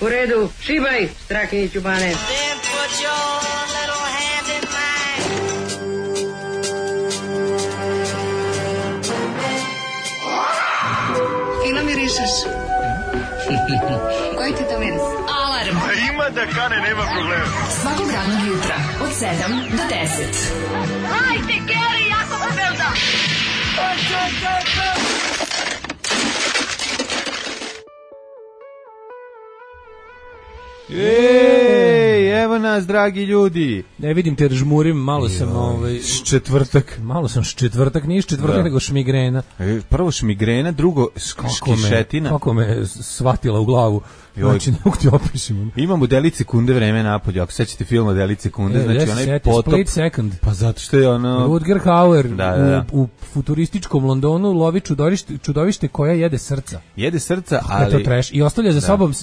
U redu, šibaj, Strahinjiću Bane. Then put your little hand in mine. Fino mirišeš. Koji ti to miris? Alarm. Ima da kane, nema problema. Svakog radnog jutra od 7 do 10. Hajde, Geri, jako se velda. Ej, evo nas, dragi ljudi. Ne vidim te žmurim, malo sam Četvrtak. malo sam četvrtak, nije četvrtak nego šmigrena. Prvo šmigrena, drugo škišetina. Kako me shvatila u glavu. Znači, ne mogu ti opišim. Imamo delice sekunde vreme napolje. Ako sećate film Delice sekunde, znači onaj potop. Split second. Pa zato što je ono... Rutger Hauer Da. u futurističkom Londonu lovi čudovište koja jede srca. Jede srca, Ali to ali... treš. I ostavlja za sobom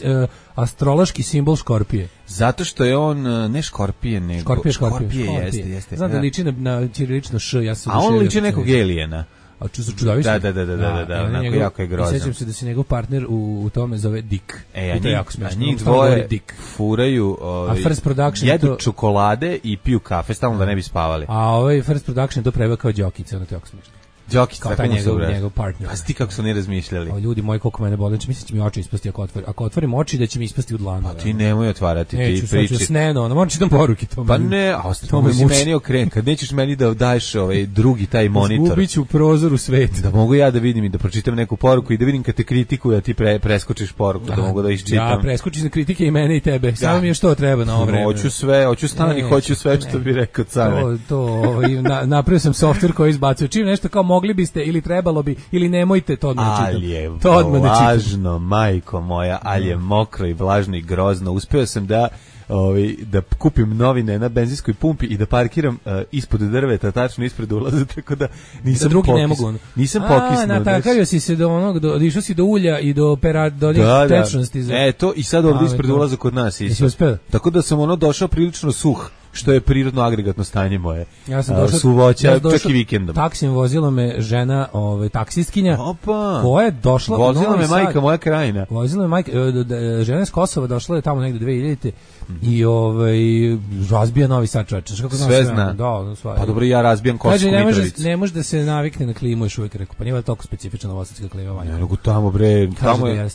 astrološki simbol škorpije. Zato što je on ne škorpije, nego... Škorpije. Jeste. Znam da liči na ćirilično š, ja sam... A on liči nekog elijena. A su čudovište? Da, onako jako je grozan. Sjećam se da se njegov partner u tome zove Dick. A to je jako smiješno. njih dvoje furaju, a First Production jedu čokolade i piju kafe, stalno da ne bi spavali. A ovaj First Production to preveo kao Đokica, ono to je jako smiješno. Đokić, kao tako njegov partner. Pa ti kako su oni razmišljali. O, ljudi moji, koliko mene boli, mislim da će mi oči ispasti ako otvorim oči, da će mi ispasti u dlanu. Pa ti nemoj otvarati, ti priči. Neću, sneno, moram čitam poruke. Pa ne, a to mi meni okren, kad nećeš meni da daješ drugi taj monitor. Zgubit ću prozor u svet. Da mogu ja da vidim i da pročitam neku poruku i da vidim kad te kritikuju, a ti preskočiš poruku, da mogu da iščitam. Ja preskočim na kritike i mene i tebe, samo mi je što treba na ovo vreme. Hoću stani, hoću sve što bi rekao Cane. Napravio sam softver koji izbacuje čim nešto kao mogli biste ili trebalo bi ili nemojte, to odmah čitam. Ali je vlažno, majko moja, ali je mokro i vlažno i grozno. Uspeo sam da kupim novine na benzinskoj pumpi i da parkiram ispod drveta, tačno ispred ulaza, tako da nisam drugi ne mogu. Nisam pokisnuo. Natakario si se do onog, išao si do ulja i do tečnosti. To i sad ovdje ispred ulaza kod nas isto. Tako da sam došao prilično suh, što je prirodno agregatno stanje moje. Ja sam došao suvoća, čak i vikendom. Taksim vozila me žena, taksistkinja. Opa. Koja je došla vozila me majka moja krajina. Vozila me majka, žena iz Kosova došla je tamo negde 2000 i razbija Novi Sad, čoveče. Sve zna. Pa dobro, ja razbijam Kosovsku Mitrovicu. Ne može da se navikne na klimu, još uvijek rekao. Pa nije toliko specifična novosadska klima. Ne, nego tamo bre, tamo je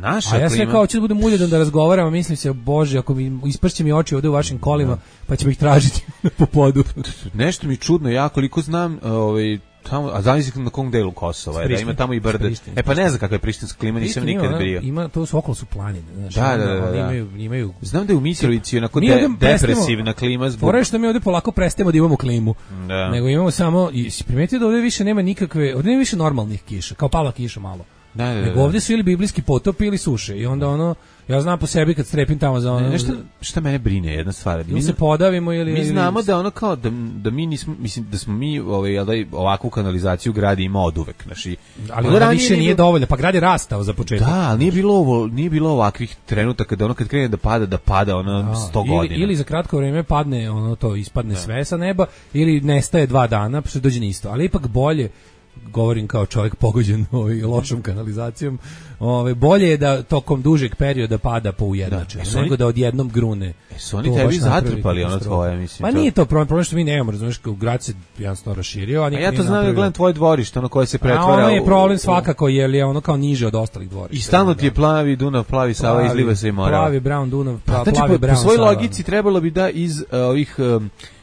naša klima. A ja sve kao ću da budem uljudan da razgovaram, a mislim se, bože, ako mi ispršće mi oči ovde u vašim kolima, pa ćemo ih tražiti po podu. Nešto mi čudno, ja koliko znam, tamo, a zamislim na kom delu Kosova je, da ima tamo i brde. Pa ne znam kakva je prištinska klima, nisam nikad bio. Ima, to su okolo su planine. Da. Imaju... Znam da je u Mitrovici onako depresivna klima. Fora je što mi ovdje polako prestajemo da imamo klimu. Da. Nego imamo samo, i si primetio da ovdje više nema nikakve, ovdje nema više normalnih kiša, kao pala kiša malo. Da. Nego ovdje su ili biblijski potopi ili suše. I onda ja znam po sebi kad strepim tamo za ono... Nešto šta mene brine, jedna stvar. Mi se podavimo ili... Mi znamo da kao, da mi nismo, mislim, da smo mi ovakvu kanalizaciju gradi ima oduvek. Ali ona više nije dovoljna, pa grad je rastao za početak. Da, ali nije bilo ovakvih trenutaka da kad krene da pada 100 godina. Ili za kratko vrijeme padne, ispadne sve sa neba, ili nestaje 2 dana, pa se dođe na isto. Ali ipak bolje, govorim kao čovjek pogođen lošom kanalizacijom, bolje je da tokom dužeg perioda pada po ujednačenju, nego da odjednom grune. Su oni tebi zatrpali tvoje, mislim? Pa nije to problem što mi nemamo, razumiješ, grad se jednostavno raširio. A ja to znam da gledam tvoje dvorište, koje se pretvara... A ono je problem svakako, jer je ono kao niže od ostalih dvorišta. I stalno ti je plavi Dunav, plavi Sava, izliva se i mora. Plavi Brown Dunav, plavi Brown Sava. Po svojoj logici trebalo bi da iz ovih...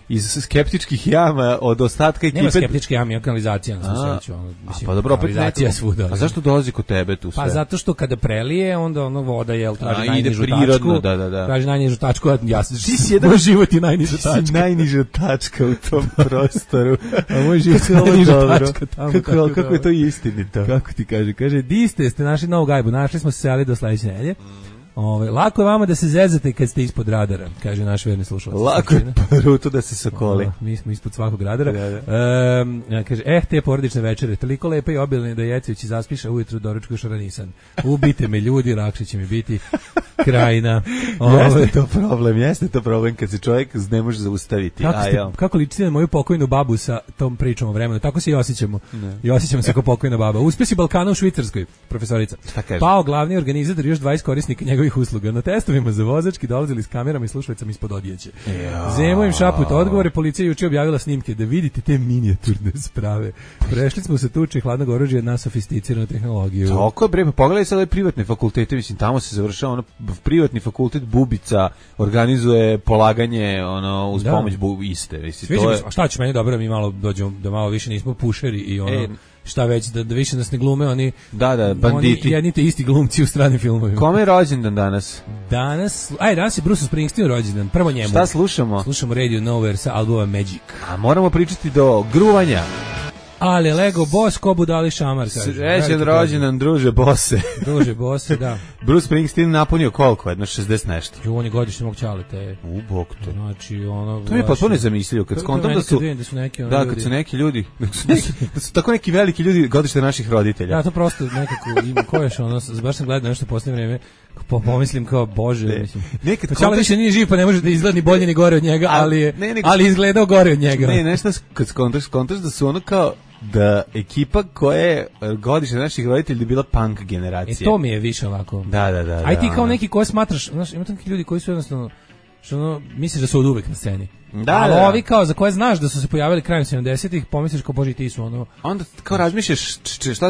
iz skeptičkih jama od ostatka ekipe... Nema skeptičke jame, kanalizacija na svu sreću. Pa dobro, kanalizacija svuda. A zašto dolazi kod tebe tu sve? Pa zato što kada prelije, onda voda traži najnižu tačku. Traži najnižu tačku, a ja se... Moj život je najniža tačka. Ti si najniža tačka u tom prostoru. A moj život je najniža tačka tamo. Kako je to istinito? Kako ti kaže? Kaže, di ste našli novu gajbu, našli smo se seli do sledeće nedelje. Lako je vama da se zezate kad ste ispod radara, kaže naš verni slušalac. Lako je pruto da se sokoli. Mi smo ispod svakog radara. Kaže, te porodične večere, toliko lepe i obilne da Jecević zaspiše ujutru doručku šaranisan. Ubite me ljudi, lakše će mi biti krajina. Jeste to problem kad se čovjek ne može zaustaviti. Kako ličite na moju pokojnu babu sa tom pričom o vremenu? Tako se i osjećamo. I osjećamo se kao pokojna baba. Uspjesi Balkana u Švicarskoj, profesorica. Pao glavni organizator, još 20 korisnika njegove njegovih usluga. Na testovima za vozački dolazili s kamerama i slušalicama ispod odjeće. Zemo im šaput odgovore, policija juče objavila snimke da vidite te minijaturne sprave. Prešli smo sa tuče hladnog oružja na sofisticiranu tehnologiju. Tako je, bre, pogledaj sad ove privatne fakultete, mislim, tamo se završava ono, privatni fakultet Bubica organizuje polaganje uz pomoć iste. Mislim, to je... A šta će meni dobro, mi malo dođemo, da malo više nismo pušeri i šta već, da više nas ne glume oni banditi. Oni jedni te isti glumci u stranim filmovima. Kome je rođendan danas? Danas je Bruce Springsteen rođendan, prvo njemu. Šta slušamo? Slušamo Radio Nowhere sa albuma Magic. A moramo pričati do gruvanja. Ali Lego Boss, ko budali šamar, kaže. Srećan rođendan, druže Bose. Druže Bose, da. Bruce Springsteen napunio koliko? Jedno 60 nešto. On je godišnji mog čalete. Bog te. Znači, to mi je potpuno nezamisljivo. Kad skontam da su neki kad su neki ljudi, da su tako neki veliki ljudi godište naših roditelja. Ja, to prosto nekako ima, ko još baš sam gledao nešto posljednje vreme, pomislim kao, bože, mislim. Čala više nije živ, pa ne može da izgleda ni bolje ni gore od njega, ali izgledao gore od njega. Ne, nešto kad skontaš da su ono kao da ekipa koja je godište naših roditelja je bila punk generacija. To mi je više ovako. Da. Aj ti kao neki koji smatraš, znaš, ima neki ljudi koji su jednostavno, što misliš da su od uvek na sceni. Ali ovi kao za koje znaš da su se pojavili krajem 70-ih, pomisliš kao, bože, ti su onda kao razmišljaš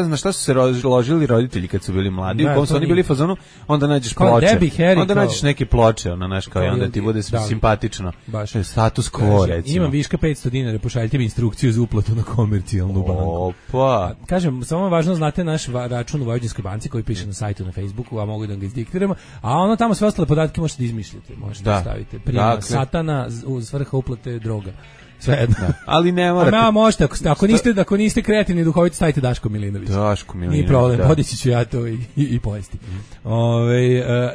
na šta su se ložili roditelji kad su bili mladi, u kom su oni bili fazonu, onda nađeš ploče. Onda nađeš neke ploče, onda ti bude simpatično. Status quo, recimo. Imam viška 500 dinara, pošaljite mi instrukciju za uplatu na komercijalnu banku. Opa. Kažem, samo važno, znate naš račun u Vojvođanskoj banci koji piše na sajtu na Facebooku, a mogu da ga izdiktiramo, a tamo sve ostale podatke možete da izmišljate, možete da stavite. Prima satana u svrhu uplate droga. Svejedno. Ali ne morate. Možete, ako niste kreativni duhoviti, stavite Daško Milinović. Nije problem, podići ću ja to i pojesti.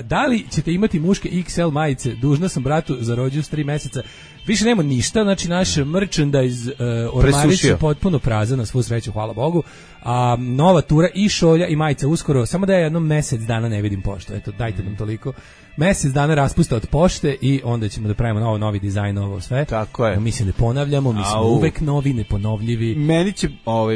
Da li ćete imati muške XL majice? Dužna sam bratu za rođus 3 meseca. Više nema ništa, znači naš merchandise ormarić je potpuno prazan, na svu sreću, hvala Bogu. A nova tura i šolja i majica uskoro, samo da je jednom mesec dana ne vidim poštu. Eto, dajte nam toliko. Mesec dana raspusta od pošte i onda ćemo da pravimo novi dizajn, ovo sve. Tako je. Mi se ne ponavljamo, mi smo uvek novi, neponovljivi.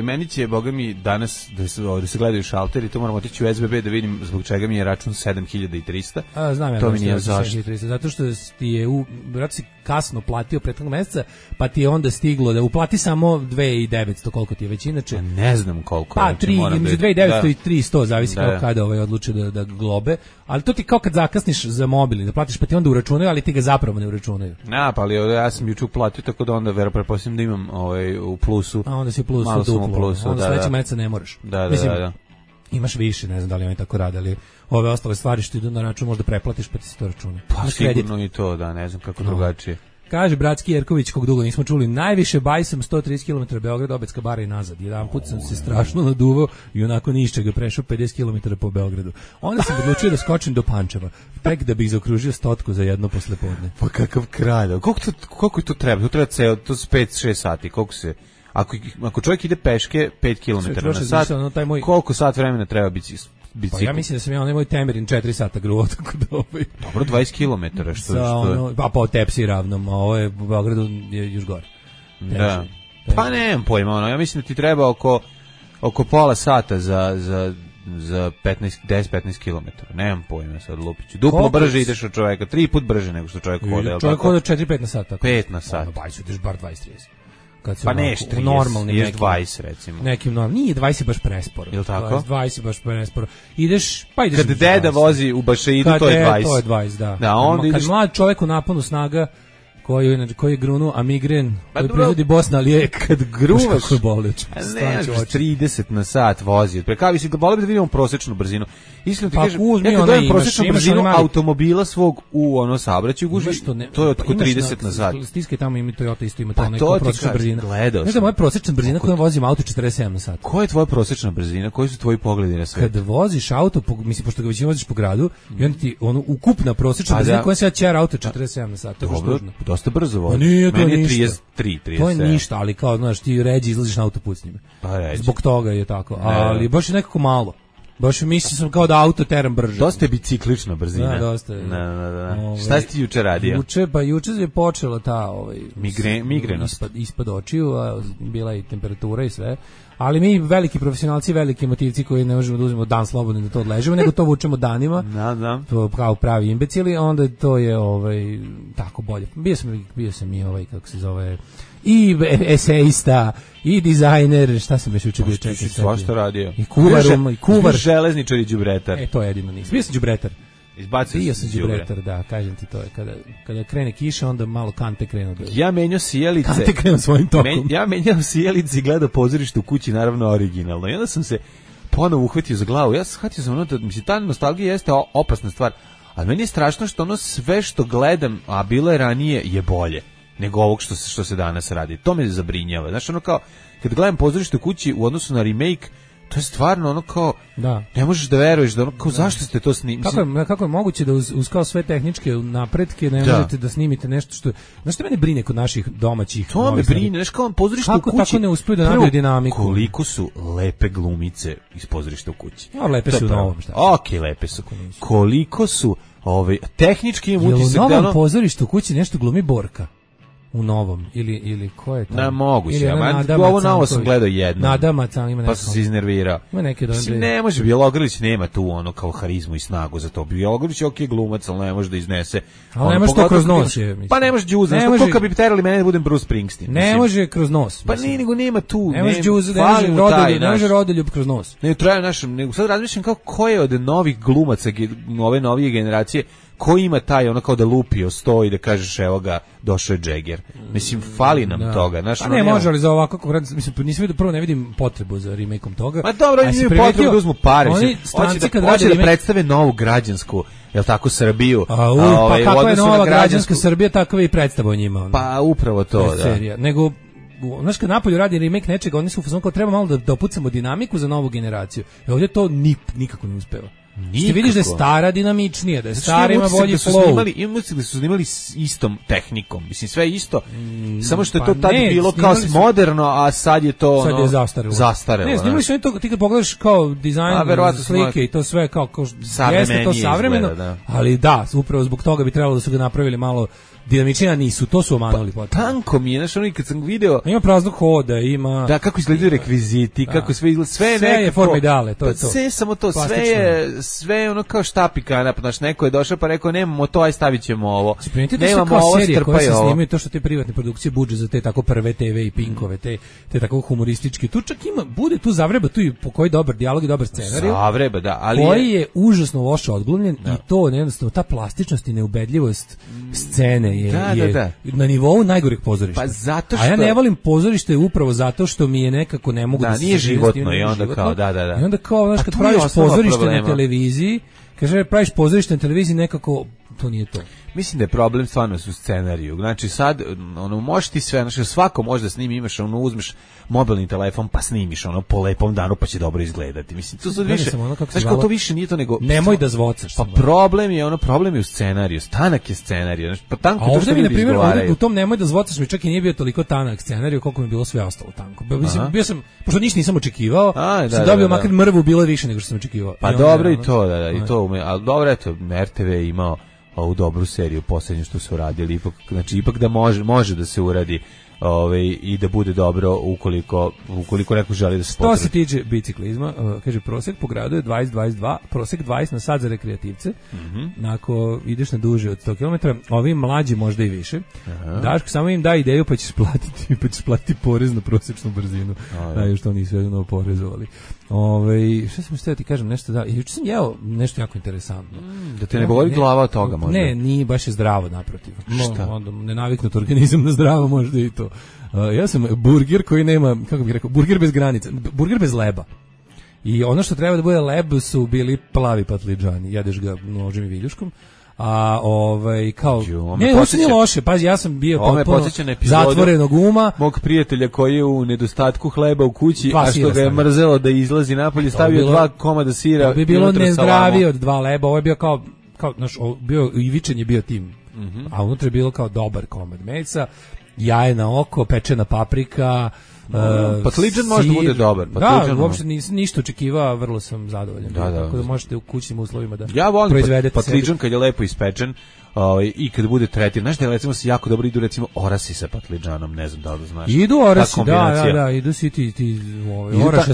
Meni će, boga mi, danas da se gledaju šalteri, to moramo otići u SBB da vidim zbog čega mi je račun 7300. Znam ja to mi nije zašto. Zato što ti je vjerojatno si kasno platio prethodnog meseca, pa ti je onda stiglo da uplati samo 2900, koliko ti je već inače. Ne znam koliko. Pa 2900 i 300, zavisi kao kada odluče da globe, ali to ti kao kad zakasniš za mobilni, da platiš pa ti onda uračunaju, ali ti ga zapravo ne uračunaju. Pa ali ja sam juče uplatio, tako da onda pretpostavljam da imam u plusu. A onda si u plusu duplo, onda sledećeg meseca ne moraš. Da. Imaš više, ne znam da li oni tako rade, ali ove ostale stvari što idu na račun možda preplatiš pa ti se to računa. Pa sigurno i to, da, ne znam kako drugačije. Kaže Bratski Jerković, kog dugo nismo čuli, najviše bajsam 130 km Beograd, Obedska bara i nazad. Jedan put sam se strašno naduvao i onako ništa ga prešao 50 km po Beogradu. Onda sam odlučio da skočim do Pančeva, tek da bih zaokružio 100 za jedno poslepodne. Pa kakav kralj, koliko to treba? To treba ceo, to su 5-6 sati, koliko se... Ako čovjek ide peške 5 km na sat, koliko sat vremena treba bicikl? Pa ja mislim da sam onaj moj Temerin 4 sata gruo, tako da Dobro, 20 km, što je? Pa po Tepsi ravnom, a ovo je u Beogradu je još gore. Da. Pa nemam pojma, ja mislim da ti treba oko pola sata za 10-15 km. Nemam pojma sad, Lupiću. Duplo brže ideš od čoveka, 3 put brže nego što čovjek hoda. Čovjek hoda 4-5 na sat. 5 na sat. Bajsu ideš bar 20-30. Pa neš 30, 20 recimo. Nekim normalnim, nije 20 baš presporo. Ili tako? 20 baš presporo. Ideš. Kad deda vozi u Bašeidu, to je 20. To je 20, da. Kad mlad čovjek u naponu snaga, koji je grunuo Amigren, koji proizvodi Bosna lijek, kad gruvaš, kako je boleć. Ne, 30 na sat vozi. Prekavi si, volio bi da vidimo prosječnu brzinu. Iskreno ti kažem, ja kad prosječnu brzinu automobila svog u saobraćaju gužvi, to je oko 30 na sat. Stiskaj tamo, ima Toyota isto ima to neko prosječna brzina. Znaš da moja prosječna brzina kojom vozim auto 47 na sat. Koja je tvoja prosječna brzina? Koji su tvoji pogledi na svet? Kad voziš auto, mislim, pošto ga već voziš po gradu, i onda ti ukupna prosječna brzina kojom se ja čera auto 47 na sat. Dosta brzo vozi. Pa nije to meni je ništa. 33. To je ništa, ali kao, znaš, ti ređi izlaziš na autoput s njime. Pa ređi. Zbog toga je tako, ali baš je nekako malo. Baš mislio sam kao da auto teram brže. Dosta je biciklična brzina. Da, dosta je. Da. Šta si ti juče radio? Juče je počela ta migrenost. Ispad očiju, a bila je i temperatura i sve. Ali mi veliki profesionalci, veliki emotivci koji ne možemo da uzmemo dan slobodno da to odležemo, nego to vučemo danima. Da. To kao pravi imbecili, onda to je tako bolje. Bio sam i kako se zove, i esejista, i dizajner, šta sam još juče bio, čekaj. Svašta radio. I kuvar. Železničar i đubretar. To je jedino nisam. Bio sam đubretar. Bio sam đubretar, da, kažem ti to je. Kada krene kiša, onda malo kante krenu. Ja menjao sijelice. Kante krenu svojim tokom. Ja menjao sijelice i gledao pozorište u kući, naravno originalno. I onda sam se ponovo uhvatio za glavu. Ja shvatio sam da ta nostalgija jeste opasna stvar. Ali meni je strašno što ono sve što gledam, a bilo je ranije, je bolje nego ovog što se danas radi. To me zabrinjava. Znaš, ono kao, kad gledam pozorište u kući u odnosu na remake, to je stvarno ono kao, ne možeš da veruješ, da ono kao, zašto ste to snimili? Kako je moguće da uz kao sve tehničke napretke ne možete da snimite nešto što... Znaš što mene brine kod naših domaćih? To me brine, znaš kao pozorište u kući. Kako tako ne uspiju da nabiju dinamiku? Koliko su lepe glumice iz pozorišta u kući? Lepe su u novom, šta? Okej, lepe su. Koliko su, tehnički imam utisak da u novom pozorištu u kući nešto glumi Borka? U novom ili ko je to? Na moguće, ovo novo sam gledao jedno. Nadama Cang ima neko. Pa sam se iznervirao. Ima neke dobre. Ne može, Bjelogrlić nema tu ono kao harizmu i snagu za to. Bjelogrlić je okej glumac, ali ne može da iznese. Ali ne može to kroz nos je, mislim. Pa ne može džuza, što kad bi terali mene da budem Bruce Springsteen. Ne može kroz nos. Pa nego nema tu. Ne može džuza, ne može Rodoljub kroz nos. Ne traje nego sad razmišljam kao ko je od novih glumaca ove novije generacije ko ima taj ono kao da lupio stoji da kažeš evo ga došao je Jagger. Mislim fali nam toga, znaš, a ne može ali za ovako kako mislim nisam vidio prvo ne vidim potrebu za remake-om toga. Ma dobro, imaju potrebu da uzmu pare, hoće da predstave novu građansku, jel tako, Srbiju. Pa kakva je nova građanska Srbija, takva je i predstava o njima. Pa upravo to, da. Nego znaš, kad napolju radi remake nečega, oni su u fazonu kao treba malo da opucamo dinamiku za novu generaciju. I ovdje to nikako ne uspeva. Ti vidiš da je stara dinamičnija, da je stara ima bolji flow. Imam utisak da su snimali s istom tehnikom, mislim sve isto, samo što je to tad bilo kao moderno, a sad je to sad je zastarelo. Ne, snimali su oni to, ti kad pogledaš kao dizajn slike i to sve kao jeste to savremeno, ali da, upravo zbog toga bi trebalo da su ga napravili malo dinamičnija, nisu, to su omanuli potpuno. Tanko mi je, znaš, ono i kad sam video... Ima praznog hoda, ima... Da, kako izgledaju rekviziti, kako sve izgleda, sve je nekako... Sve je forma ideale, to je to. Sve samo to, sve je ono kao štapika, znaš, neko je došao pa rekao, nemamo to, aj stavit ćemo ovo. Nemamo ovo, strpaj ovo. Snimaju to što te privatne produkcije budžet za te tako prve TV i Pinkove, te tako humorističke. Tu čak ima, bude tu zavreba, tu i po koji dobar dijalog i dobar scenarij. Zavreba, da, ali... Koji je užasno loše odglumljen i to, jednostavno, ta plastičnost i neubedljivost scene je na nivou najgorih pozorišta. Pa zato što... A ja ne volim pozorište upravo zato što mi je nekako ne mogu da se... Da, nije životno i onda kao, da. I onda kao, znaš, kad praviš pozorište na televiziji, kaže, praviš pozorište na televiziji, nekako, to nije to. Mislim da je problem stvarno u scenariju. Znači sad, ono, možeš ti sve, znači svako može da snimi, imaš, ono, uzmeš mobilni telefon pa snimiš, ono, po lepom danu pa će dobro izgledati. Mislim, to sad više, znači kao to više nije to nego... Nemoj da zvocaš. Pa problem je u scenariju, tanak je scenariju, znači, pa tanko to što ljudi izgovaraju. U tom nemoj da zvocaš mi čak i nije bio toliko tanak scenariju koliko mi je bilo sve ostalo tanko. Mislim, bio sam, pošto ništa nisam očekivao, sam dobio makar mrvu, bilo više nego što sam očekivao. Pa dobro i to, da, i to, ali dobro, eto, RTV je imao ovu dobru seriju posljednju što su radili, ipak da može da se uradi i da bude dobro ukoliko neko želi da se potrebi. To se tiče biciklizma, kaže prosjek po gradu je 20-22, prosjek 20 na sat za rekreativce, ako ideš na duže od 100 km, ovi mlađi možda i više. Daško, samo im da ideju pa ćeš platiti porez na prosječnu brzinu, još to nisu jedno oporezovali. Šta sam htio ti kažem nešto da, juče sam jeo nešto jako interesantno. Da te ne boli glava od toga možda? Ne, nije baš je zdravo naprotiv. Šta? Nenaviknut organizam na zdravo možda i to. Ja sam burger koji nema, kako bih rekao, burger bez granica, burger bez leba. I ono što treba da bude leb su bili plavi patliđani, jedeš ga nožem i viljuškom. A kao ne, ovo nije loše, pazi, ja sam bio potpuno zatvorenog uma. Mog prijatelja koji je u nedostatku hleba u kući, a što ga je mrzelo da izlazi napolje, stavio 2 komada sira. To bi bilo nezdravije od 2 leba, ovo je bio kao znaš, bio ivičan je bio tim, a unutra je bilo kao dobar komad mesa, jaje na oko, pečena paprika, Patliđan može da bude dobar. Da, Patliđan, uopšte nisam ništa očekivao, vrlo sam zadovoljan. Da. Tako da možete u kućnim uslovima da ja volim proizvedete patliđan kad je lepo ispečen. I kad bude tretiran, znaš da recimo se jako dobro idu recimo orasi sa patliđanom, ne znam da li znaš. Idu orasi, da, idu svi ti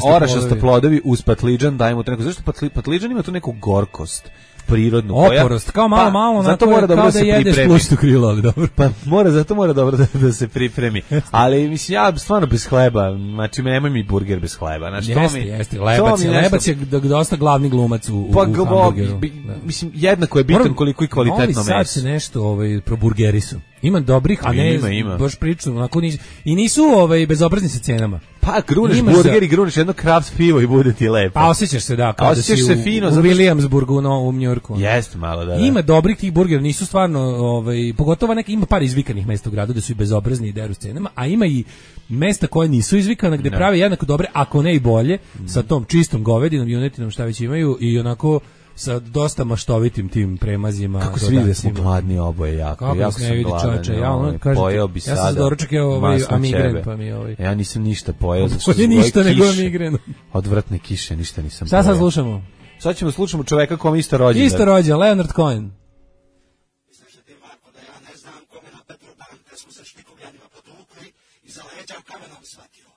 orašasta plodovi uz patliđan, dajemo to neko, zašto patliđan ima tu neku gorkost prirodnu oporost, kao malo zato mora dobro da se jedeš plućno krilo, ali dobro. Pa zato mora dobro da se pripremi. Ali mislim ja stvarno bez hleba, znači nemoj mi burger bez hleba, znači jeste, lebac je dosta glavni glumac u hamburgeru. Mislim jednako je bitan koliko i kvalitetno meso. Sad se nešto proburgerisu. Ima dobrih, a ne ima. Baš priču, onako i nisu bezobrazni sa cenama. Pa gruneš burger i gruneš jedno Kraft pivo i bude ti lepo. A osjećaš se da, kao da si u Williamsburgu u Njujorku. Jeste malo, da. Ima dobrih tih burgera, nisu stvarno, pogotovo ima par izvikanih mesta u gradu da su i bezobrazni i deru s cenama, a ima i mesta koje nisu izvikana gde prave jednako dobre, ako ne i bolje, sa tom čistom govedinom, junetinom, šta već imaju i onako sa dosta maštovitim tim premazima. Kako se vidi da smo gladni oboje jako sam gladan. Pojeo bi sada. Ja sam doručak amigren, pa mi Ja nisam ništa pojeo. Bolje ništa nego amigren. Odvratne kiše, ništa nisam pojeo. Sad slušamo? Sad ćemo slušamo čoveka kom isto rođen. Isto rođen, Leonard Cohen.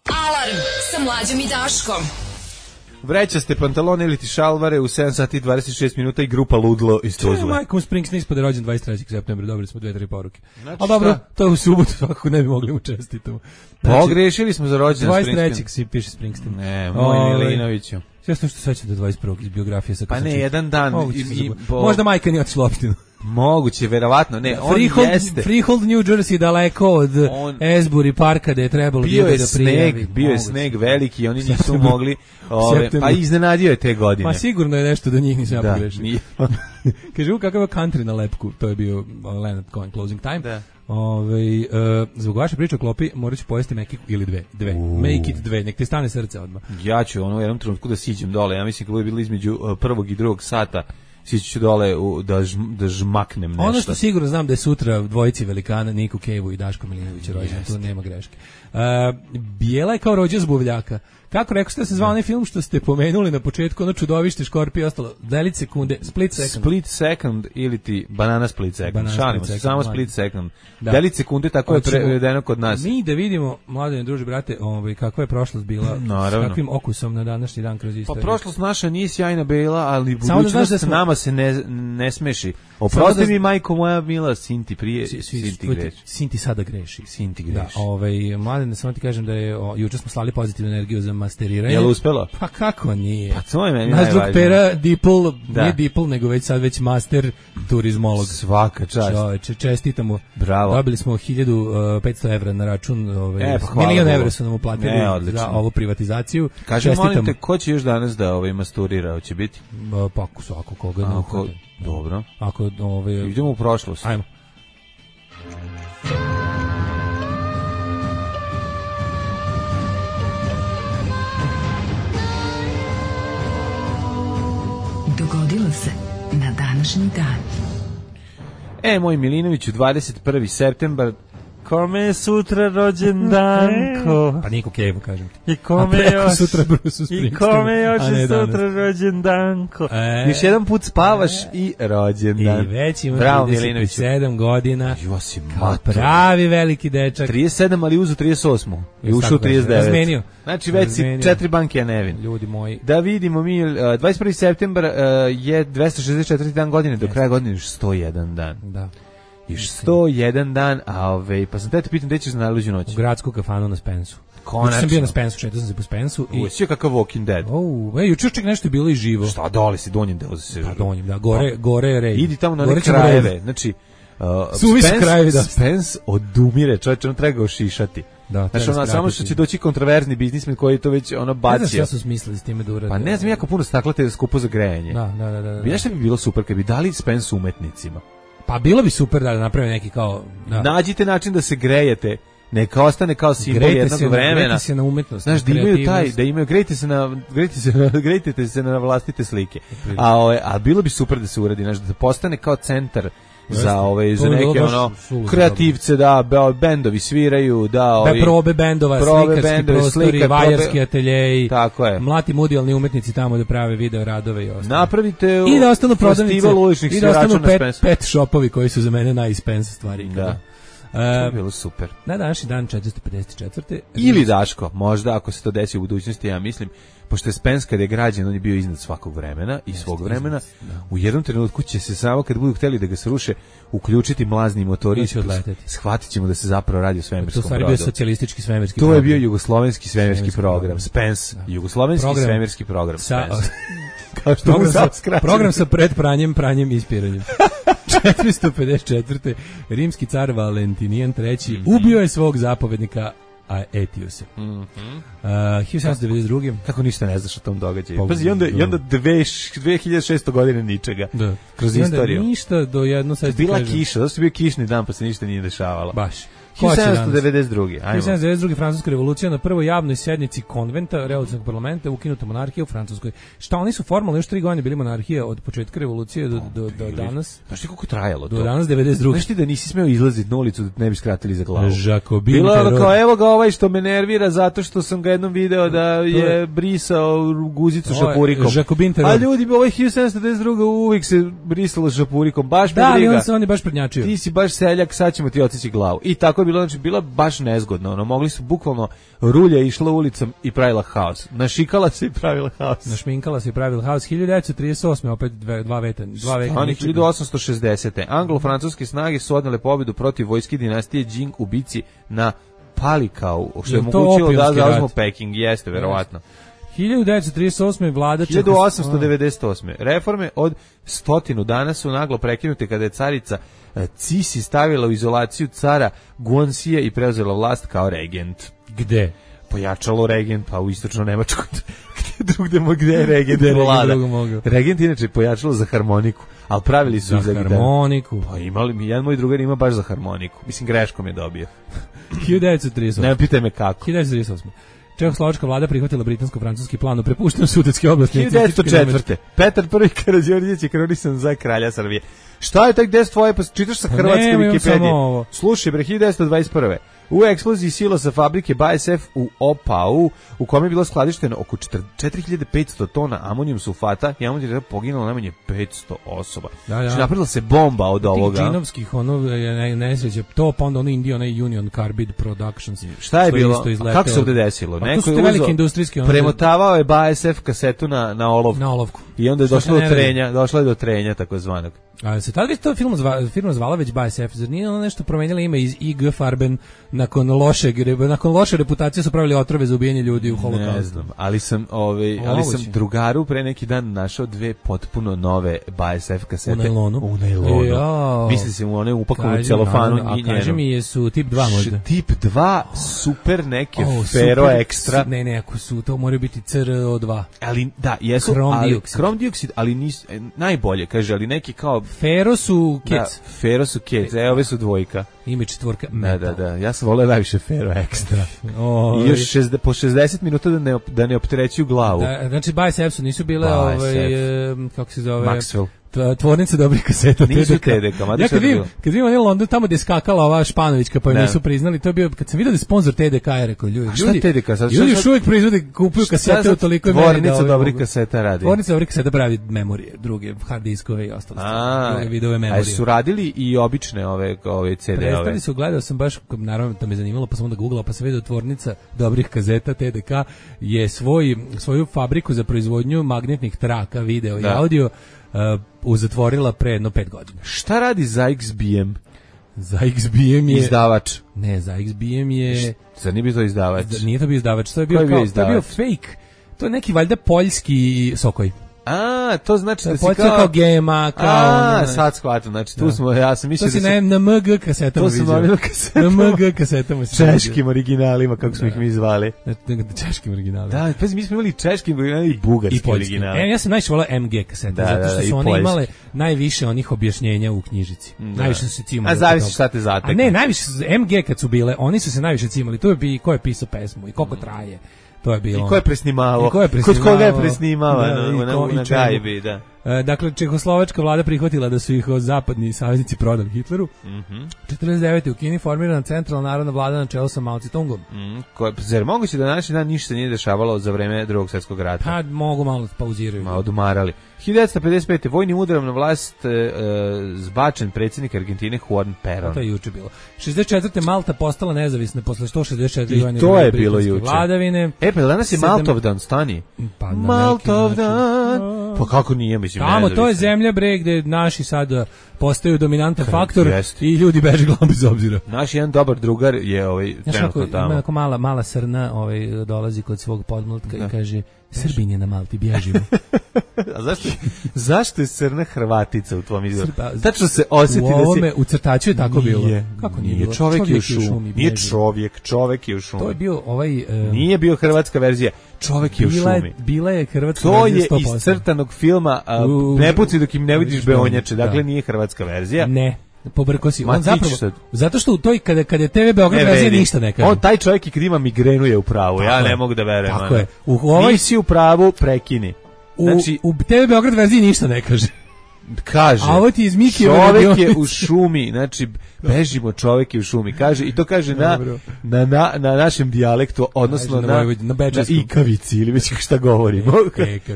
Alarm sa Mlađom i Daškom. Vrećaste pantalone ili ti šalvare u 7 sati i 26 minuta i grupa Ludlo iz Tuzle. Michael Springsteen ispod je rođen 23. septembra, dobili smo 2-3 poruke. Znači, ali dobro, to je u subotu, svakako ne bi mogli mu čestitamo. Pogrešili smo za rođendan Springsteen. 23. si piše Springsteen. Ne, moj Milinoviću. Sve što seća do 21. iz biografije sa. Pa ne, jedan dan. Možda majka nije otišla u opštinu. Moguće, verovatno, ne, on jeste. Freehold, New Jersey, daleko od Asbury parka gde je trebalo ljude da prijavi. Bio je sneg veliki, oni nisu mogli, pa iznenadio je te godine. Ma sigurno je nešto do njih nisam ja pogrešio. Kaže, kakav je country na lepku, to je bio Leonard Cohen, Closing Time. Da. Zbog vaše priče o klopi morat ću pojesti Make ili dve. Make it dve, nek ti stane srce odmah. Ja ću u jednom trenutku da siđem dole, ja mislim kad bude bilo između prvog i drugog sata, sići ću dole da žmaknem nešto. Ono što sigurno znam da je sutra dvojici velikana, Niku Kevu i Daško Milinovića rođen, tu nema greške. Bijela je kao rođa zbuvljaka. Kako rekao ste se zvao onaj film što ste pomenuli na početku, ono čudovište, škorpije i ostalo, delić sekunde, split second. Split second ili ti banana split second. Šalimo se, samo split second. Delić sekunde, tako je prevedeno kod nas. Mi da vidimo, mladene druže, brate, kakva je prošlost bila, s kakvim okusom na današnji dan kroz istoriju. Pa prošlost naša nije sjajna bila, ali budućnost s nama se ne smeši. Oprosti mi, majko moja mila, Sinti prije, Sinti greši. Sinti sada greši. Sinti greši. Da, mladene, samo ti kažem da je, juče smo slali pozitivnu energiju za masteriranje. Je li uspelo? Pa kako nije? Pa to je meni naš najvažnije. drug Pera Dipl, nije Dipl, nego već master turizmolog. Svaka čast. Čoveče, čestitamo. Bravo. Dobili smo 1500 evra na račun, milion evra su nam uplatili za ovu privatizaciju. Kažem, molim te, ko će još danas da masturira? Hoće biti? Pa svako koga ne uhvate. Dobro. Ako idemo u prošlost. Ajmo. Dogodilo se na današnji dan. Moj Milinoviću, 21. septembar, kome je sutra rođendanko? Pa Niku Kevu, kažem ti. I kome još sutra Bruce Springsteen. I kome još sutra rođendanko? Još jedan put spavaš i rođendan. I već ima 37 godina. Kao pravi veliki dečak. 37, ali uzu 38. I ušao 39. Razmenio. Znači već si 4 banke je nevin. Ljudi moji. Da vidimo mi, 21. septembar je 264 dan godine, do kraja godine još 101 dan. Da. Još 101 dan, pa sam te pitam, gde ćeš na najluđu noć? U gradsku kafanu na Spensu. Konačno. Sam bio na Spensu, šetao sam se po Spensu. Usio kakav Walking Dead. Juče čak nešto je bilo i živo. Šta, dole si, donjem deo se. Pa donjem, da, gore je rej. Idi tamo na one krajeve, znači, Spence odumire, čovječe, on treba ga ošišati. Da, znači, samo što će doći kontroverzni biznismen koji to već bacio. Ne znam šta su smislili s time da urade. Pa ne znam, jako puno stakla te skupo za grejanje. Da. Znaš šta bi bilo super kad bi dali Spence umetnicima? Pa bilo bi super da naprave neki kao... Da. Nađite način da se grejete, neka ostane kao simbol jednog vremena. Grejte se na umetnost. Znaš, da imaju da imaju, grejte se na vlastite slike. A bilo bi super da se uradi, znaš, da postane kao centar za ove za To je bilo neke baš ono suludo kreativce, da bendovi sviraju, da ovi probe bendova, slikarski prostori, vajarski ateljeji, tako je. mlati mudijalni umetnici tamo da prave video radove i ostalo. Napravite I da ostanu prodavnice, festival uličnih i da ostanu svirača na Spensu. pet shopovi koji su za mene najispensa stvari. Da. To je bilo super. Na današnji dan 454. Ili Daško, možda ako se to desi u budućnosti, ja mislim, pošto je Spens kad je građen, on je bio iznad svakog vremena i svog vremena. U jednom trenutku će se samo kad budu hteli da ga sruše, uključiti mlazni motori i shvatit ćemo da se zapravo radi o svemirskom brodu. To je bio socijalistički svemirski program. program. To je bio jugoslovenski svemirski program. Spens, jugoslovenski svemirski program. Spens. Kao što program sa pranjem i ispiranjem. 454. Rimski car Valentinijan III ubio je svog zapovednika Etiusa. 1792. Kako ništa ne znaš o tom događaju. Pazi, i onda 2600 godine ničega. Da. Kroz istoriju. Ništa do jedno sad bila kiša, zato što je bio kišni dan pa se ništa nije dešavalo. Baš. 1792. 1792. Francuska revolucija, na prvoj javnoj sednici konventa revolucionarnog parlamenta ukinuta monarhija u Francuskoj. Šta, oni su formalno još 3 godine bili monarhija od početka revolucije do danas. Znaš ti koliko trajalo to? Do danas 92. Znaš ti da nisi smeo izlaziti na ulicu da ne bi skratili za glavu? Jacobin bilo teror. Kao evo ga ovaj što me nervira zato što sam ga jednom video da je brisao guzicu šapurikom. Jacobin teror. A ljudi, ovaj 1792. uvijek se brisalo šapurikom, baš me briga. Da, ali on je baš prednjačio. Ti si baš seljak, sad ćemo ti odsjeći glavu. I tako je bilo, znači bila baš nezgodno. Ono, mogli su bukvalno rulja išla ulicom i pravila haos. Našikala se i pravila haos. Našminkala se i pravila haos. 1938. opet dva veka. 1860. Anglo-francuske snage su odnele pobjedu protiv vojske dinastije Jing u bici na Palikau, što je omogućilo da zauzmu Peking. Jeste, verovatno. 1938. vlada 1898. Reforme od 100 dana su naglo prekinute kada je carica Cisi stavila u izolaciju cara Guanxija i preuzela vlast kao regent. Gde? Pojačalo regent, pa u istočno Nemačkoj. Gde je regent vlada? Regent inače pojačalo za harmoniku, ali pravili su za harmoniku. Pa imali, jedan moj drugar ima baš za harmoniku. Mislim, greškom je dobio. 1938. Ne pitaj me kako. 1938. Čehoslovačka vlada prihvatila britansko-francuski plan o prepuštanju sudetske oblasti. 1904. Petar I Karađorđević je kronisan za kralja Srbije. Šta je tak gde tvoje, pa čitaš sa hrvatske Wikipedije? Slušaj, bre, 1921. U eksploziji silosa fabrike BASF u Opau, u kome je bilo skladišteno oko 4500 tona amonijum sulfata i amonijum je poginulo najmanje 500 osoba. Znači, napravila se bomba od ovoga. Tih džinovskih, nesreće, to pa onda ono Indio, Union Carbide Productions. Šta je bilo? Kako se ovde desilo? Pa neko je velike industrijske... Premotavao je BASF kasetu na olovku. Na olovku. I onda je došlo je do trenja, takozvanog. A se tada to firma zvala već BASF, zar nije ono nešto promenila ime iz IG Farben nakon loše reputacije su pravili otrove za ubijanje ljudi u holokaustu? Ne znam, ali sam drugaru pre neki dan našao 2 potpuno nove BASF kasete. U najlonu. Misli se u one upakovane u celofanu i njenu. A kaži mi, jesu tip 2 možda? Tip 2, super neke Fero Extra. Ne, ako su, to moraju biti CRO2. Ali, da, jesu, krom dioksid, ali nisu, najbolje, kaže, ali neki kao... Fero su Kec. Da, Fero su Kec, ove su dvojka. Ime 4 metal. Da, ja sam voleo najviše Fero Extra. I još po 60 minuta da ne opterećuju glavu. Da, znači, BASF su nisu bile, kako se zove... Maxwell. Tvornice dobrih kaseta. Nisu TDK, ja kad vidim onaj London tamo gde je skakala ova Španovićka, pa nisu priznali, to je bio, kad sam vidio da je sponsor TDK, je rekao, ljudi još uvijek proizvode, kupuju kasete u toliko meri. Tvornica dobrih kaseta radi. Tvornica dobrih kaseta pravi memorije, druge hard diskove i ostalo. Druge vidove memorije. A su radili i obične ove CD-ove? Prestali su, gledao sam baš, naravno to me zanimalo, pa sam onda googlao, pa sam vidio Tvornica dobrih kaseta TDK je svoju fabriku za proizvodnju magnetnih traka, video i audio uzatvorila pre 5 godina. Šta radi za XBM? Za XBM je... Izdavač. Ne, za XBM je... Zar nije bio to izdavač? Nije to bio izdavač, to je bio fake. To je neki valjda poljski Sokoj. A, to znači da si kao GMA, kao... sad shvatam, znači tu smo, ja sam mislio da si... To si na MG kasetama vidio. To sam na kasetama. Na MG kasetama si češkim originalima, kako smo ih mi zvali. Češkim originalima. Da, pa mi smo imali češkim originalima i bugarski originali. Ja sam najviše volao MG kasete, zato što su one imale najviše onih objašnjenja u knjižici. Najviše su se cimali. A zavisi šta te zatekne. A ne, najviše MG kad su bile, oni su se najviše cimali. To je bi ko je pisao pesmu i koliko traje. To je bilo. I ko je presnimavao? Kod koga je presnimavao? Na gajbi, da. Dakle, čehoslovačka vlada prihvatila da su ih zapadni saveznici prodali Hitleru. 49. u Kini formirana centralna narodna vlada na čelu sa Mao Tse-tungom. Zar moguće da današnji dan ništa nije dešavalo za vreme Drugog svjetskog rata? Pa mogu malo pauziraju. Malo odumarali. 1955. vojnim udarom na vlast zbačen predsjednik Argentine Juan Perón. To je juče bilo. 64. Malta postala nezavisna posle 164. I to je bilo juče. Vladavine. Pa danas je Maltovdan, stani. Pa Maltovdan. Pa kako nije, mislim, tamo, to je zemlja bre gde naši sad postaju dominantan faktor i ljudi beže glavom bez obzira. Naš jedan dobar drugar je trenutno tamo. Ima mala srna dolazi kod svog podmlatka i kaže Srbin je na Malti, bježimo. A zašto je srna Hrvatica u tvom izvoru? Tačno se osjeti u ovome, u crtaču je tako bilo. Kako nije bilo? Čovjek je u šumi. Nije čovjek je u šumi. To je bio nije bio hrvatska verzija. Čovjek je u šumi. Bila je hrvatska verzija 100%. To je iz crtanog filma Ne puci dok im ne vidiš beonjače. Dakle, nije hrvatska verzija. Ne. Pobrko si. On zapravo, zato što u toj kada je TV Beograd verzija ništa ne kaže. On taj čovjek i kad ima migrenu je u pravu. Ja ne mogu da verujem. Tako je. Nisi u pravu, prekini. Znači, u TV Beograd verziji ništa ne kaže. Kaže, a ovo ti iz čovjek je u šumi, znači bežimo, čovjek je u šumi, kaže, i to kaže na našem dijalektu, odnosno na ikavici ili već šta govorimo,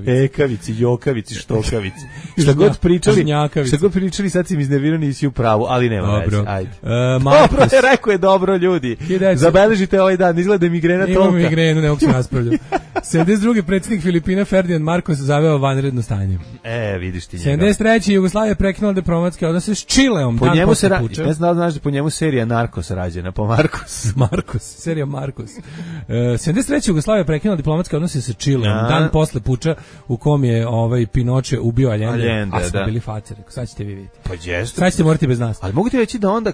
ekavici, jokavici, štokavici, šta god pričali, sad si mi iznervirani i si u pravu, ali nema veze, ajde. Dobro je, rekao je dobro, ljudi, zabeležite ovaj dan, izgleda migrena tolika. Imamo migrenu, ne mogu se raspravljati. 72. predsjednik Filipina Ferdinand Marcos zaveo vanredno stanje. Vidiš ti njega. 73. Jugoslavija prekinula diplomatske odnose s Čileom. Po njemu se ne znam da po njemu serija Narcos rađena, po serija Marcos. 73. Jugoslavija prekinula diplomatske odnose sa Čileom, dan posle puča u kom je Pinoče ubio Allende, a smo bili faceri. Sad ćete vi vidjeti. Pa jeste. Sad ćete morati bez nas. Ali mogu ti reći da onda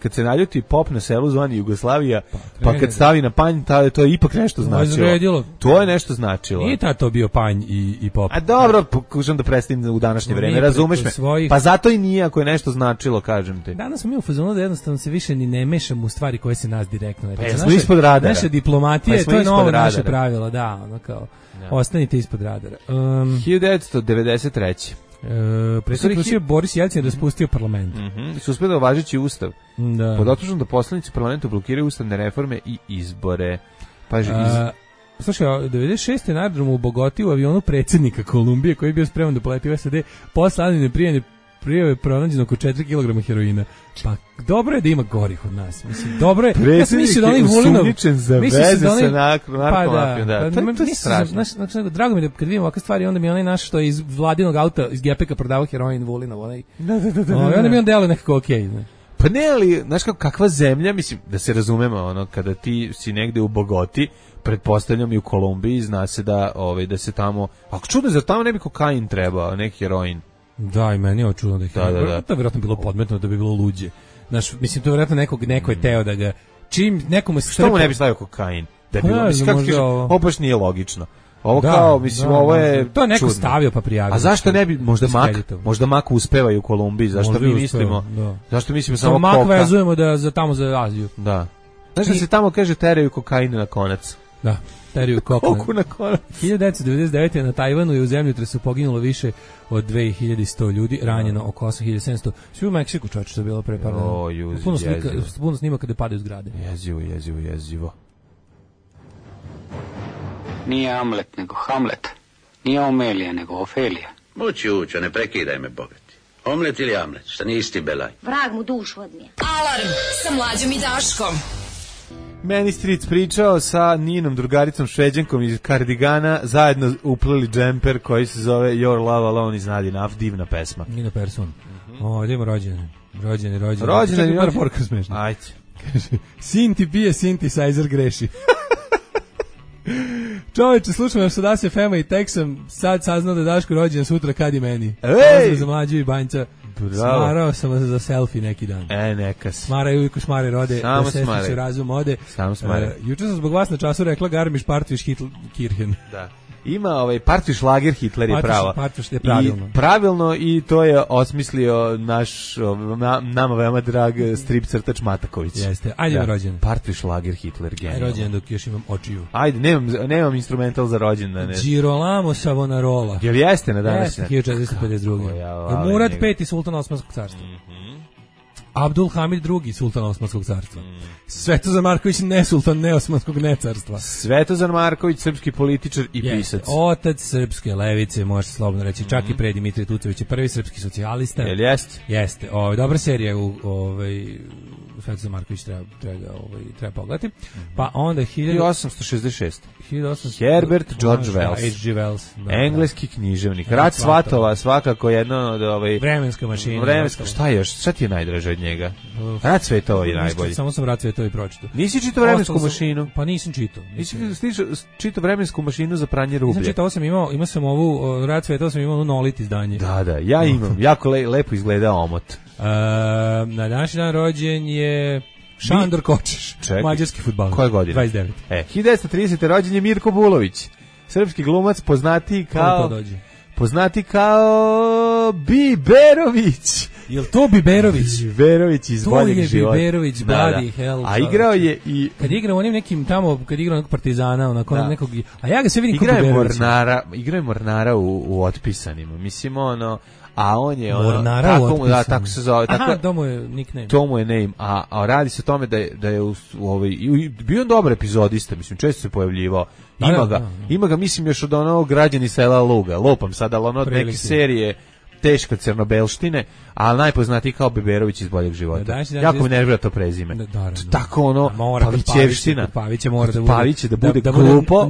kad se naljuti pop na selu zvani Jugoslavija, pa kad stavi na panj, to je ipak nešto značilo. To je nešto značilo. Nije to bio panj i pop. A dobro, pokušam da predstavim u današnje vreme, razumeš me? Pa zato i nije ako je nešto značilo, kažem ti. Danas smo mi u fazonu da jednostavno se više ni ne mešamo u stvari koje se nas direktno ne tiču. Smo ispod radara. Naša diplomatija, to je novo naše pravilo, ostanite ispod radara. 1993. Predsjednik Rusije Boris Jelcin je raspustio parlament. Suspendovao važeći ustav. Pod optužbom da poslanici parlamentu blokiraju ustavne reforme i izbore. Slušaj, 96. na aerodromu u Bogoti u avionu predsjednika Kolumbije koji je bio spreman da poleti u SAD posle anonimne prijave pronađeno oko 4 kg heroina. Pa dobro je da ima gorih od nas. Mislim, dobro je. Predsjednik je usumnjičen za veze sa narkomafijom. To je strašno. Drago mi da kad vidim ovakve stvari, onda mi onaj naš što je iz vladinog auta, iz gepeka prodavao heroin Vulinov. Onda mi on deluje nekako okej. Pa ne, ali, znaš kakva zemlja, mislim, da se razumemo, kada ti si negde u Bogoti, pretpostavljam i u Kolumbiji, zna se da se tamo, ako čudno, zar tamo ne bi kokain trebao, neki heroin? Da, i meni je čudno da je heroin. To je vjerojatno bilo podmetno da bi bilo luđe. Znaš, mislim, to je vjerojatno neko je teo da ga, čim nekomu se što mu ne bi stavio kokain? Da je bilo, mislim, kako kažeš, ovo baš nije logično. Ovo kao, mislim, ovo je to je neko stavio pa prijavio. A zašto ne bi, možda mak uspeva i u Kolumbiji, zašto mi mislimo? Zašto mislimo samo koka? Mak vezujemo tamo za Aziju. Da. Znaš da se tamo kaže teraju kokain na konac? Da, teraju koku na konac. 1999. na Tajvanu je u zemljotresu poginulo više od 2100 ljudi, ranjeno oko 8700. Svi u Meksiku, čovječe, što je bilo pre par dana. Puno snima kada padaju zgrade. Jezivo. Nije Amlet, nego Hamlet. Nije Omelija, nego Ofelija. Mući učo, ne prekidaj me, bogati. Omlet ili Amlet, šta nije isti belaj. Vrag mu dušu odnije. Alarm sa Mlađom i Daškom. Meni Stric pričao sa Ninom, drugaricom Šveđankom iz Kardigana, zajedno uplili džemper koji se zove Your Love Alone iz Nadina, divna pesma. Nina Persson. Idemo rođeni. Rođeni. Par porka smešna. Ajde. Sin ti pije, synthesizer greši. Čovječe, slušam vam sada se Fema i Texam, sad saznao da Daško rođen sutra kad i meni. Pozdrav za Mlađu i Banjca. Smarao sam vas za selfie neki dan. Neka si. Smaraju uvijek šmare rode, samo da sestiće razum ode. Samo smare. Juče sam zbog vas na času rekla Garmisch Partwisch Kirchen. Da. Ima partiju šlager Hitler je pravo. Partiju je pravilno. I pravilno i to je osmislio naš nama veoma drag strip crtač Mataković. Jeste. Ajde rođendan. Partiju šlager Hitler genijalno. Rođendan dok još imam očiju. Ajde, nemam instrumental za rođendan. Girolamo Savonarola. Jel jeste na danas? Jeste, 1452. Murad V, sultan Osmanskog carstva. Abdul Hamid II, sultan Osmanskog carstva. Svetozar Marković, ne sultan, ne Osmanskog, ne carstva. Svetozar Marković, srpski političar i pisac. Otac srpske levice, može se slobodno reći, čak i pre Dimitrije Tucović je prvi srpski socijalista. Jel jeste? Jeste. Dobra serija Svetozar Marković treba pogledati. Pa onda 1866. Herbert George Wells. H.G. Wells. Engleski književnik. Rat svatova, svakako jedno od vremenska mašina. Šta još? Šta ti je najdraže od njega? Rat svetova je najbolji. Samo sam Rat svetova i pročitao. Nisi čitao vremensku mašinu? Pa nisam čitao. Nisi čitao vremensku mašinu za pranje rublja? Nisam čitao, imao sam ovu Rat svetova, sam imao nolit izdanje. Da, ja imam. Jako lepo izgleda omot. Na današnji dan rođen je Šandor Kočeš, mađarski fudbaler. Koje godine? 29. 1930. rođen je Mirko Bulović, srpski glumac poznati kao Biberović. Jel to Biberović? Biberović iz Boljeg života. To je Biberović, bloody hell. A igrao je i... Kad igrao onim nekim tamo, kad igrao nekog Partizana, onako nekog... A ja ga sve vidim kao Biberović. Igrao je Mornara u Otpisanima. Mislim, a on je Mornara u Otpisanima. Tako se zove. Aha, to mu je nickname. To mu je name. A radi se o tome da je bio on dobar epizodista, mislim, često se pojavljivao. Ima ga, mislim, još od onog Građani sela Luga. Lopam sad, ali od neke serije teška crnobelštine, ali najpoznatiji kao Biberović iz Boljeg života. Jako mi nervira to prezime. Tako Pavićevština. Paviće mora da bude glupo.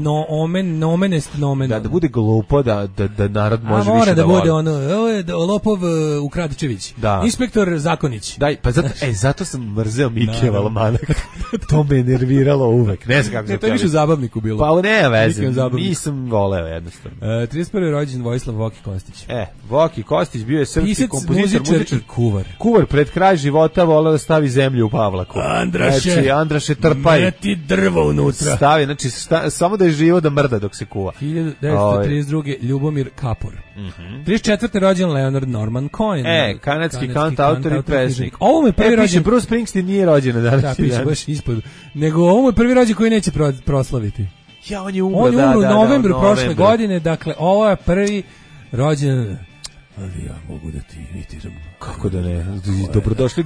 Da bude glupo, da narod može više da voli. Mora da bude Lopov Ukradičević. Inspektor Zakonić. Zato sam mrzeo Mike Valmanak. To me nerviralo uvek. Ne znam kako se to je više u zabavniku bilo. Pa ne veze, nisam voleo jednostavno. 31. rođen Vojislav Voki Kostić. Voki Kostić bio je srpski kompozitor, muzičar i kuvar. Kuvar pred kraj života voleo da stavi zemlju u Pavlaku. Andraše trpaj. Meti drvo unutra. Stavi, znači samo da je živo da mrda dok se kuva. 1932. Ljubomir Kapor. 34. rođen Leonard Norman Cohen. Kanadski kantautor i pesnik. Ovo mu je prvi rođen. Bruce Springsteen nije rođen na danas. Da, piše baš ispod. Nego ovo mu je prvi rođen koji neće proslaviti. On je umro u novembru prošle godine, dakle ovo je prvi rođen. Ali ja mogu da ti imitiram. Kako da ne? Dobrodošli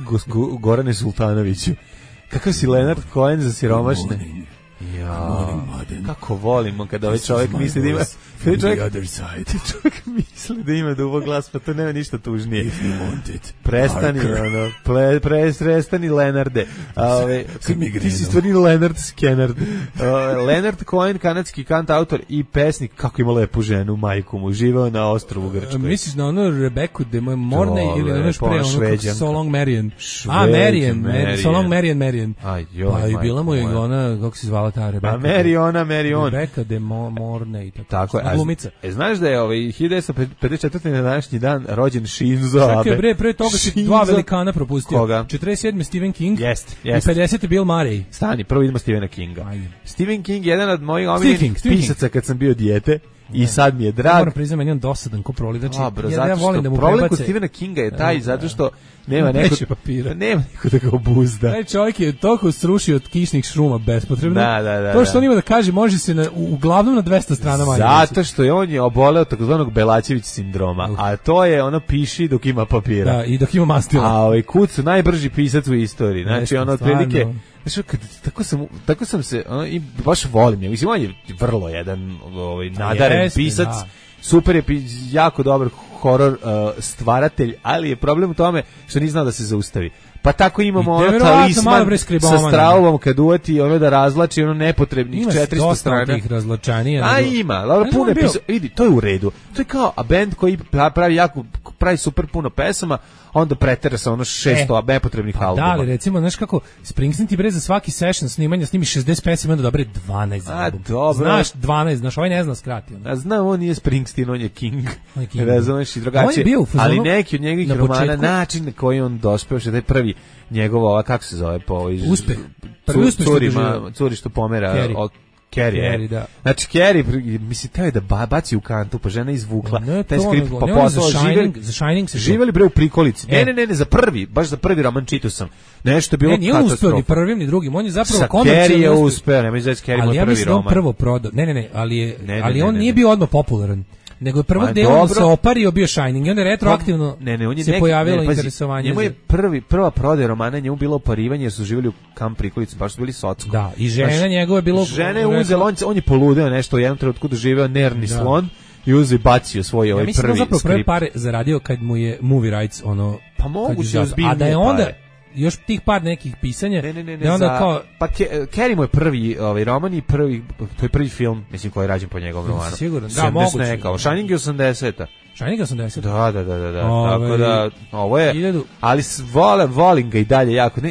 Gorane Sultanoviću. Kakav si Leonard Cohen za siromašne? Kako volimo kada ovaj čovjek misli da ima... Čovjek misli da ima dubok glas, pa to nema ništa tužnije. Prestani Lenarde. Ti si stvarni Leonard Skenard. Leonard Cohen, kanadski kantautor i pesnik, kako ima lepu ženu, majku mu, živeo na ostrvu Grčkoj. Misliš na onu Rebeku de moje Morne ili ono pre ono kako So Long Marian? So Long Marian. Pa i bila mu je ona, kako se zvala ta Rebeka? Marion. Rebeka de Morne i tako je. Glumica. Znaš da je 1954. na današnji dan rođen Shinzo Abe? Čekaj bre, pre toga si dva velikana propustio. Koga? 47. Stephen King. Jest. I 50. Bill Murray. Stani, prvo idemo Stephena Kinga. Stephen King je jedan od mojih omiljenih pisaca kad sam bio dijete. I sad mi je drag. Moram priznati, meni on dosadan ko proli. Znači, ja volim da mu prebace. Problem kod Stephena Kinga je taj, zato što nema neko da ga obuzda. Taj čovjek je toliko srušio od kišnih šruma bespotrebno. Da. To što on ima da kaže, može se uglavnom na 200 strana manje. Zato što je on oboleo takozvanog Belačević sindroma, a to je ono piši dok ima papira. Da, i dok ima mastila. A Kucu najbrži pisac u istoriji. Znači, ono otprilike... Znači, tako sam se, i baš volim je. Mislim, on je vrlo jedan nadaren pisac, super je, jako dobar horor stvaratelj, ali je problem u tome što nije znao da se zaustavi. Pa tako imamo talisman sa Strauvom kad uvati ono da razlači ono nepotrebnih 400 strana. Ima dosta razlačanija. A ima, puno vidi, to je u redu. To je kao band koji pravi super puno pesama, onda pretera sa ono 600 nepotrebnih albuma. Da, ali recimo, znaš kako, Springsteen ti bre za svaki session snimanja snimi 60 pesama, onda dobre 12 albuma. Dobro. Znaš, 12, znaš, ovaj ne zna skratio. Znam, on nije Springsteen, on je King. Razumeš i drugačije. Ali neki od njegovih romana, način na koji on dospeo, što je prvi njegova, kako se zove, po Uspeh. Prvi uspeh curi što pomera Carrie, da. Znači, Carrie, mislim, teo je da baci u kantu, pa žena izvukla Ne, taj to skript, nego, pa ne, on poslala, za Shining se živeli bre u prikolici. E. Ne, baš za prvi roman čitao sam. Nešto je bilo Ne, nije on uspeo ni katastrofa. prvim ni drugim, on je zapravo Sa komercijalno Carrie je uspeo. uspeo, nemoj zeti Carrie Ali moj ja prvi mislim da on roman. prvo prodao. Ne, ali on ne. nije bio odmah popularan. Nego je prvog Ma, dela dobro. se opario bio Shining i onda retroaktivno On je se neki, pojavilo pazi, interesovanje. Njemu je prva prodaja romana, njemu bilo oparivanje jer su živjeli u kamp prikolici, baš su bili socko. Da, i žena njegova je bilo... Žena je uzela, on je poludeo nešto u jednom trenutku da živeo nervni slon i uzeo i bacio svoj ovaj mislim prvi da zapravo prve skript. pare zaradio kad mu je movie rights Pa moguće kad je ozbiljnije a da je onda pare. još tih par nekih pisanja Ne, da je onda kao pa Carrie mu je prvi roman i to je prvi film, mislim, koji je rađen po njegovom romanu. Siguran, da, moguće. Kao Shining je 80-a. Shining 80. Da. Tako da, ovo je, 1000. ali volim ga i dalje jako.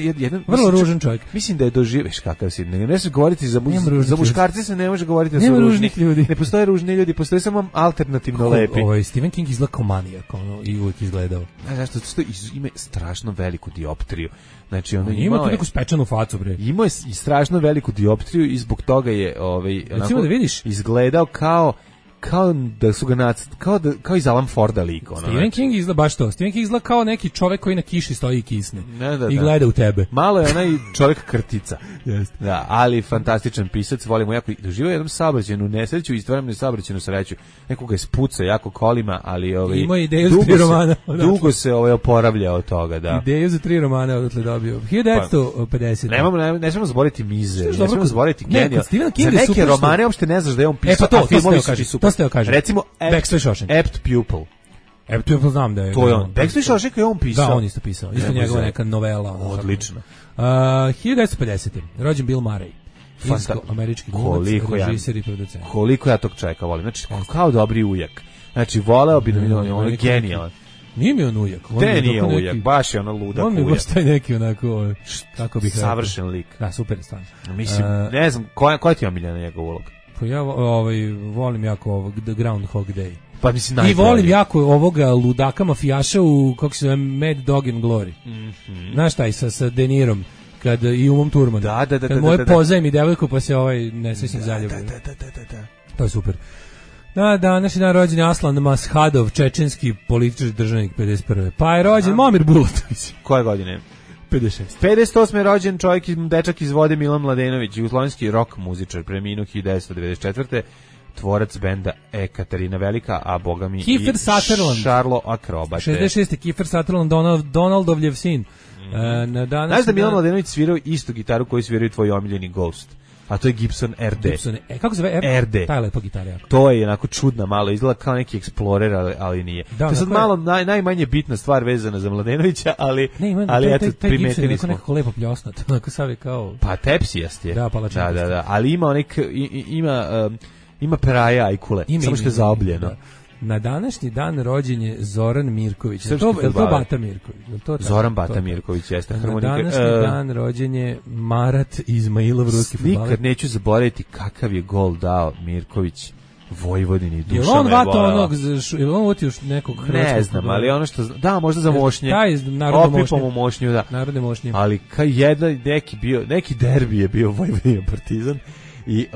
Vrlo ružan čovjek. Mislim da je doživeš kakav si. Ne se govoriti za ružnih muškarce, se ne može govoriti da su Nema ružni. ružnih ljudi. Ne postoje ružni ljudi, postoje samo alternativno lepi. Stephen King izgleda kao manijak, i uvijek izgledao. Zašto? Zato što ima strašno veliku dioptriju. Znači, Ima tu neku spečanu facu, bre. Imao je i strašno veliku dioptriju i zbog toga je Recimo da vidiš, izgledao kao da su ga kao iz Alan Forda lik. Stephen King izgleda baš to. Stephen King izgleda kao neki čovek koji na kiši stoji i kisne. Da. I gleda u tebe. Malo je onaj čovjek krtica. Jeste. Da, ali fantastičan pisac, volimo jako. Doživio jednom saobraćajnu nesreću i istovremeno saobraćajnu sreću. Nekoga je spucao jako kolima, ali ima ideju za 3 romana. Dugo se oporavlja od toga, da. Ideju za 3 romana odatle dobio. 1950. Ne smemo zaboraviti Mize, ne dobro, smemo zaboraviti ne, genijal. kod Stephen Za Kinga je neke super romane uopšte ne znaš da je on pisao, pa to a filmovi ste su to ste joj kažem. Recimo, Backstreet Shawshank. Apt Pupil. Apt Pupil znam da je. To je on. Backstreet Shawshank je on pisao. Da, on isto pisao. Isto njegova neka novela. Odlično. 1950. Rođen Bill Murray. Finsko-američki glumac, režiser i producent. Koliko ja tog čovjeka volim. Znači, kao dobri ujak. Znači, voleo bi da mi on je genijalan. Nije mi on ujak. Te nije ujak, baš je ono ludak ujak. On mi baš taj neki onako, kako bih rekao. Savršen lik. Da, super je stvarno. Mislim, ne znam, koja ti je omiljena njegov ulog? Pa ja volim jako ovog The Groundhog Day. Pa mislim I volim jako ovoga ludaka mafijaša u, kako se zove, Mad Dog and Glory. Znaš taj sa De Nirom, kad i Umom Thurman. Da. Kad moje pozajmi devojku pa se nesrećni zaljubi. Da. To je super. Na današnji dan rođen je Aslan Mashadov, čečenski politički državnik 51. Pa je rođen Momir Bulatović. Koje godine? 56. 58. je rođen dečak iz Vode Milan Mladenović, jugoslovenski rock muzičar, preminuo 1994. Tvorac benda Katarina Velika, a boga mi Kiefer Sutherland. Šarlo Akrobate. 66. Kiefer Sutherland, Donaldovljev sin. Znaš da Milan Mladenović svirao istu gitaru koju sviraju tvoji omiljeni Ghost? A to je Gibson RD. Kako se zove? RD. Ta je lepa gitara jako. To je onako čudna, malo izgleda kao neki Explorer, ali nije. Da, to je sad malo najmanje bitna stvar vezana za Mladenovića, ali eto, primetili smo. Nekako lepo pljosnat, onako sav je kao... Pa tepsijast je. Da, palačinka. Da, ali ima ima peraja ajkule, samo što je zaobljeno. Da. Na današnji dan rođen je Zoran Mirković. Je to Bata Mirković? Zoran Bata Mirković jeste harmonika. Na današnji dan rođen je Marat Izmailov, ruski fudbaler. Nikad neću zaboraviti kakav je gol dao Mirković Vojvodini, duša me je on vato onog, je on vatio nekog hrvatskog? Ne znam, ali ono što, da, možda za mošnje. Taj narodno mošnje. Opipom u mošnju, da. Narodne mošnje. Ali neki derbi je bio Vojvodina Partizan. I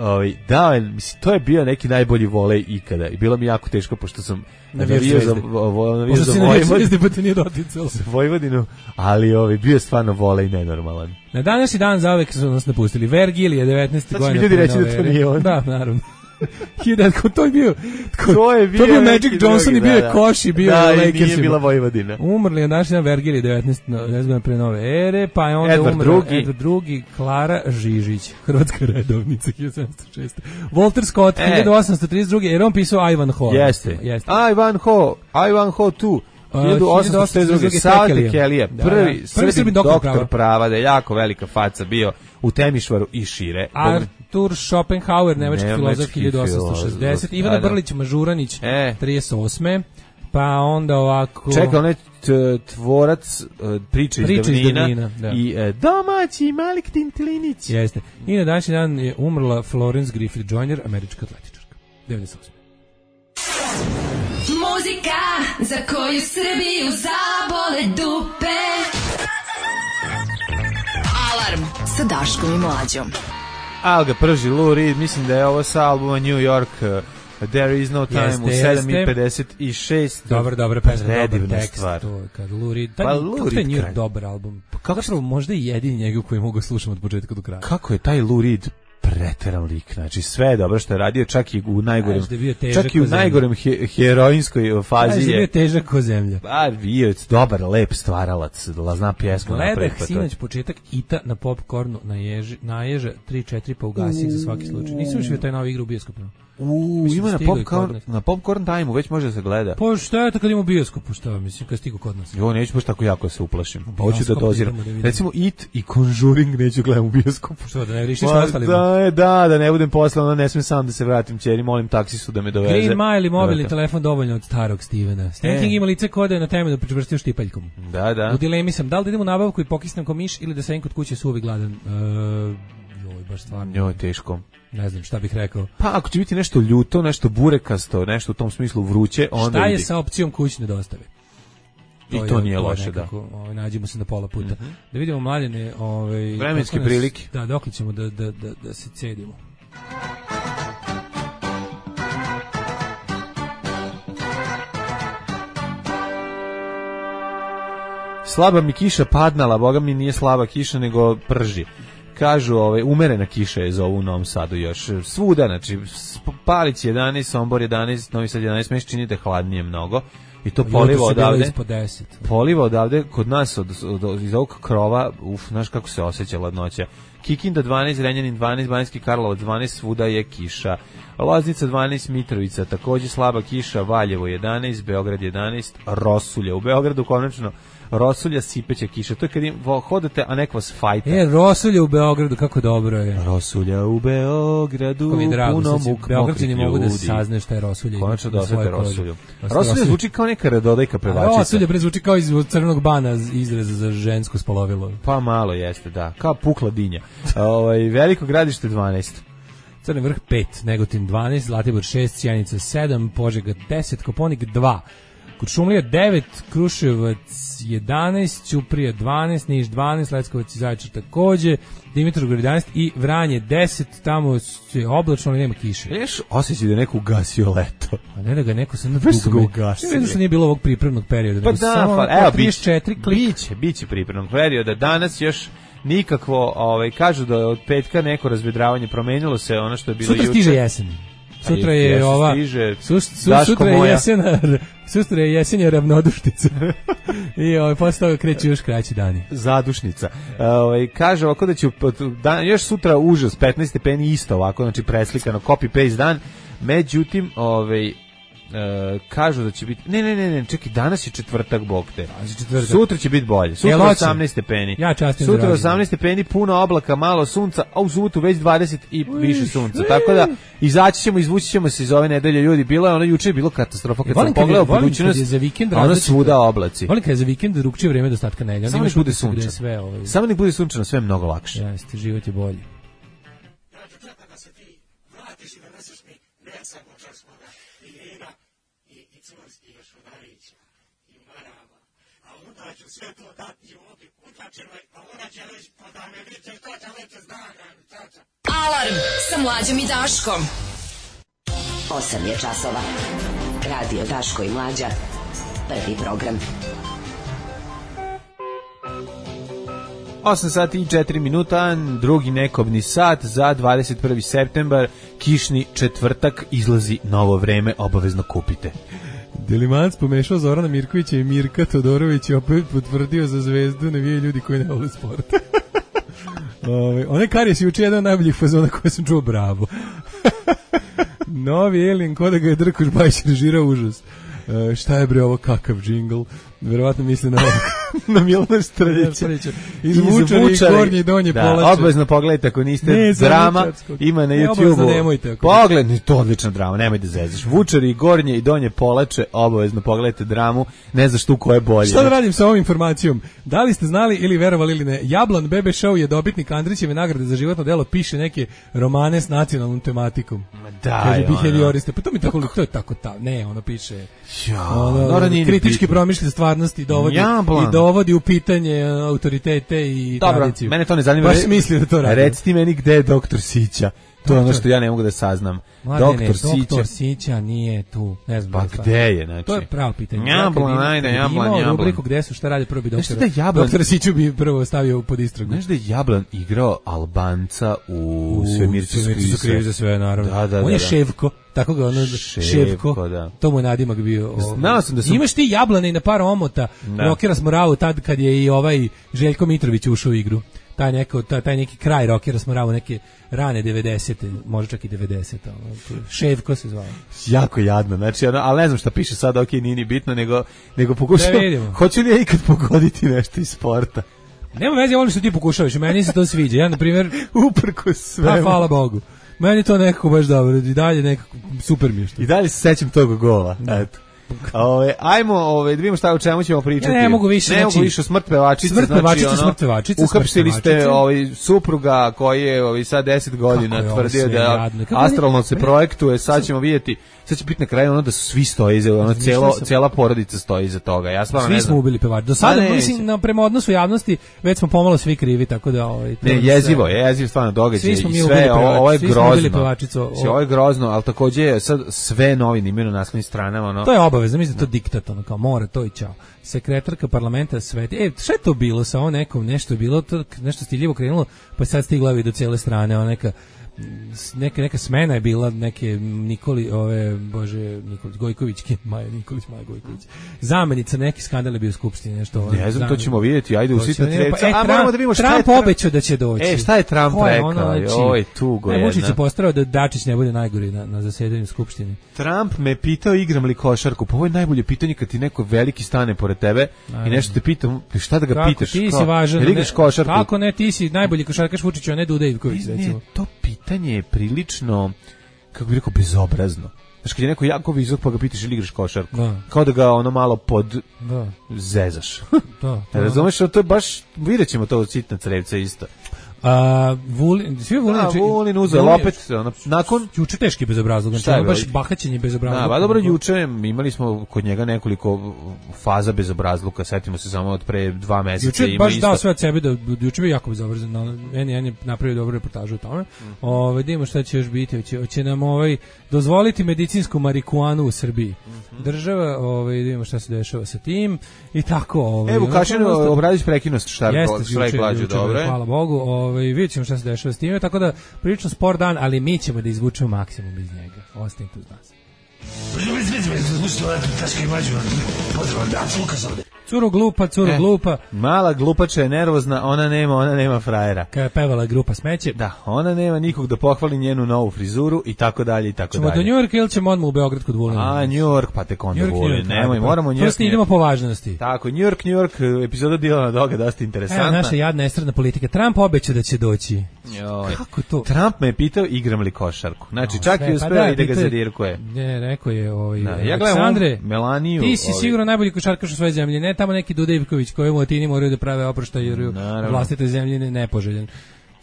mislim, to je bio neki najbolji volej ikada. I bilo mi jako teško, pošto sam navijao za Vojvodinu, ali bio je stvarno volej nenormalan. Na današnji dan zauvek su nas napustili. Vergilije, 19. godina. Sad će mi ljudi reći da to nije on. Da, naravno. To je bio Magic neki Johnson drugi, i bio je Koš i bio je Lakersima. Nije bila Vojvodina. Umrli je naš Vergilije 19. godina pre nove ere, pa je onda umrla Edward II, Klara Žižić, hrvatska redovnica 1706. Walter Scott 1832. jer on pisao Ivan Ho. Jeste. Ivan Ho tu. 1862. Sava Kelija, prvi Srbin doktor prava, da je jako velika faca bio u Temišvaru i šire. Artur Schopenhauer, nemački filozof 1860. Ivana Brlić Mažuranić 38. Pa onda ovako... Čekaj, on je tvorac priče iz davnina i domaći Malik Tintilinić. Jeste. I na današnji dan je umrla Florence Griffith Joyner, američka atletičarka. 98. Muzika za koju Srbiju zabole dupe. Alarm sa Daškom i Mlađom. Al ga prži Lou Reed, mislim da je ovo sa albuma New York, There is no time, u 7:56. Dobar pesma, predivna dobar tekst. stvar. To, kad Lou Reed, Pa Lou taj Reed New York kraj. dobar album. Zapravo možda i jedini njegov koji mogu slušati od početka do kraja. Kako je taj Lou Reed preteran lik, znači sve je dobro što je radio, čak i u najgorem, čak i u najgorem heroinskoj fazi je. je Bio težak ko zemlja. Pa bio je dobar, lep stvaralac, zna pjesmu napraviti. Gledah sinoć početak Ita na Popcornu naježa 3-4 pa ugasi za svaki slučaj. Nisam još vidio taj novi igru u bioskopu. Ima na Popcorn Time-u, već može da se gleda. Pa šta je to kad ima u bioskopu, šta mislim, kad stigu kod nas? Jo, neću baš tako jako se uplašim. Hoću da doziram. Recimo It i Conjuring neću gledam u bioskopu. Što, da ne vrištiš sa ostalima? Da ne budem posle, onda ne smem sam da se vratim ćeri, molim taksistu da me doveze. Green Mile i mobilni telefon dovoljno od starog Stevena. Stephen ima lice kode na temu da pričvrstio štipaljkom. Da. U dilemi sam, da li da idem u nabavku i pokisnem ko miš ili da sedim kod kuće suvi gladan. Joj, baš stvarno. Joj, teško. Ne znam šta bih rekao. Pa ako će biti nešto ljuto, nešto burekasto, nešto u tom smislu vruće, onda šta je sa opcijom kućne dostave? I to nije loše, nekako, da. Nađemo se na pola puta. Da vidimo mladene... vremenske prilike. Da, dokle ćemo da se cedimo. Slaba mi kiša padnala, boga mi nije slaba kiša, nego prži. Kažu, umerena kiša je zovu u Novom Sadu još. Svuda, znači, Palić 11, Sombor 11, Novi Sad 11, meš činite hladnije mnogo. I to poliva odavde. Poliva odavde, kod nas iz ovog krova, znaš kako se osjeća ladnoća. Kikinda 12, Renjanin 12, Banjski Karlovac 12, svuda je kiša. Loznica 12, Mitrovica, takođe slaba kiša, Valjevo 11, Beograd 11, Rosulja. U Beogradu konačno Rosulja, sipeća kiša. To je kad hodate, a neko vas fajta. Rosulja u Beogradu, kako dobro je. Rosulja u Beogradu, puno muk Beograđani mogu da saznaju šta je Rosulja. Konačno da osvete Rosulju. Rosulja zvuči kao neka radodajka pevačica. Rosulja zvuči kao iz Crvenog bana izraza za žensko spolovilo. Pa malo jeste, da. Kao pukla dinja. Veliko Gradište 12. Crni Vrh 5, Negotin 12, Zlatibor 6, Sjenica 7, Požega 10, Koponik 2, Kuršumlija 9, Kruševac 11, Ćuprija 12, Niš 12, Leskovac i Zaječar takođe, Dimitrovgrad 11 i Vranje 10, tamo je oblačno, ali nema kiše. Još osjećaj da je neko ugasio leto. A ne da ga neko sam na dugo ugasio. Ne da nije bilo ovog pripremnog perioda. Pa da, evo, 34 klik. Biće pripremnog perioda. Danas još nikakvo, kažu da od petka neko razvedravanje, promenilo se ono što je bilo juče. Sutra stiže jesen. Sutra je ova sutra je jesenja ravnodušnica. I posle toga kreće još kraći dani. Zadušnica. Kaže ovako da će još sutra užas 15 stepeni isto ovako, znači preslikano copy paste dan. Međutim, kažu da će biti ne, čekaj, danas je četvrtak, bog te. Sutra će biti bolje. Sutra 18 stepeni. Sutra 18 stepeni, puno oblaka, malo sunca, a u subotu već 20 i više sunca. Tako da izvući ćemo se iz ove nedelje, ljudi. Bilo je juče bilo katastrofa kad sam pogledao budućnost. Ono svuda oblaci. Volim kad je za vikend drugčije vreme do ostatka nedelje. Samo nek bude sunčano. Samo nek bude sunčano, sve je mnogo lakše. Jeste, život je bolji. Alarm sa Mlađom i Daškom. 8 je časova. Radio Daško i Mlađa. Prvi program. 8 sati i 4 minuta, drugi nekobni sat za 21. septembar, kišni četvrtak, izlazi novo vreme, obavezno kupite. Delimanac pomešao Zorana Mirkovića i Mirka Todorović i opet potvrdio za Zvezdu navijaju ljudi koji ne vole sport. Onaj Karijes je juče jedan od najboljih fazona koje sam čuo, bravo. Novi Alien, ko da ga je Drkoš Bajić režirao, užas. Šta je bre ovo, kakav džingl? Verovatno misli na na Milana Strljića. Izvučari gornje i donje polače. Da, obvezno pogledajte ako niste. Drama ima na YouTube-u. Pogledajte, to je odlična drama, nemoj da zezaš. Vučari gornje i donje polače, obavezno pogledajte dramu, ne znaš tu ko je bolje. Šta da radim sa ovom informacijom? Da li ste znali ili verovali ili ne, Jablan BB Show je dobitnik Andrićeve nagrade za životno delo, piše neke romane s nacionalnom tematikom. Da, behavioriste. Pa to mi tako, to je tako ne, ono piše. Kritički promišlja stvarnosti i dovodi u pitanje autoritete i tradiciju. Mene to ne zanima. Baš misli da to radi. Reci ti meni gde je doktor Sića. To je ono što ja ne mogu da saznam. Doktor Sića nije tu. Ne znam. Pa gde je, znači? To je pravo pitanje. Jablan. Imao rubriku gde su, šta radi, prvo bi doktora. Doktor Siću bi prvo stavio pod istragu. Znaš da je Jablan igrao Albanca u Svemirci su krivi za sve, naravno. Da. On je Ševko. Tako ga ono Ševko, da. To mu je nadimak bio. Znao sam da sam... Imaš ti Jablane i na par omota, Rokera Smoravu tad kad je i ovaj Željko Mitrović ušao u igru. Taj neki kraj Rokera Smoravu, neke rane 90. možda čak i 90. Ševko se zvao. Jako jadno, znači, ali ne znam šta piše sad, ok, nije ni bitno, nego pokušam, hoću li ja ikad pogoditi nešto iz sporta? Nema veze, volim što ti pokušavaš, meni se to sviđa. Ja, na primjer, uprkos sve. Hvala Bogu. Meni to nekako baš dobro, i dalje nekako super mi je što. I dalje se sećam tog gola, eto. Ajmo, da vidimo šta o čemu ćemo pričati. Ne mogu više, ne mogu više smrt pevačice. Smrt pevačice. Uhapsili ste supruga koji je sad 10 godina tvrdio da astralno se projektuje, sad ćemo vidjeti. Sad će biti na kraju ono da svi stoje iza, ono cela porodica stoji iza toga. Ja stvarno ne znam. Svi smo ubili pevača. Do sada mislim prema odnosu javnosti već smo pomalo svi krivi, tako da ne, jezivo stvarno događaj i sve ovo je grozno. Ovo je grozno, al takođe je sad sve novine imaju na naslovnim stranama, ono. To je obavezno, mislim da to diktat, ono kao mora to i ćao. Sekretarka parlamenta sveti. Šta je to bilo sa nekom, nešto je bilo, to nešto stiljivo krenulo, pa sad stigla do cele strane, ona neka smena je bila neke Nikolić Gojkovićke, Maja Gojković. Zamenica, neki skandal je bio u skupštini, nešto. Ne znam, to ćemo vidjeti, ajde usitna treca. A moramo da vidimo šta je Trump obećao da će doći. Šta je Trump rekao? Oj, tugo je. Vučić se postarao da Dačić ne bude najgori na zasedanju skupštine. Trump me pitao igram li košarku. Pa ovo je najbolje pitanje kad ti neko veliki stane pored tebe i nešto te pita, šta da ga pitaš? Ti si važan. Kako ne, ti si najbolji košarkaš Vučiću, a ne Duda Ivković, recimo. To pitanje je prilično, kako bih rekao, bezobrazno. Znaš, kad je neko jako visok pa ga pitaš ili igraš košarku. Kao da ga ono malo zezaš. Razumeš, to je baš, vidjet ćemo to od sitna crevca isto. Vulin uzeo opet nakon juče teški bezobrazluk, znači baš bahaćenje bezobrazluka. Da, dobro, juče imali smo kod njega nekoliko faza bezobrazluka, setimo se samo od pre 2 meseca. Juče baš dao sve od sebe, da juče bio jako bezobrazan, N1 je napravio dobru reportažu o tome. Vidimo šta će još biti, hoće nam dozvoliti medicinsku marihuanu u Srbiji. Država, vidimo šta se dešava sa tim i tako. Evo, Vukašin Obradović prekinuo štrajk glađu, dobro. Hvala Bogu. Vidjet ćemo šta se dešava s time, tako da prilično spor dan, ali mi ćemo da izvučemo maksimum iz njega. Ostanite uz nas. Curo glupa. Mala glupača je nervozna, ona nema frajera. Kada je pevala grupa Smeće. Da, ona nema nikog da pohvali njenu novu frizuru i tako dalje i tako dalje. Ćemo do New York ili ćemo odmah u Beograd kod Vulina? New York, pa tek onda Vulin. Nemoj, moramo New York. Prosto idemo po važnosti. Tako, New York, epizoda Dilana Doga, dosta interesantna. Evo naša jadna estradna politika. Trump obeća da će doći. Kako to? Trump me je pitao igram li košarku. Znači, čak i uspeo i da ga zadirkuje. Ne, rekao je Aleksandre, Melaniju. Ti si sigurno najbolji košarkaš u svojoj zemlji, ne tamo neki Duda Ivković kojemu Atini moraju da prave oproštaj jer vlastite zemlje nepoželjen.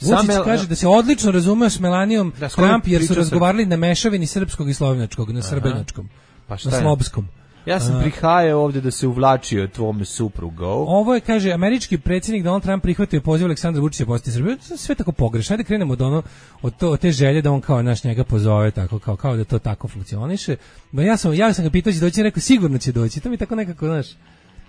Vučić kaže da se odlično razumeo s Melanijom Trump jer su razgovarali na mešavini srpskog i slovenačkog, na srbenačkom, na slobskom. Ja sam prihajao ovdje da se uvlačio tvome suprugu. Ovo je, kaže, američki predsjednik Donald Trump prihvatio poziv Aleksandra Vučića posjeti Srbiju. Sve tako pogrešno. Ajde krenemo od te želje da on kao njega pozove, tako, kao da to tako funkcioniše. Ja sam ga pitao će doći, rekao sigurno će doći. To mi tako nekako, znaš,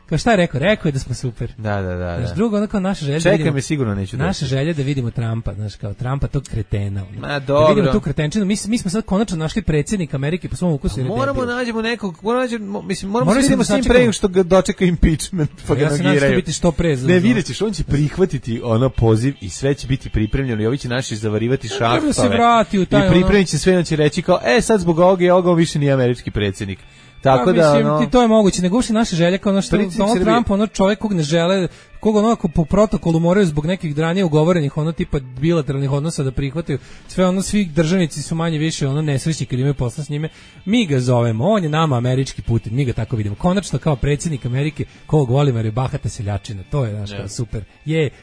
kao šta je rekao? Rekao je da smo super. Da. Znaš, drugo, ono kao naša želja. Čekaj me, sigurno neću doći. Naša želja da vidimo Trumpa, znaš, kao Trumpa tog kretena. Ma dobro. Da vidimo tu kretenčinu. Mi smo sad konačno našli predsjednika Amerike po svom ukusu. Moramo nađemo nekog, moramo se vidimo s njim pre što ga dočeka impeachment, pa ga nagiraju. Biti što pre. Ne, vidjet ćeš, on će prihvatiti poziv i sve će biti pripremljeno i ovi će naši zavarivati šahtove. I pripremit će sve, on će reći kao, sad zbog ovoga i ovoga više nije američki predsjednik. Tako da, to je moguće, nego uopšte naše želje kao što Donald Trump, čovjek kog ne žele, koga po protokolu moraju zbog nekih ranije ugovorenih tipa bilateralnih odnosa da prihvataju, svi državnici su manje više nesrećni kad imaju posla s njime, mi ga zovemo, on je nama američki Putin, mi ga tako vidimo, konačno kao predsjednik Amerike, kog volimo jer je bahata seljačina, to je naš super,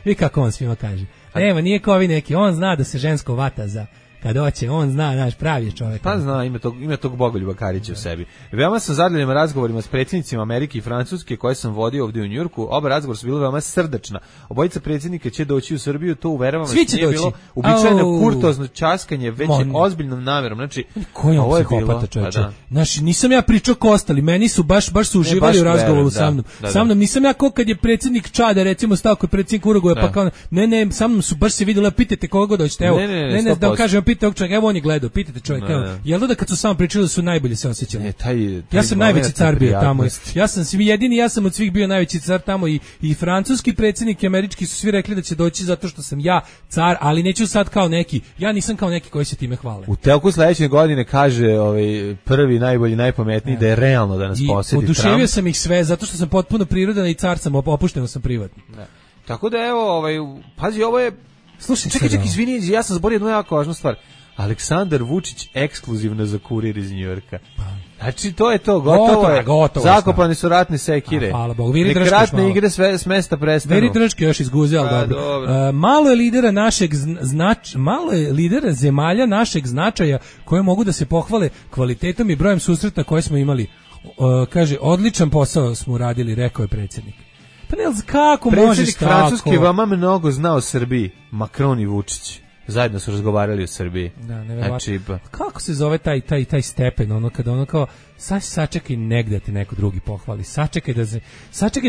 vi kako on svima kaže, nema, nije kao ovi neki, on zna da se žensko vata za kad hoće, on zna, naš pravi je čovjek. Pa zna, ima tog Bogoljuba Karića u sebi. Veoma sam zadovoljan razgovorima s predsjednicima Amerike i Francuske koje sam vodio ovdje u Njujorku. Oba razgovora su bila veoma srdačna. Obojica predsjednika će doći u Srbiju, to uveravam, svi će nije doći. Bilo uobičajeno kurtozno ćaskanje, već je ozbiljnom namjerom. Znači, kojom psihopata, čovječe. Znači, nisam ja pričao ko ostali, meni su baš su uživali u razgovoru sa mnom. Sa mnom nisam ja ko kad je predsjednik Čada, recimo, stao kod predsjednik Urugvaja, pa kao, ne, sa mnom su baš se vidjeli, pitajte koga god hoćete, evo, ne, da vam kažem, pitajte ovog čovjeka, evo on je gledao, pitajte čovjeka, evo, jel da kad su samo pričali da su najbolje se osjećali? Ja sam najveći car bio tamo, ja sam od svih bio najveći car tamo i francuski predsjednik i američki su svi rekli da će doći zato što sam ja car, ali neću sad kao neki, ja nisam kao neki koji se time hvale. U toku sledeće godine kaže prvi, najbolji, najpametniji da je realno da nas posjeti Trump. Oduševio sam ih sve zato što sam potpuno prirodan i car sam, opušteno sam privatno. Tako da evo, pazi, ovo je... Slušaj, čekaj, izvini, ja sam zborio jednu jako važnu stvar. Aleksandar Vučić ekskluzivno za Kurir iz Njujorka. Znači, to je to, gotovo. Zakopani su ratne sekire. Hvala Bogu. Nek ratne igre s mesta prestanu. Veri Drčke još izguze, ali dobro. Malo je lidera zemalja našeg značaja koje mogu da se pohvale kvalitetom i brojem susreta koje smo imali. Kaže, odličan posao smo uradili, rekao je predsjednik. Pa ne, kako možeš tako? Predsjednik Francuske vama mnogo zna o Srbiji, Macron i Vučić. Zajedno su razgovarali o Srbiji. Da, neverovatno. Kako se zove taj stepen, ono kada ono kao sačekaj negde ti neko drugi pohvali, sačekaj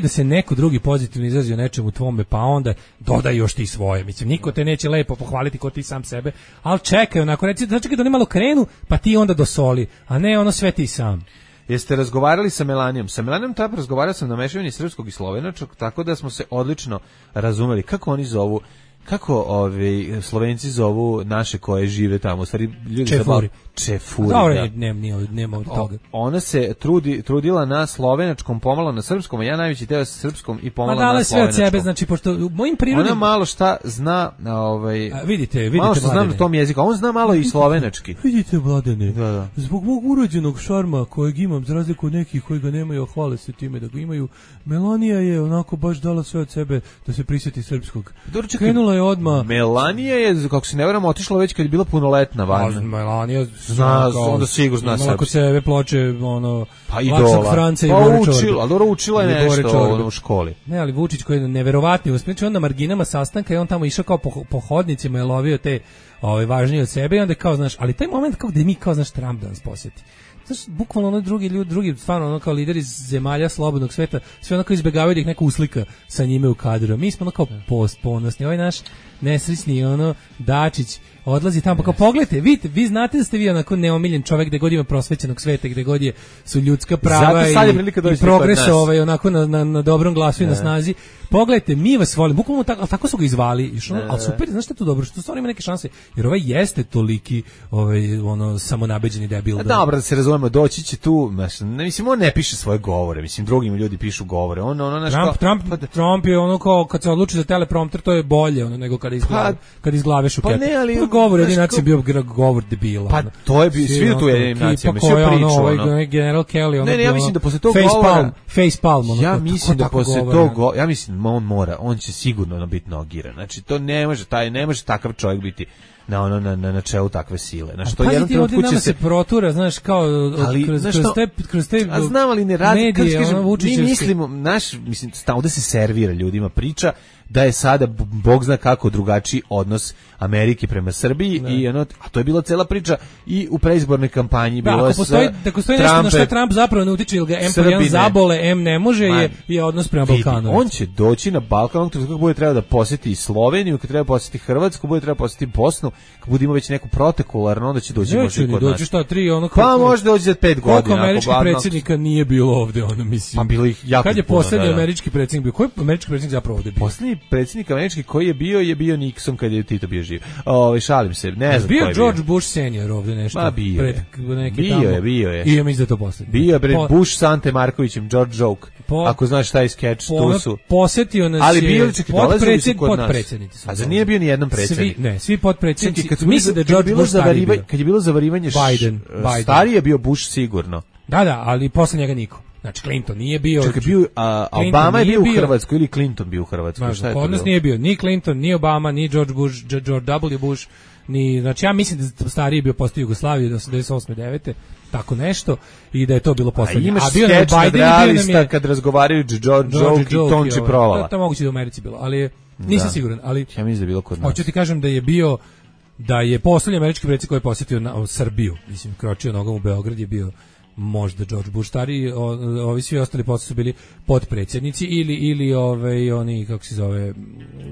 da se neko drugi pozitivno izrazi o nečemu tvome, pa onda dodaj još ti svoje. Mislim, niko te neće lepo pohvaliti ko ti sam sebe, ali čekaj, onako reci, sačekaj da oni malo krenu, pa ti onda dosoli, a ne ono sve ti sam. Jeste razgovarali sa Melanijom? Sa Melanijom tako razgovarao sam na mešavini srpskog i slovenačkog, tako da smo se odlično razumeli. Kako oni zovu, kako Slovenci zovu naše koje žive tamo? U stvari, ljudi Čefuri. Čefuri, nema od toga. Ona se trudila na slovenačkom, pomalo na srpskom, a ja najveći teo sa srpskom i pomalo na slovenačkom. Sve od sebe, znači, pošto u mojim prirodnim... Ona malo šta zna, vidite, malo što znam na tom jeziku, a on zna malo i slovenački. Vidite, Mladene, zbog mog urođenog šarma kojeg imam, za razliku od nekih koji ga nemaju, hvale se time da ga imaju, Melanija je onako baš dala sve od sebe da se prisjeti srpskog. Krenula je odmah. Melanija je, kako se ne varam, otišla već kad je bila punoletna van. Melanija onda sigurno zna srpski. Ako sebe ploče, pa idola. Franca i učila je nešto u školi. Ne, ali Vučić koji je neverovatni uspjeh, on na marginama sastanka i on tamo išao kao po hodnicima i lovio te važnije od sebe i onda kao, znaš, ali taj moment kao gde mi kao, znaš, Trump da nas posjeti. Znaš, bukvalno ono drugi, stvarno ono kao lideri zemalja slobodnog sveta, sve onako izbjegavaju da ih neko uslika sa njime u kadru. Mi smo ono kao ponosni. Ovaj naš nesrećni Dačić odlazi tamo, pa kao pogledajte, vidite, vi znate da ste vi onako neomiljen čovjek gde god ima prosvećenog sveta, gde god su ljudska prava i progres onako na dobrom glasu i na snazi. Pogledajte, mi vas volimo, bukvalno tako su ga izvali, ali super, znaš što je to dobro, što stvarno ima neke šanse, jer ovaj jeste toliki samonabeđeni debil. Dobro, da se razumemo, doći će tu, mislim, on ne piše svoje govore, mislim, drugim ljudi pišu govore. Trump je ono kao, kad se odluči za teleprompter, to je bolje nego kad izglave Šuketa. Govor jedin nacija bio govor debila. Pa to je bio, svi tu jedin nacija, mi sve priču. General Kelly, ja mislim da posle tog govora... Facepalm. Ja mislim da posle tog govora, ja mislim on će sigurno biti nogiran. Znači, to ne može takav čovjek biti na čelu takve sile. Znači, to jednom trenutku će se protura, znaš, kao kroz te a znam, ali ne radi, medije, mi mislimo, mislim, ovde se servira ljudima priča da je sada bog zna kako drugačiji odnos Amerike prema Srbiji a to je bila cela priča i u preizbornoj kampanji bilo ako postoji nešto na što Trump zapravo ne utiče, ili ga M1 zabole, M ne može, je odnos prema Balkanu. On će doći na Balkan, kako bude trebao da posjeti Sloveniju, kad treba posjeti Hrvatsku, bude trebao posjeti Bosnu, kad bude imao već neku protekularno, onda će doći možda kod nas. Pa možda doći za 5 godina. Koliko američkih predsjednika nije bilo ovde, mislim. Pa bilo ih jako puno. Kad je poslednji američki predsjednik bio? Koji američki predsjednik zapravo ovde bio? Poslednji predsjednik američki koji je bio Nixon kad je Tito bio živ. Šalim se, ne znam. Bio George Bush senior ovde nešto. Pa bio je. I ja mislim da je to poslednji. Bio je Bush s Ante Markovićem, George Joke. Ako znaš šta je skeč, tu su. Posetio nas je potpredsjednici. A zar nije bio ni jedan predsjednik? Svi potpredsjednici. Mislim da je George Bush stariji bio. Kad je bilo zavarivanje Biden. Stariji je bio Bush sigurno. Da, ali posle njega niko. Znači Clinton nije bio. Čekaj, Obama je bio u Hrvatskoj ili Clinton bio u Hrvatskoj? Šta je to? Kod nas nije bio ni Clinton, ni Obama, ni George W. Bush, ni, znači ja mislim da stariji bio postao Jugoslaviju do 88. 9. tako nešto i da je to bilo poslednje. A bio je Biden kad razgovaraju George Joke i Tonči Provala. To moguće da u Americi bilo, ali nisam siguran, ali ja mislim da je bilo kod nas. Hoću ti kažem da je poslednji američki predsjednik koji je posjetio Srbiju, mislim, kročio nogom u Beograd je bio možda George Bush stari, ovi svi ostali posle su bili potpredsjednici ili oni, kako se zove,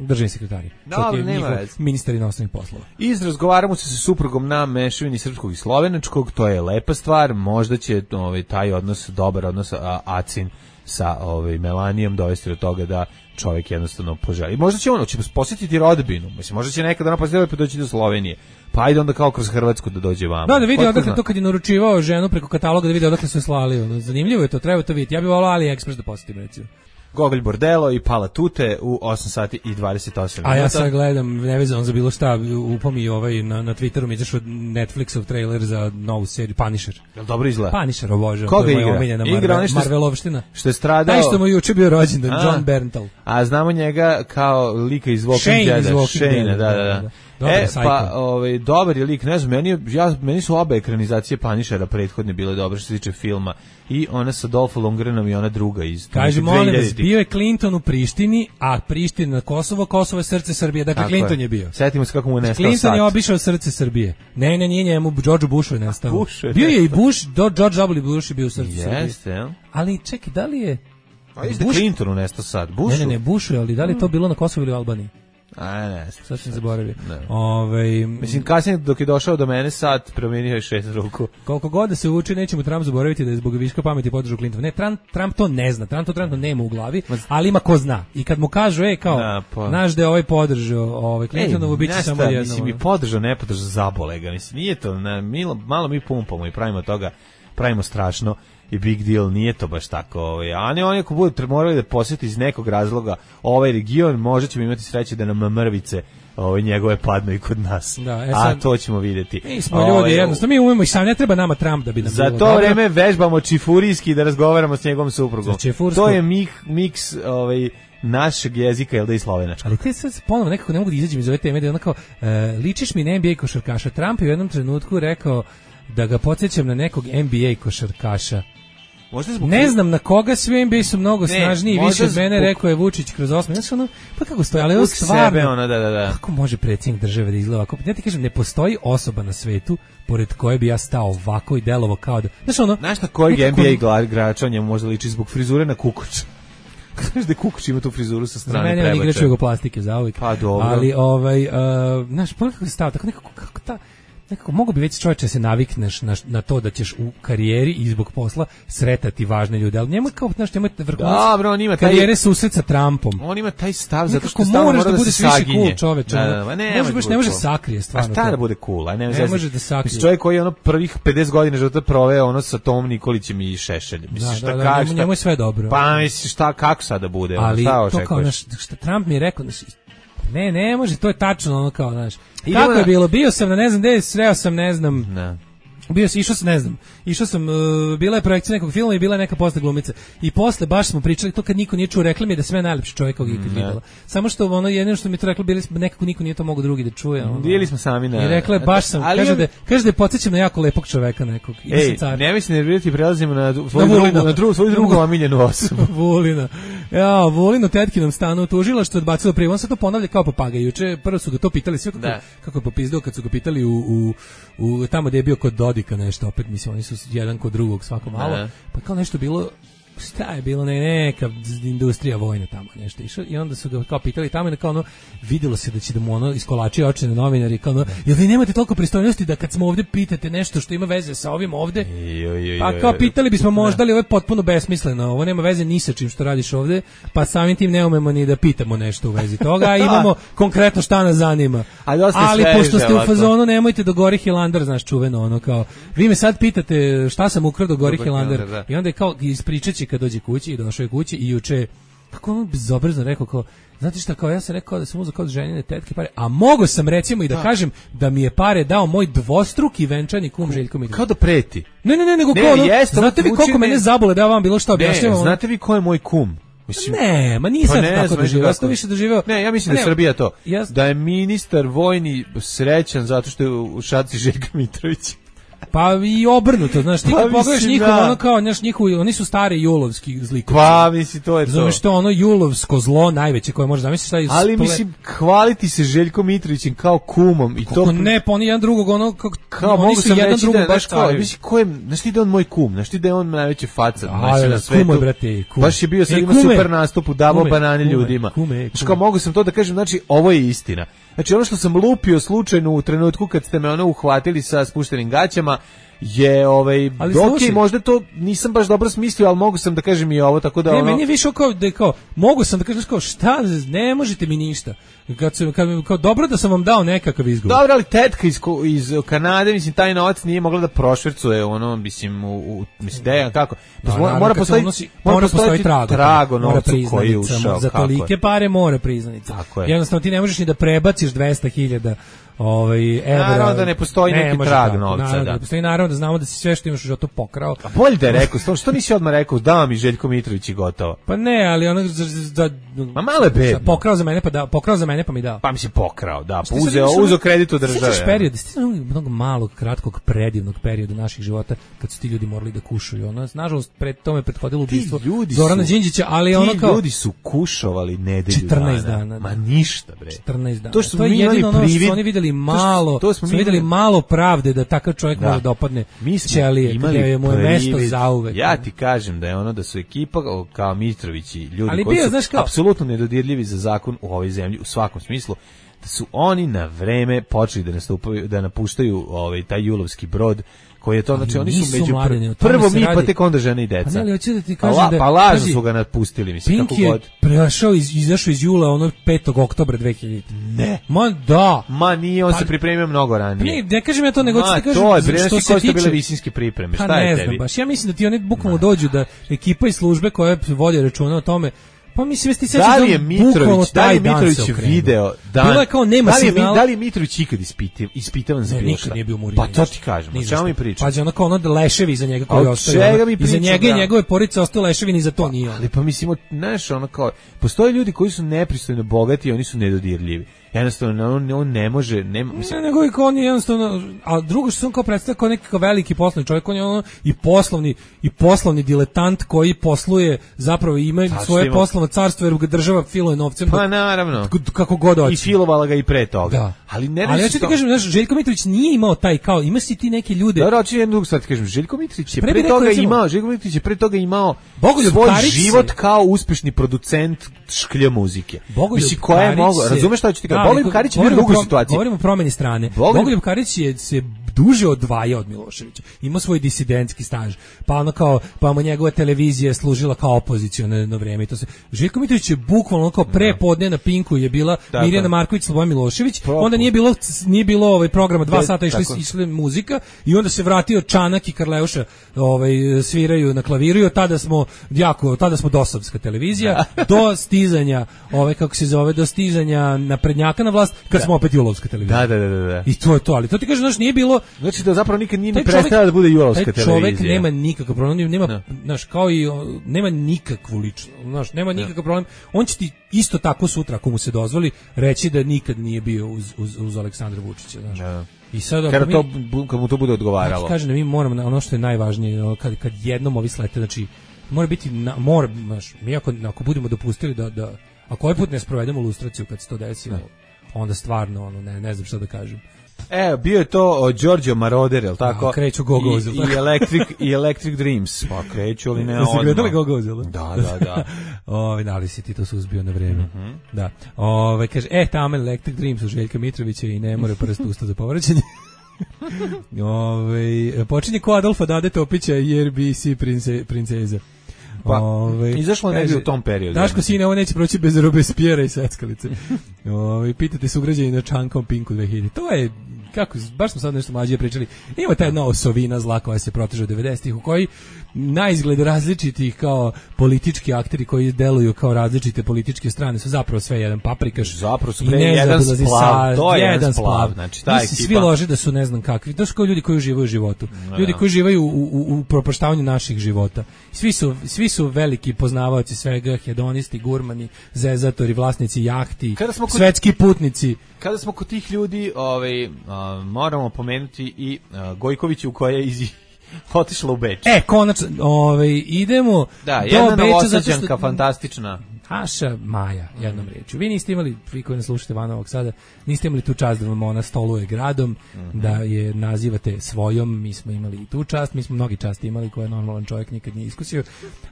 državni sekretari. Dobro, nema veze. Ministar inostranih poslova. Razgovaramo se sa suprugom na mešavini srpskog i slovenačkog, to je lepa stvar, možda će taj odnos, dobar odnos Acin sa Melanijom dovesti do toga da čovjek jednostavno poželi. Možda će će posjetiti rodbinu, mislim, možda će nekada ona posjetiti pa doći do Slovenije. Pa ajde onda kao kroz Hrvatsku da dođe vamo. Da vidi odakle to kad je naručivao ženu preko kataloga da vidi odakle su je slali. Zanimljivo je to, treba to vidjeti. Ja bih volao AliExpress da posjetim recimo. Gogolj Bordelo i Pala Tute u 8 sati i 28 minuta. A ja sad gledam, nevezano za bilo šta, upam i na Twitteru mi izašao Netflixov trailer za novu seriju Punisher. Jel dobro izgleda? Punisher obožavam. Koga igra? Igra Marvelovština. Što je stradao... Taj što mu juče bio rođendan, John Berntal. A znamo njega kao lika iz Walking Deada. Shane, da. Pa dobar je lik, ne znam, meni su obe ekranizacije Punishera prethodne bile dobre što se tiče filma. I ona sa Dolph Lundgrenom i ona druga iz... Kaže, molim vas, bio je Clinton u Prištini, a Priština na Kosovo, Kosovo je srce Srbije. Dakle, tako Clinton je bio. Sjetimo se kako mu je nestao Clinton sat. Je obišao srce Srbije. Ne, nije njemu, George Bushu je nestao. Bio je i Bush, George W. Bush je bio u srcu Srbije. Jeste, jel? Ali čekaj, da li je... A jeste Clintonu nestao sat, Bushu? Ne, Bushu je, ali da li je to bilo na Kosovo ili u Albaniji? Ne. Sad sam zaboravio. Mislim, kasnije dok je došao do mene sad, promijenio je 6 ruku. Koliko god da se uči, nećemo Trump zaboraviti da je zbog viška pameti podržao Clinton. Ne, Trump to ne zna, Trump to nema u glavi, ali ima ko zna. I kad mu kažu, znaš da je ovaj podržao Clintonovu, bit će samo jedno. Mislim, i podržao, ne podržao, zabole ga. Mislim, nije to, malo mi pumpamo i pravimo toga, pravimo strašno i big deal, nije to baš tako. A oni ako budu morali da posjeti iz nekog razloga ovaj region, možda ćemo imati sreće da nam mrvice njegove padnu i kod nas. A to ćemo vidjeti. Mi smo ljudi, jednostavno, mi umemo i sam, ne treba nama Trump da bi nam za to vreme vežbamo čifurijski da razgovaramo s njegovom suprugom. To je miks našeg jezika, jel da i slovenačkog. Ali te sad ponovo nekako ne mogu da izađem iz ove teme, da je onako, ličiš mi na NBA košarkaša. Trump je u jednom trenutku rekao da ga podsjećam na nekog NBA košarkaša. Ne znam na koga, svi NBA su mnogo snažniji i više od mene, rekao je Vučić kroz 8. Znači pa kako stoji, ali ovo stvarno, kako može predsjednik države da izgleda ovako? Ja ti kažem, ne postoji osoba na svetu pored koje bi ja stao ovako i delovo kao da... Znaš na kojeg NBA igrača njemu možda liči zbog frizure na Kukoč? Znaš da Kukoč ima tu frizuru sa strane prebačaja? Za mene on igrač jugoplastike za uvijek. Pa dobro. Ali, znaš, kako se stao, tako nekako mogu bi već čovječe se navikneš na to da ćeš u karijeri i zbog posla sretati važne ljude, ali njemu kao, znaš, njemu je vrhunac karijere susret sa Trumpom. On ima taj stav zato što stalno mora da se saginje. Cool, čoveče. Ne može sakrije stvarno. A šta da bude cool? Ne može da sakrije. Mislim, čovjek koji je prvih 50 godina života proveo sa Tomom Nikolićem i Šešeljem. Misliš njemu je sve dobro. Pa misliš kako sad da bude? Ali to kao, što Trump mi je rekao, ne može, to je tačno ono kao, znaš. Kako je bilo? Bio sam na ne znam gde, sreo sam ne znam. Išao sam, bila je projekcija nekog filma i bila je neka posle glumice. I posle baš smo pričali, to kad niko nije čuo, rekli mi je da sve najlepši čovjek kog ikad videla. Samo što jedino što mi to reklo, bili smo, nekako niko nije to mogao drugi da čuje. Bili smo sami na... I rekla je, baš sam, kaže da je podsjećam na jako lepog čoveka nekog. Ne mislim nervirati, prelazimo na svoju drugu omiljenu osobu. Vulina. Vulino tetkinom stanu tužila što je odbacilo prijavu. On se to ponavlja kao papagaj. Juče prvo su ga to pitali sve kako je popizdao kad su ga pitali u tamo gdje je bio kod Dodika nešto, opet mislim oni su jedan kod drugog svako malo, pa kao nešto bilo, šta je bilo, neka industrija vojna tamo nešto išao i onda su ga kao pitali tamo i kao vidjelo se da će da mu iskolačio oči na novinari, kao jel vi nemate toliko pristojnosti da kad smo ovdje pitate nešto što ima veze sa ovim ovdje, pa kao pitali bismo možda li ovo je potpuno besmisleno, ovo nema veze ni sa čim što radiš ovdje, pa samim tim ne umemo ni da pitamo nešto u vezi toga, a imamo konkretno šta nas zanima, ali pošto ste u fazonu nemojte do Gori Hilandar, znaš čuveno ono kao, vi me sad pitate šta sam ukrao do Gori Hilandar i onda je kao ispričaće kad dođe kući i došao je kući i juče kako on bezobrazno rekao, kao, znate šta, kao ja sam rekao da sam uzeo kao ženine tetke pare, a mogo sam recimo i da kažem da mi je pare dao moj dvostruki venčani kum Željko Mitrović. Kao da preti. Ne, nego Ne, kao ono, jeste, znate vi koliko mene zabole da ja vam bilo što objašnjavam? Znate vi ko je moj kum? Mislim, ne, ma nisam pa tako doživio, ja sam više doživio. Ne, ja mislim da je Srbija to. Da je ministar vojni srećan zato što je u šaci Željka Mitrovića. Pa i obrnuto, znaš, ti kad pogledaš njihov, ono kao, znaš, njihovi, oni su stari julovski zlikovi. Pa, misli, to je to. Znaš, to ono julovsko zlo najveće koje može zamisliti šta je... Ali, mislim, hvaliti se Željkom Mitrovićem kao kumom i kako to... ne, pa oni jedan drugog, ono, kao oni su jedan drugog baš kao... Mislim, ko je, znaš ti da on moj kum, znaš ti da je on najveći faca na svetu. Kume, brate, kume. Baš je bio sad ima super nastup, davao banane ljudima. Znaš, kao mogu sam to da kažem, znači, ovo je istina. Znači, ono što sam lupio slučajno u trenutku kad ste me ono uhvatili sa spuštenim gaćama, je okej, možda to nisam baš dobro smislio, ali mogu sam da kažem i ovo, tako da ne, meni je više kao mogu sam da kažem kao šta, ne možete mi ništa. Kao dobro da sam vam dao nekakav izgovor. Dobro, ali tetka iz Kanade, mislim, taj novac nije mogla da prošvercuje ono, mislim, mislim, da kako. Mora postojati trago novca koji je ušao. Za tolike pare mora priznanica. Jednostavno ti ne možeš ni da prebaciš 200.000 evra. Naravno da ne postoji neki trag novca. Da postoji, naravno da znamo da si sve što imaš u životu pokrao. A bolje da je rekao, što nisi odmah rekao, da mi Željko Mitrović i gotovo. Pa ne, ali ono ma malo je bedno. Pokrao za mene pa mi dao. Pa mi si pokrao, da, uzeo kredit od države. Sjećaš period, mnogo malog, kratkog, predivnog perioda naših života kad su ti ljudi morali da kušaju. Ono, nažalost, pred tome prethodilo ubistvo Zorana Đinđića, ali ono kao... Ti ljudi su kušovali nedelju 14 dana. Ma ništa, bre. 14 dana. To što mi imali privid, oni videli malo pravde da takav čovjek može da opadne ćelije, gdje je moje mesto zauvek. Ja ti kažem da je ono da su ekipa kao Mitrović i ljudi koji su apsolutno nedodirljivi za zakon u ovoj zemlji u svakom smislu, da su oni na vreme počeli da napuštaju taj julovski brod koji je to, znači oni su među prvo mi, pa tek onda žene i deca. Pa ne, hoću da ti kažem da... Pa lažno su ga napustili, mislim, kako god. Pink je izašao iz jula, ono 5. oktobra 2000. Ne. Ma da. Ma nije, on se pripremio mnogo ranije. Ne kažem ja to, nego ću ti kažem što se tiče... bile visinske pripreme, šta je tebi? Baš, ja mislim da ti oni bukvalno dođu da ekipa i službe koje vode računa o tome. Pa mislim ti sećaš da li je Mitrović video da li je Mitrović ikad ispitavan za bilo šta? Pa to ti kažem, o čemu mi pričamo? Pa onako ono leševi iza njega koji ostaju, iza njega i njegove porodice ostaju leševi, ni za to nije. Ali pa mislimo, znaš, ono kao postoje ljudi koji su nepristojno bogati i oni su nedodirljivi. Jednostavno on ne može, mislim, nego i on je jednostavno, a drugo što se on kao predstavlja kao neki veliki poslovni čovjek, on je ono i poslovni diletant koji posluje, zapravo ima svoje poslovno carstvo jer ga država filuje novcem. Pa naravno. Kako god hoće. I filovala ga i pre toga. Da. Ali ja ću ti kažem, znaš, Željko Mitrović nije imao taj kao, ima si ti neke ljude. Dobro, hoću jednu drugu stvar ti kažem, Željko Mitrović je pre toga imao svoj život kao uspešni producent šklja muzike. Mislim, koja je mogla, razumeš šta ću ti kažem? Bogoljub Karić je bio u drugoj situaciji. Govorimo o promeni strane. Bogoljub Karić je se duže odvajao od Miloševića. Imao svoj disidentski staž. Pa ono kao, pa mu njegova televizija služila kao opoziciono vrijeme i to se. Željko Mitrović je bukvalno kao prepodne na Pinku je bila Mirjana Marković, Slobodan Milošević. Onda nije bilo programa 2 sata išli muzika i onda se vratio Čanak i Karleuša sviraju na klaviru i tada smo dosovska televizija do stizanja do stizanja naprednjaka na vlast kad smo opet julovska televizija. Da. I to je to, ali to ti kaže, znaš, nije bilo. Znači da zapravo nikad nije ni prestala da bude julovska televizija. Čovjek nema nikakav problem, znaš, kao i nema nikakvu ličnu, znaš, nema nikakav problem. On će ti isto tako sutra, ako mu se dozvoli, reći da nikad nije bio uz Aleksandra Vučića, znaš. I sad kad mu to bude odgovaralo. Ja kažem da mi moramo, ono što je najvažnije, kad jednom ovi slete, znači mora biti znaš, mi ako budemo dopustili da ako ovaj put ne sprovedemo lustraciju kad se to desi, onda stvarno ne znam šta da kažem. Bio je to Giorgio Moroder, je li tako? Kreću Go-Go's. I Electric Dreams. Pa kreću, ali ne odmah. Jesi gledali Go-Go's? Da. Da li si ti to suzbio na vreme? Da. Kaže, tamo Electric Dreams u Željka Mitrovića i ne more prst usta za povraćanje. Počinje ko Adolfa Dade Topića i RBC princeza. Pa, izašlo negdje u tom periodu. Daško, sine, ovo neće proći bez Robespierre i Seckalice. Pitate se ugrađeni na Čankom Pinku 2000. To je, kako, baš smo sad nešto mlađe pričali, ima ta jedna osovina zla koja se proteže od 90-ih, u koji na izgled različitih kao politički akteri koji deluju kao različite političke strane su zapravo sve jedan paprikaš. Zapravo su jedan splav, to je jedan splav. Znači, ta ekipa. Svi lože da su ne znam kakvi. To su kao ljudi koji uživaju u životu. Ljudi koji uživaju u propaštavanju naših života. Svi su veliki poznavaoci svega, hedonisti, gurmani, zezatori, vlasnici jahti, svetski putnici. Kada smo kod tih ljudi, moramo pomenuti i Gojkoviću koja je otišla u Beč. Konačno, idemo da, do jedna Beča. Novosađanka fantastična. Aša Maja, jednom riječju. Vi niste imali, vi koji ne slušate van ovog sada, niste imali tu čast da vam ona stoluje gradom, da je nazivate svojom, mi smo imali i tu čast, mi smo mnogi časti imali koje normalan čovjek nikad nije iskusio,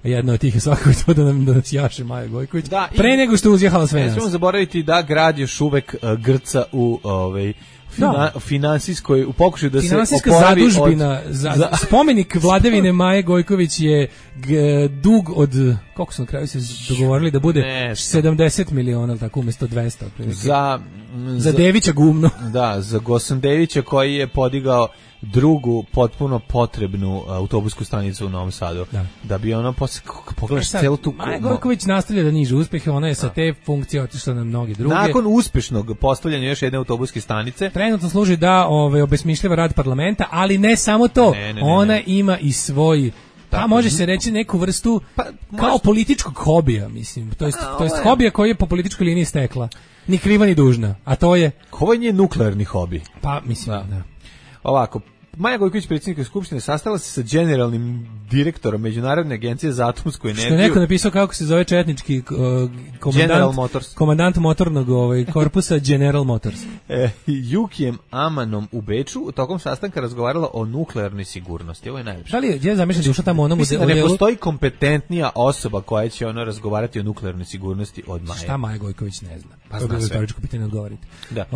a jedna od tih je svakako to da nas jaše Maja Gojković, da, pre nego što uzjehala sve nas. Ne smemo zaboraviti da grad još uvek grca u finansijskoj, u pokušaju da finansijska se oporavi zadužbina, spomenik vladavine Maje Gojković je dug od, koliko su na kraju se dogovorili da bude 70 miliona, tako umjesto 200. Za Devića gumno. Da, za Gosan Devića koji je podigao drugu potpuno potrebnu autobusku stanicu u Novom Sadu. Da bi ono pogledaš celu tu... Maja Gojković nastavlja da niže uspehe, ona je sa te funkcije otišla na mnoge druge. Nakon uspešnog postavljanja još jedne autobuske stanice... Trenutno služi da obesmišljava rad parlamenta, ali ne samo to. Ona ima i svoj... Pa može se reći neku vrstu kao političkog hobija, mislim. To jest hobija koji je po političkoj liniji stekla. Ni kriva ni dužna. A to je... Ovo je nuklearni hobi. Pa, mislim, da. Ovako, Maja Gojković, predsjednika Skupštine, sastala se sa generalnim direktorom Međunarodne agencije za atomsku energiju. Što je neko napisao kako se zove četnički komandant motornog korpusa General Motors. Jukijem Amanom u Beču tokom sastanka razgovarala o nuklearnoj sigurnosti. Ovo je najlepše. Da li je zamišljam da ušla tamo onom mislim da ne postoji kompetentnija osoba koja će razgovarati o nuklearnoj sigurnosti od Maje. Šta Maja Gojković ne zna? Pa zna sve. Retoričko pitanje odgovorite. Da.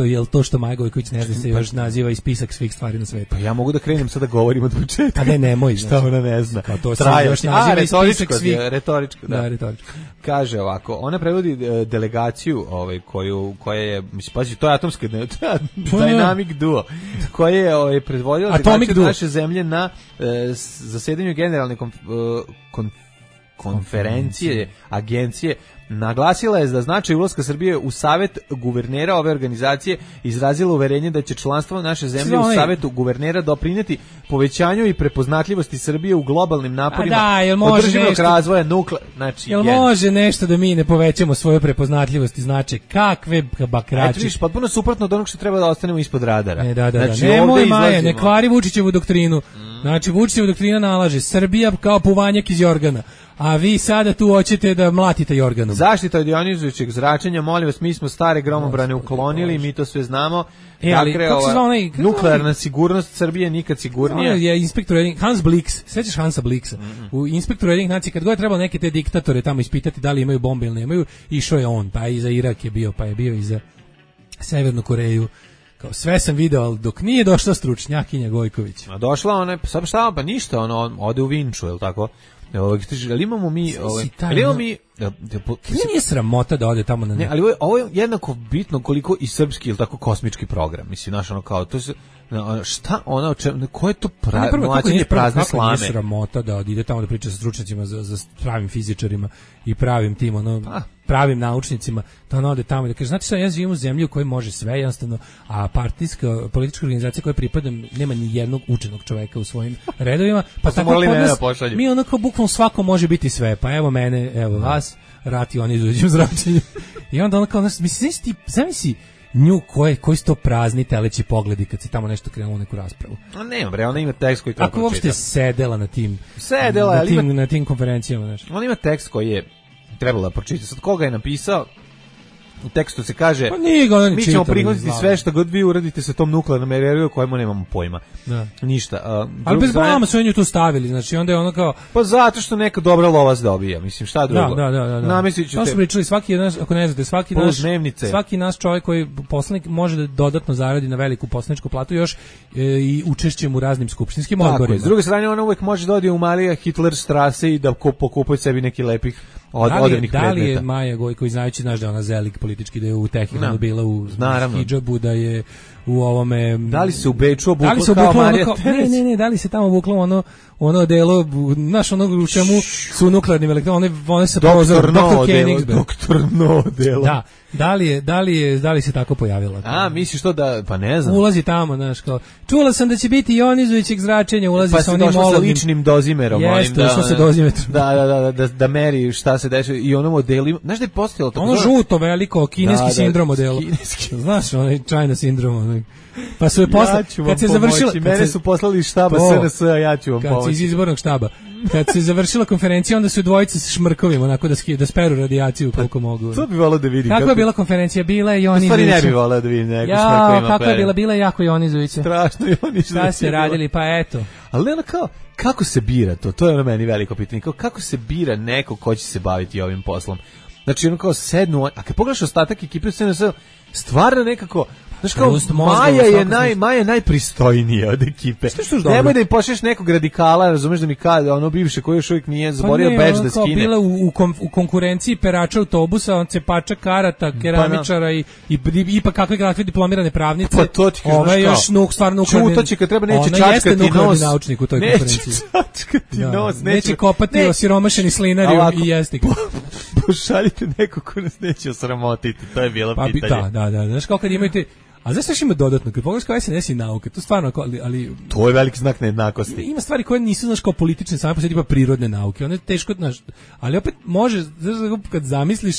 Jel to što Maja Gojković ne zna se još naziva i spisak svih stvari na svetu? Pa ja mogu da krenem sad da govorim od početka. A nemoj. Šta ona ne zna. Kao to se još naziva i spisak svih. Retoričko, da. Da, retoričko. Kaže ovako, ona prevodi delegaciju koja je, mislim, pazi, to je atomska Dynamic Duo, koja je predvodila delegaciju naše zemlje na zasedanju generalne konferencije agencije. Naglasila je da značaj ulaska Srbije u savet guvernera ove organizacije, izrazila uverenje da će članstvo naše zemlje u savetu guvernera doprinijeti povećanju i prepoznatljivosti Srbije u globalnim naporima održivog razvoja znači jel može nešto da mi ne povećamo svoju prepoznatljivost i značaj kakve bakrače. Viš, potpuno suprotno od onog što treba da ostanemo ispod radara. Znači, nemoj Maja, ne kvari Vučićevu doktrinu. Znači Vučićeva doktrina nalaže Srbija kao puvanjak iz jorgana. A vi sada tu hoćete da mlatite jorganom. Zaštita od ionizujućeg zračenja, molim vas, mi smo stare gromobrane uklonili, mi to sve znamo. Nuklearna sigurnost Srbije nikad sigurnija. Je inspektor Hans Blix, sećaš Hansa Blixa? U inspektoru jednih nacija, kad god je trebalo neke te diktatore tamo ispitati da li imaju bombe ili nemaju, išao je on, pa i za Irak je bio, pa je bio i za Severnu Koreju. Sve sam video, ali dok nije došla stručnjakinja Gojković. A došla ona, pa ništa, ona ode u Vinču, je li tako? Ali imamo mi... Nije sramota da ode tamo na... Ne, ali ovo je jednako bitno koliko i srpski, ili tako, kosmički program. Mislim, znaš, ono kao, to se... Šta ona, ko je to mlačenje prazne slame? Nije sramota da ide tamo da priča sa stručnjacima, za pravim fizičarima i pravim tim, pravim naučnicima, da ona ode tamo i da kaže, znate šta, ja živim u zemlji u kojoj može sve, jednostavno, a partijska, politička organizacija koja pripadam, nema ni jednog učenog čoveka u svojim redovima, pa tako kod nas, mi onako bukvalno svako može biti sve, pa evo mene, evo vas, rati oni izuđu zračenju. I onda ono kao, mislim, zamisli nju koji su to prazni teleći pogledi kad se tamo nešto krenulo u neku raspravu. A nema bre, ona ima tekst koji treba pročitati. Ako uopšte sedela na tim konferencijama, znaš. Ona ima tekst koji je trebala pročitati. Sad koga je napisao? U tekstu se kaže, mi ćemo prihvatiti sve što god vi uradite sa tom nuklearnom energijom kojemu nemamo pojma. Da. Ništa. Ali bez blama su nju tu stavili, znači onda je ono kao... Pa zato što neka dobra lovac dobija, mislim, šta drugo? Da. Nameslit ću to su pričali, svaki jedan, ako ne znate, svaki naš čovjek koji poslanik može da dodatno zaradi na veliku poslaničku platu još i učešćem u raznim skupštinskim odborima. S druge strane, ona uvek može da ode u Marija Hitler Strasse i da pokupuje sebi neki lepih odevnih predmeta. Da li je Maja Gojković, znajući, znaš da je ona zelik politički, da je u Tehniku bila u hidžabu, da je u ovome... Da li se u Beču obukla kao Marija Tereć? Ne, da li se tamo obukla ono delo, znaš, ono u čemu su nuklearnim elektronima, one se prozor, Dr. Koenigsberg. Dr. No delo. Da. Da li se tako pojavila? A, misliš to da, pa ne znam. Ulazi tamo, znaš, kao, čula sam da će biti ionizujućeg zračenja, ulazi sa onim mologim. Pa se došla sa ličnim dozimerom. Jeste, ušla se dozimetrom. Da meri šta se dešava i ono modelu, znaš da je postojalo tako? Ono žuto, veliko, kineski sindrom modelo. Znaš, onaj China sindrom, onaj. Pa su je kad se završila, mene su poslali iz štaba SNS, a ja ću vam pomoći. Iz izbornog štaba. Kad se završila konferencija, onda su dvojice sa šmrkovim, onako da speru radijaciju koliko mogu. To bi volao da vidim. Kakva je bila konferencija? Bila je ionizujuća. Stvari ne bi volao da vidim neko šmrkovima. Kakva je bila? Bila je jako ionizujuća. Strašno ionizujuća. Šta ste radili? Pa eto. Ali ono kao, kako se bira to? To je ono meni veliko pitanje. Kako se bira neko ko će se baviti ovim poslom? Znači, ono kao sednu, a kad pogledaš ostatak ekipe SNS, stvarno nekako, znaš kao, Maja je najpristojnija od ekipe. Nemoj da im pošleš nekog radikala, razumeš da mi kada, ono bivše koji još uvijek nije zaborio bedž da skine. Bila u konkurenciji perača autobusa, on cepača karata, keramičara i ipak kakve diplomirane pravnice. Pa to ti kažeš, ova je još stvarno nuklearni. Čutaće kad treba neće čačkati nos. Naučnik u toj konferenciji. Neće čačkati nos. Neće kopati osiromašeni slinari i jesti. Pošaljite neko ko nas neće osramotiti, to je bilo pitanje. Da, znaš kao kad imate, a znaš što ima dodatno, kad pogledaš kao SNS i nauke, to stvarno, ali... To je veliki znak nejednakosti. Ima stvari koje nisu, znaš, kao politične, same po sebi, tipa prirodne nauke, one je teško, znaš, ali opet može, znaš, kad zamisliš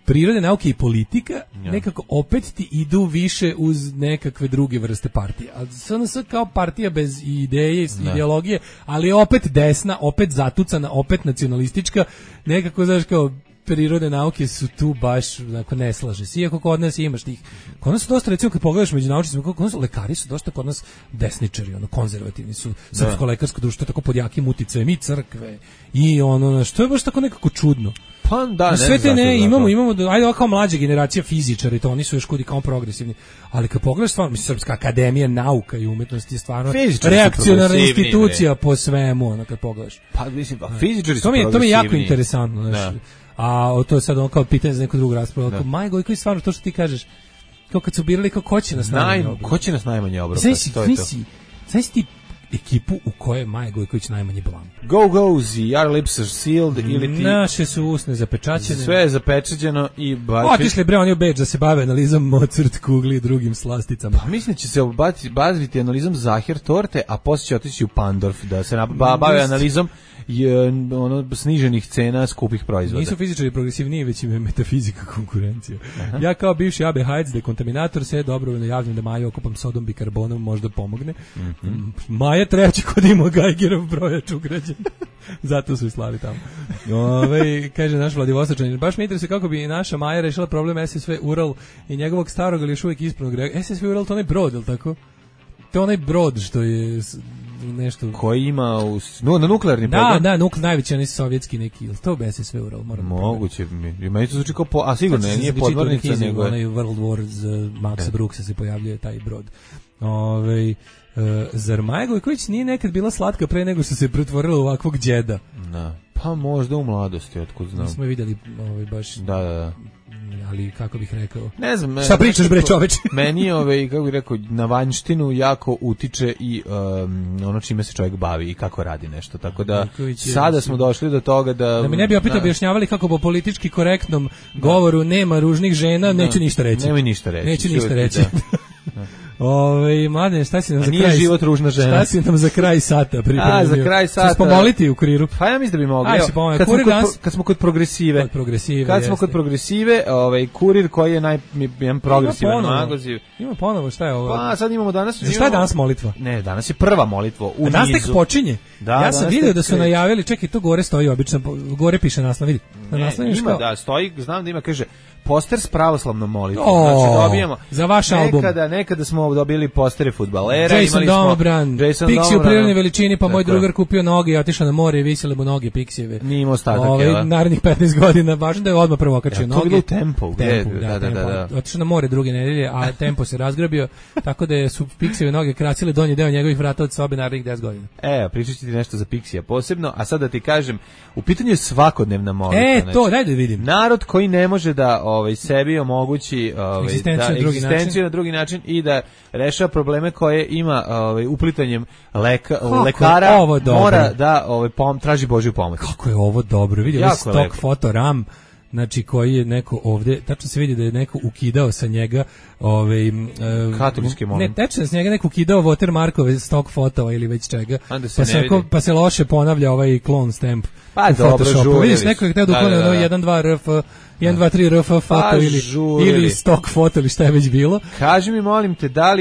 prirodne nauke i politika, nekako opet ti idu više uz nekakve druge vrste partije. A SNS kao partija bez ideje, ideologije, ali opet desna, opet zatucana, opet nacionalistička, nekako, znaš, kao prirodne nauke su tu baš, onako, ne slaže se. Iako kod nas imaš tih, kod nas su dosta, recimo, kad pogledaš među naučnicima, kod nas lekari su dosta kod nas desničari, ono, konzervativni su, srpsko-lekarsko društvo, tako pod jakim uticajem i crkve, i ono, što je baš tako nekako čudno. Pa da, ne sve te ne, imamo, ajde, kao mlađa generacija fizičara, i to oni su još kudi kao progresivni, ali kad pogledaš stvarno, mislim, Srpska akademija nauka i umetnosti je stvarno reakcionarna institucija po svemu, ono, kad pogledaš. Pa mislim, fizičari su progresivni. To mi je jako interesantno, znaš. A to je sad ono kao pitanje za neku drugu raspravu. Kao Maja Gojković, stvarno to što ti kažeš, kao kad su birali, kao ko će nas najmanje obrati. Ko će nas najmanje obrati? Znaš ti ekipu u kojoj je Maja Gojković najmanji blam. Go, your lips are sealed, ili ti... Naše su usne zapečaćene. Sve je zapečaćeno i... Otišli bre, oni u Beč da se bave analizom Mozart kugli i drugim slasticama. Pa mislim da će se baviti analizom Zahir torte, a poslije će otići u Pandorf da se bave analizom sniženih cena skupih proizvoda. Nisu fizičari progresivniji, već im je metafizika konkurencija. Aha. Ja kao bivši AB Hajc dekontaminator se dobrovoljno javljam da Maju okupam sodom bikarbonom, možda pomogne. Maja treći kod ima Geigerov brojač ugrađen. Zato su i slali tamo. Kaže naš Vladivostočanin, baš me interesuje kako bi naša Maja rešila problem SSV Ural i njegovog starog, ali još uvijek ispravnog. SSV Ural, to onaj brod, je li tako? To je onaj brod što je nešto... Koji ima na nuklearni program? Da, najveći, onaj sovjetski neki, ili to bez sve Ural? Moguće, meni to zvuči kao, a sigurno nije podmornica, nego je... Onaj World War z Maxa Brooksa se pojavljuje taj brod. Zar Maja Gojković nije nekad bila slatka pre nego što se pretvorila u ovakvog đeda? Da, pa možda u mladosti, otkud znam. Nismo je vidjeli baš... Da. Ali kako bih rekao? Ne znam. Šta pričaš bre čoveče? Meni kako bih rekao, na vanjštinu jako utiče i ono čime se čovjek bavi i kako radi nešto. Tako da sada smo došli do toga da mi ne bi opet objašnjavali kako po politički korektnom govoru nema ružnih žena, neću ništa reći. Nemoj ništa reći. Neću ništa reći. Mladen, šta si nam za kraj? Nije život ružna žena. Šta si nam za kraj sata pripremio? Za kraj sata. Ćeš pomoliti u kuriru? Pa ja mislim da bi mogli. Kad smo kod progresive. Kad smo kod progresive, kurir koji je jedan progresivan magazin. Ima ponovo, šta je ovo? Pa sad imamo danas. Šta je danas molitva? Ne, danas je prva molitva u nizu. Danas tek počinje. Ja sam vidio da su najavili, čekaj, to gore stoji obično, gore piše naslov, vidi. Ima, da, stoji, znam da ima, kaže, poster s pravoslavnom molitvom. Znači dobijemo. Za vaš album. Nekada smo dobili postere fudbalera, Jason Domobran, Pixi u prirodnoj veličini, pa moj drugar kupio noge i otišao na more i visile mu noge Pixijeve. Nije imao ostatak, narednih 15 godina, važno da je odmah prvo okačio noge. To je bilo Tempo. Da. Otišao na more druge nedelje, a Tempo se razgrabio, tako da su Pixijeve noge kracile donji deo njegovih vrata od sobe narednih 10 godina. Pričat ću ti nešto za Pixija posebno, a sad da ti kažem, u pitanju je svakodnevna molitva. To, daj da vidim. Narod koji ne može da sebi omogući egzistenciju na drugi način i da rešava probleme koje ima uplitanjem lekara, mora da traži Božju pomoć. Kako je ovo dobro, vidi ovaj stock foto RAM, znači koji je neko ovde, tačno se vidi da je neko ukidao sa njega katolički molim. Ne, tačno sa njega neko ukidao watermarkove stock fotova ili već čega, pa se loše ponavlja ovaj clone stamp. Pa dobro, vidiš, neko je hteo da uklone 1, 2 RF, 1, 2, 3 RF foto ili stock foto ili šta je već bilo. Kaži mi, molim te, da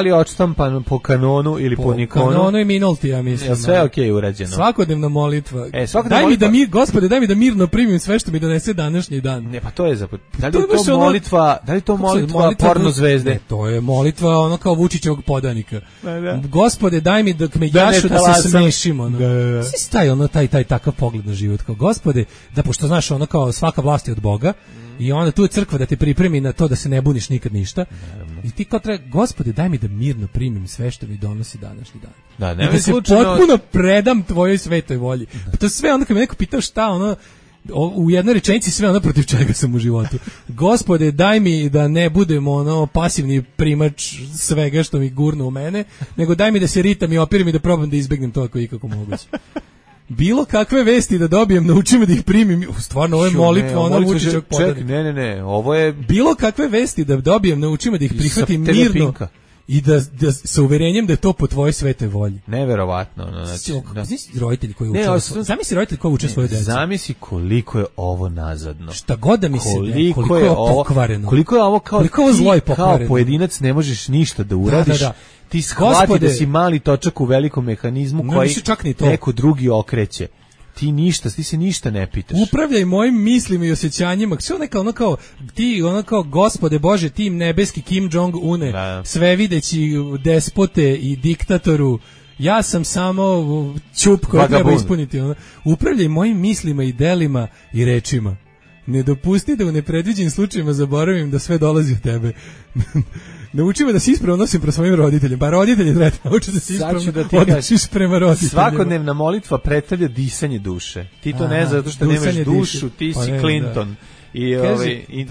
li je odštampan po kanonu ili po Nikonu? Po kanonu i Minolti, ja mislim. Sve okej urađeno. Svakodnevna molitva. Gospode, daj mi da mirno primim sve što mi donese današnji dan. Ne, pa to je da li je to molitva porno zvezde? Ne, to je molitva ono kao Vučićevog podanika. Gospode, daj mi dok me jašu da se smešimo. Svi staje ono taj takav pogled na život, kao Gospode, da pošto znaš ono kao svaka vlast je od Boga i onda tu je crkva da te pripremi na to da se ne buniš nikad ništa. I ti kao treba, Gospode, daj mi da mirno primim sve što mi donosi današnji dan. I da se potpuno predam tvojoj svetoj volji. Pa to sve onda kad me neko pitao šta ono, u jednoj rečenici sve ono protiv čega sam u životu. Gospode, daj mi da ne budem ono pasivni primač svega što mi gurne u mene, nego daj mi da se ritam i opirim i da probam da izbegnem to ako je ikako moguće. Bilo kakve vesti da dobijem, naučim da ih primim. Stvarno, ovo je molitva, ona Vučićevog podanika. Ne, ovo je... Bilo kakve vesti da dobijem, naučim da ih prihvatim mirno i da sa uverenjem da je to po tvojoj svetoj volji. Neverovatno. Zamisli roditelji koji uče. Zamisli roditelji koji uče svoje dece. Zamisli koliko je ovo nazadno. Šta god da mi se koliko je ovo pokvareno. Koliko je ovo zlo i pokvareno. Kao pojedinac ne možeš ništa da uradiš. Ti shvati da si mali točak u velikom mehanizmu koji neko drugi okreće. Ti se ništa ne pitaš. Upravljaj mojim mislima i osjećanjima. Sve ono kao ti, ono kao Gospode Bože, ti nebeski Kim Jong-une, svevideći despote i diktatoru, ja sam samo ćup koji treba ispuniti. Upravljaj mojim mislima i delima i rečima. Ne dopusti da u nepredviđenim slučajevima zaboravim da sve dolazi od tebe. Nauči me da se ispravno nosim prema svojim roditeljima. Pa roditelji treba nauči da se ispravno odnosiš prema roditeljima. Svakodnevna molitva predstavlja disanje duše. Ti to ne zato što nemaš dušu, ti si Clinton. I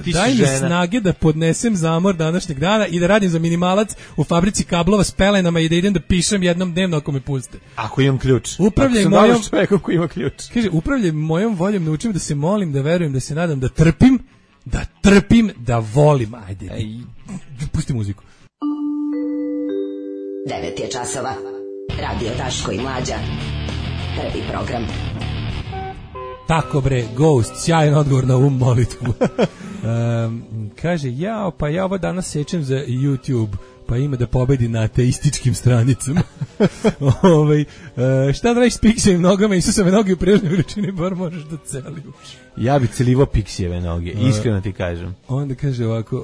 ti daj si mi žena. Snage da podnesem zamor današnjeg dana i da radim za minimalac u fabrici kablova s pelenama i da idem da pišem jednom dnevno ako me puste. Ako imam ključ. Upravljaj ako mojom čovjekom koji ima ključ. Kaže, upravljaj mojom voljom, naučim da se molim, da verujem, da se nadam, da trpim, da volim. Ajde, pusti muziku. 9 je časova. Radio Daško i Mlađa. Prvi program. Tako bre, Ghost, sjajan odgovor na ovu molitvu. Kaže, pa ja ovo danas sečem za YouTube, pa ima da pobedi na ateističkim stranicama. Šta da radiš s Pixijevim nogama, Isusove noge u prirodnoj veličini, bar možeš da celiš. Ja bi celivo Pixijeve noge, iskreno ti kažem. Onda kaže ovako,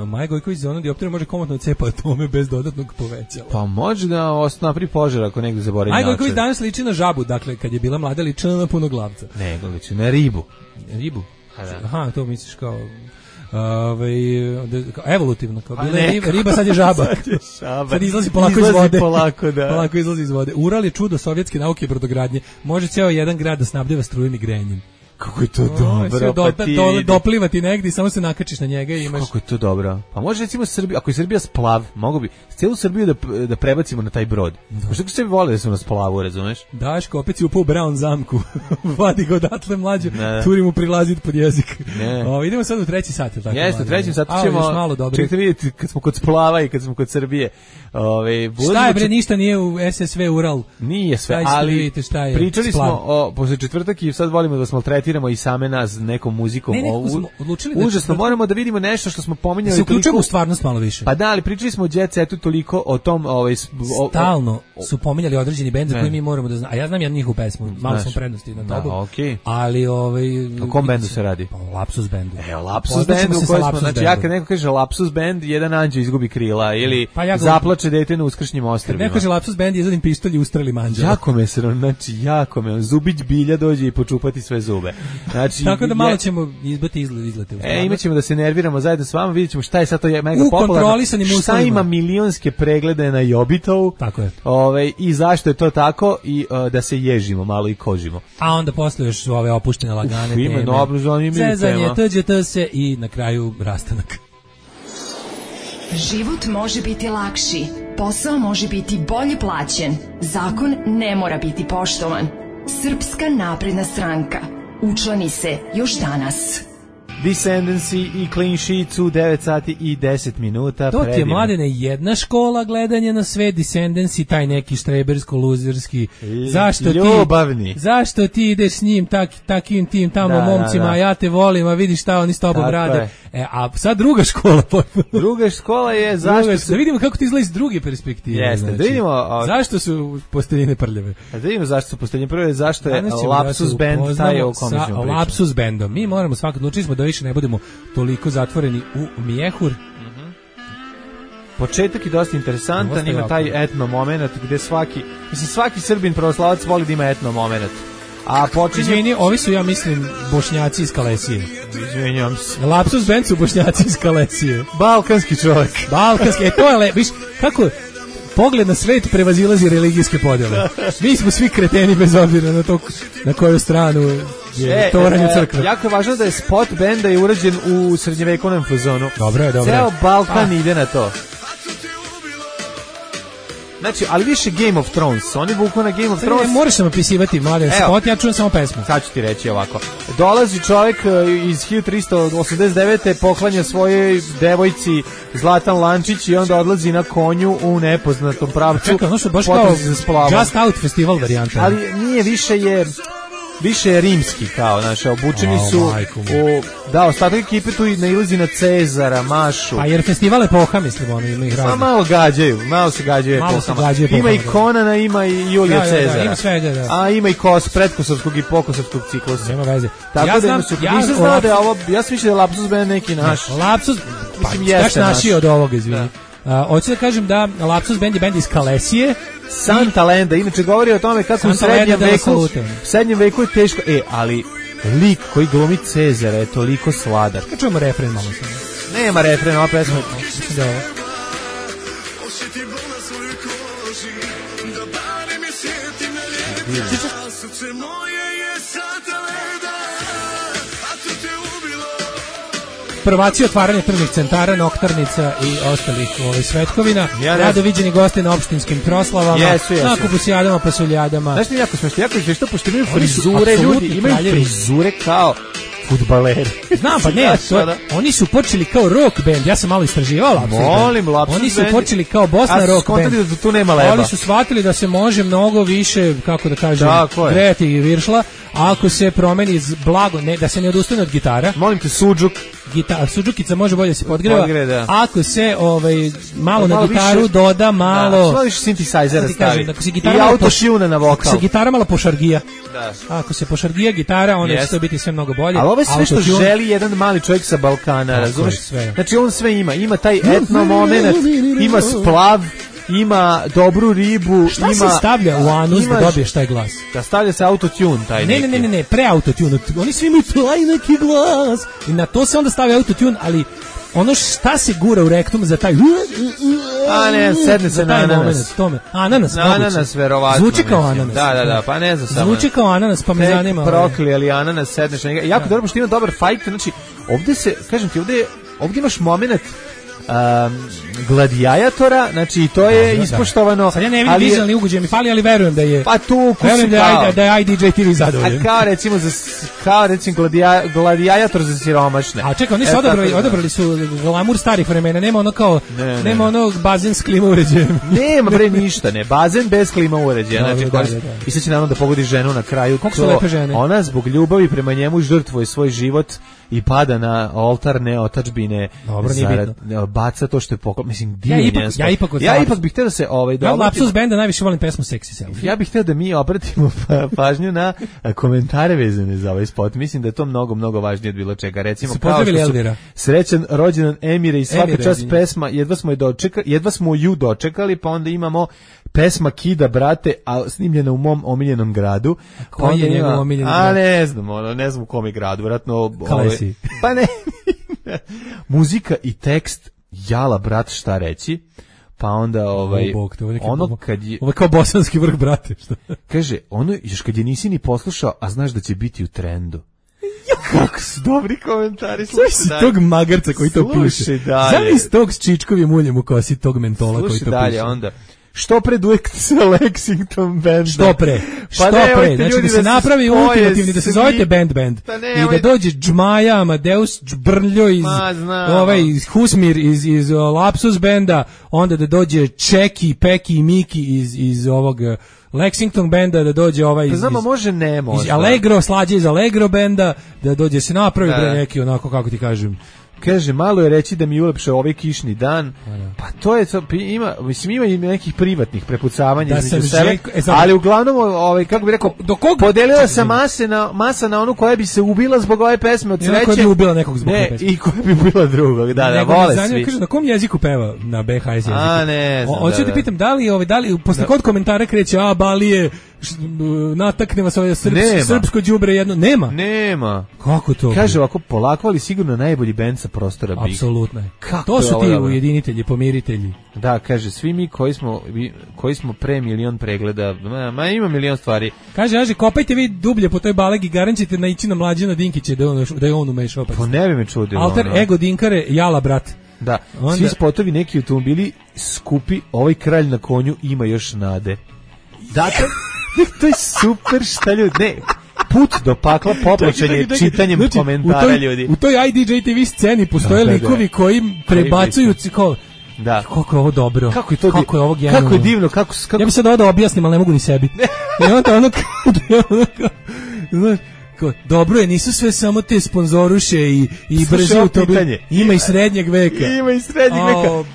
Maja Gojković za ono dioptriju može komotno odcepa atome bez dodatnog povećala. Pa može da napravi požar ako negdje zaboravi Maja Gojković danas liči na žabu, dakle, kad je bila mlada ličila na punoglavca. Nego liči na ribu. Ribu? Aha, to misliš kao... evolutivno, kao bila je riba, sad je žaba. Sad izlazi polako iz vode. Polako izlazi iz vode. Ural je čudo sovjetske nauke i brodogradnje. Može ceo jedan grad da snabdeva strujem i grejanjem. Kako je to dobro, pa ti... doplivati negdje i samo se nakačiš na njega i imaš... Kako je to dobro. Pa može recimo Srbija, ako je Srbija splav, mogu bi celu Srbiju da prebacimo na taj brod. Što ko sebi vole da su na splavu, razumeš? Daško, opet si upao u Brown zamku. Vadi ga odatle mlađu, turi mu prilazit pod jezik. Idemo sad u 3. sat. Jeste, u 3. satu ćemo... Čekajte vidjeti kad smo kod splava i kad smo kod Srbije. Šta je bre, ništa nije u SSV Ural. Nije sve, ali pričali smo posle četvrtak i sad volimo da smo maltretiramo i same nas nekom muzikom. Nekako smo odlučili da užasno, moramo da vidimo nešto što smo pominjali. Se uključujemo u stvarnost malo više. Pa da, ali pričali smo o Jet Setu toliko o tom... Stalno su pominjali određeni bend za koji mi moramo da znamo. A ja znam jednu njihovu pesmu, malo smo prednosti na tobu. Okay. Ali o kom bendu se radi? O Lapsus bendu. Lapsus bendu, znači ja kad neko kaže Lapsus bend, jedan anđeo izgubi krila ili zaplače dete na uskršnjim ostrvima. Kad neko kaže Lapsus bend, izvadim pištolj i ustreli manđela. Jako me se, znači jako me, zubić bilja dođe i počupati sve zube. Znači, tako da malo ćemo izbati izlete. Imaćemo da se nerviramo zajedno s vama, vidjet ćemo šta je sad to mega popularno. Šta ima milionske preglede na Jobitovu. Tako je. I zašto je to tako i da se ježimo malo i kožimo. A onda posle još ove opuštene lagane teme. Ima dobro zanimljive tema. Zezanje, TGT se i na kraju rastanak. Život može biti lakši, posao može biti bolje plaćen, zakon ne mora biti poštovan. Srpska napredna stranka. Učlani se još danas. Descendancy i Clean Sheets u 9 sati i 10 minuta. To ti je, Mladene, jedna škola gledanja na sve. Descendancy, taj neki štrebersko-luzerski. Ljubavni. Zašto ti ideš s njim takim tim tamo momcima, a ja te volim, a vidiš šta oni s tobom rade. A sad druga škola. Druga škola je zašto su... Da vidimo kako ti izgleda iz druge perspektive. Jeste, znači, da vidimo... Zašto su posteljine prljave? Da vidimo zašto su posteljine prljave, zašto je Lapsus Band taj o kome ćemo pričati. Lapsus Bandom. Mi moramo svakako, odlučili smo da više ne budemo toliko zatvoreni u mjehur. Početak je dosta interesantan, ima taj etno moment gde svaki Srbin pravoslavac voli da ima etno moment. Izvini, ovi su, ja mislim, Bošnjaci iz Kalesije. Izvinjam se. Lapsus Band su Bošnjaci iz Kalesije. Balkanski čovjek. Balkanski, to je viš, kako pogled na svet prevazilazi religijske podjele. Mi smo svi kreteni bez obzira na to na koju stranu je tovaranje crkve. Jako je važno da je spot benda je urađen u srednjevekovnom fazonu. Dobro je. Ceo Balkan ide na to. Znači, ali više Game of Thrones. Oni vuku na Game of Thrones. Ne, moraš sam opisivati, Mladen, spot, ja čujem samo pesmu. Sad ću ti reći ovako. Dolazi čovjek iz 1389. poklanja svojoj devojci Zlatan Lančić i onda odlazi na konju u nepoznatom pravcu. Čekaj, ono što baš kao Just Out festival varijanta. Ali nije, više je rimski kao, znaš, obučeni su ostatak ekipe tu nailazi na Cezara, Mašu. Pa jer festival epoha, mislim, ono ima ih razne. Malo se gađaju epohama. Ima i Konana, ima i Julija Cezara. Ima svega, da. A ima i predkosovskog i pokosovskog ciklusa. Nema veze. Tako da nisam znao da je ovo, ja sam mislio da je Lapsus Band neki naš. Lapsus, pa naši od ovoga, izvini. Hoću da kažem da Lapsus Band je band iz Kalesije. Santa Lenda, inače govori o tome kako u srednjem veku je teško, ali lik koji glumi Cezara je toliko sladak. Kad čujemo refren malo samo. Nema refren, ova pesma. Da. Prvaci otvaranje tržnih centara, noktarnica i ostalih svetkovina. Rado viđeni gosti na opštinskim proslavama, na kupusijadama, pasuljadama. Znaš mi jako smešno, pošto imaju frizure, ljudi imaju frizure kao fudbaleri. Znam, pa ne, oni su počeli kao rock band, ja sam malo istraživao Lapsus Band. Oni su počeli kao Bosna rock band. Da tu nema leba. Oni su shvatili da se može mnogo više, kako da kažem, grejati i viršla, ako se promeni blago, da se ne odustane od gitara. Molim te, sudžuk. Sudžukica može bolje se podgreva. Ako se malo na gitaru doda malo... Što više synthesizera stavi. I autotuna na vokal. Ako se gitara malo pošargija. Ako se pošargija gitara, onda će to biti sve mnogo bolje. Ali ovo je sve što želi jedan mali čovjek sa Balkana, razumeš? Znači on sve ima. Ima taj etno moment, ima splav, ima dobru ribu. Šta se stavlja u anus da dobiješ taj glas? Da stavlja se autotune taj neki. Ne, pre-autotune. Oni svi imaju taj neki glas. I na to se onda stavlja autotune, ali ono šta se gura u rektum za taj... A ne, sedne se na ananas. Ananas, verovatno. Zvuči kao ananas. Da, pa ne znam samo. Zvuči kao ananas, pa me zanima. Prokli, ali ananas sedneš na njega. Jako dobro, što ima dobar fajt, znači, ovdje se, kažem ti, ovdje imaš moment Gladijatora, znači to je ispoštovano. Sad ja ne vidim vizualni ugođaj mi fali, ali verujem da je. Pa tu verujem da je IDJ TV zadovoljan. Kao recimo Gladijator za siromašne. A čekaj, oni su odabrali su glamur starih vremena, nema ono kao nema ono bazen s klima uređajem. Nema bre ništa, ne, bazen bez klima uređaja. Znači i sad će naravno da pogodi ženu na kraju. Kako su lepe žene. Ona zbog ljubavi prema njemu žrtvuje svoj život i pada na oltar neotadžbine. Dobro, baca to što je mislim ja ipak bih hteo da se ja Lapsus benda najviše volim pesmu Sexy Selfie. Ja bih hteo da mi obratimo pažnju na komentare vezane za ovaj spot. Mislim da je to mnogo važnije od bilo čega. Recimo kao što su srećan rođendan Emire i svaka čast pesma, jedva smo ju dočekali, pa onda imamo pesma Kida brate, a snimljena u mom omiljenom gradu. Koji je njegov omiljeni grad? Ne znam u kom je gradu, vjerojatno Kalesi. Pa ne. Muzika i tekst Jala brat šta reći. Pa onda ono kad je ovo kao bosanski vrh brate što. Kaže ono još kad je nisi ni poslušao, a znaš da će biti u trendu. Kako su dobri komentari. Slušaj tog magarca koji to piše. Zamisli tog s čičkovim uljem u kosi, tog mentola koji to piše. Dalje onda. Što pre duet sa Lexington Band? Što pre? Znači da se napravi ultimativni, da se zovete band i da dođe Džmaja, Amadeus, Džbrljo iz Husmir iz Lapsus Benda, onda da dođe Čeki, Peki i Miki iz ovog Lexington Benda, da dođe iz Allegro, Slađe iz Allegro Benda, da dođe se napravi neki onako, kako ti kažem. Kaže, malo je reći da mi ulepše ovaj kišni dan. Pa to je, ima i nekih privatnih prepucavanja između sebe, ali uglavnom, kako bi rekao, podelila se masa na onu koja bi se ubila zbog ove pesme od sreće. Koja bi ubila nekog zbog ove pesme. I koja bi ubila drugog, da, vole svi. Kaže, na kom jeziku peva? Na BHS jeziku. Ne znam. Hoću ti pitam, da li posle kod komentara kreće, Balije, natakne vas ovaj srpsko đubre jedno. Nema. Kako to? Kaže ovako, polako, ali sigurno najbolji bend sa prostora Big. Apsolutno. To su ti ujedinitelji, pomiritelji. Da, kaže, svi mi koji smo pre milion pregleda, ima milion stvari. Kaže, kopajte vi dublje po toj balegi, garanćete naići na Mlađana Dinkića da je on umešao. Pa ne bi me čudilo. Alter ego Dinkare, Jala brat. Da, svi spotovi, neki automobili skupi, ovaj kralj na konju ima još nade. Dakle, to je super šta ljudi, put do pakla poplaćen je čitanjem komentara ljudi. U toj IDJ TV sceni postoje likovi koji prebacuju kao, da. Kako je ovo dobro, kako je ovo genijalno. Kako je divno, kako... Ja bih sad ovo da objasnim, ali ne mogu ni sebi. I onda znaš, dobro je, nisu sve samo te sponzoruše i brže autobuse. Ima i srednjeg veka.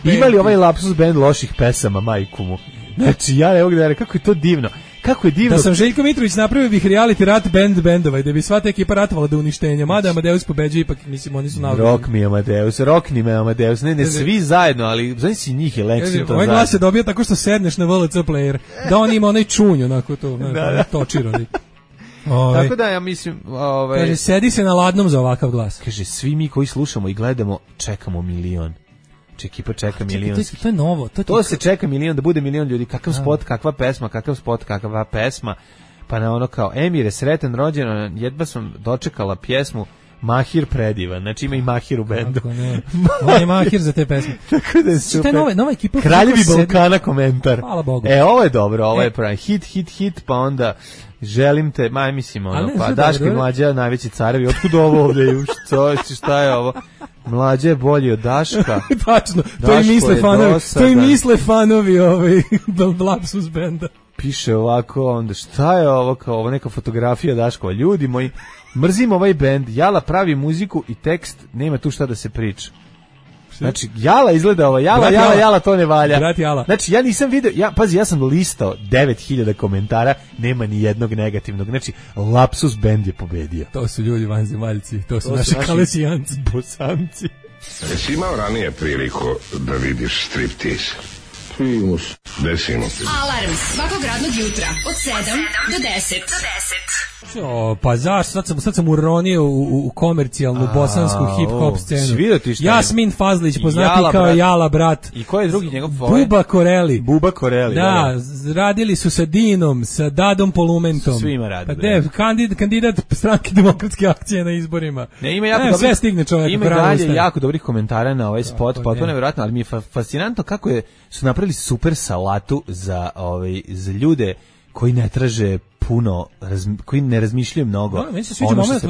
Ima li ovaj Lapsus Band loših pesama, majku mu? Znači, ja ne mogu da rekao, kako je to divno. Kako je divno. Da sam Željko Mitrović napravio bih reality rat bendova i da bi sva ta ekipa ratovala do uništenja. Mada Amadeus pobeđuje, ipak mislim oni su navodili. Rockni me Amadeus. Ne, svi zajedno, ali znaš si njih je Lexington zajedno. Ovaj glas se dobija tako što sedneš na VLC player. Da on ima onaj čunj, onako to, točir oni. Tako da ja mislim... Kaže, sedi se na ladnom za ovakav glas. Kaže, svi mi koji slušamo i gledamo, čekamo milion. Ekipa čeka milion. To je novo. To se čeka milion, da bude milion ljudi. Kakav spot, kakva pesma, kakva pesma. Pa na ono kao, Emire, sretan rođendan, jedva sam dočekala pjesmu Mahir predivan. Znači ima i Mahir u bendu. Tako ne. On je Mahir za te pesme. Tako da je super. Nova ekipa. Kraljevi Balkana komentar. Hvala Bogu. Ovo je dobro, ovo je pravi. Hit, pa onda želim te, mislim pa Daško i Mlađa, najveći carevi, otkud ovo ovdje, šta je ovo? Mlađa je bolji od Daška. Tačno, to i misle fanovi Lapsus Benda. Piše ovako, onda šta je ovo, kao ovo neka fotografija Daškova. Ljudi moji, mrzim ovaj bend, Jala pravi muziku i tekst, nema tu šta da se priča. Znači, Jala izgleda ovo, Jala to ne valja. Znači, ja nisam vidio, ja sam listao 9000 komentara, nema ni jednog negativnog. Znači, Lapsus Band je pobedio. To su ljudi vanzemaljci, to su naši kalesijanci. Bosanci. Jesi imao ranije priliku da vidiš striptease? Desimo. Alarm svakog radnog jutra od 7 do 10. Pa zašto? Sad sam uronio u komercijalnu bosansku hip-hop scenu. Jasmin Fazlić, poznati kao Jala brat. I ko je drugi njegov? Buba Koreli. Buba Koreli, da. Radili su sa Dinom, sa Dadom Polumentom. Svima radili. Pa kandidat stranke Demokratske akcije na izborima. Ne, ima jako sve stigne čovjek. Ima dalje jako dobrih komentara na ovaj spot, potpuno nevjerojatno, ali mi je fascinantno kako su napravili super salatu za ljude koji ne traže puno, koji ne razmišljaju mnogo. No, meni se sviđa moment,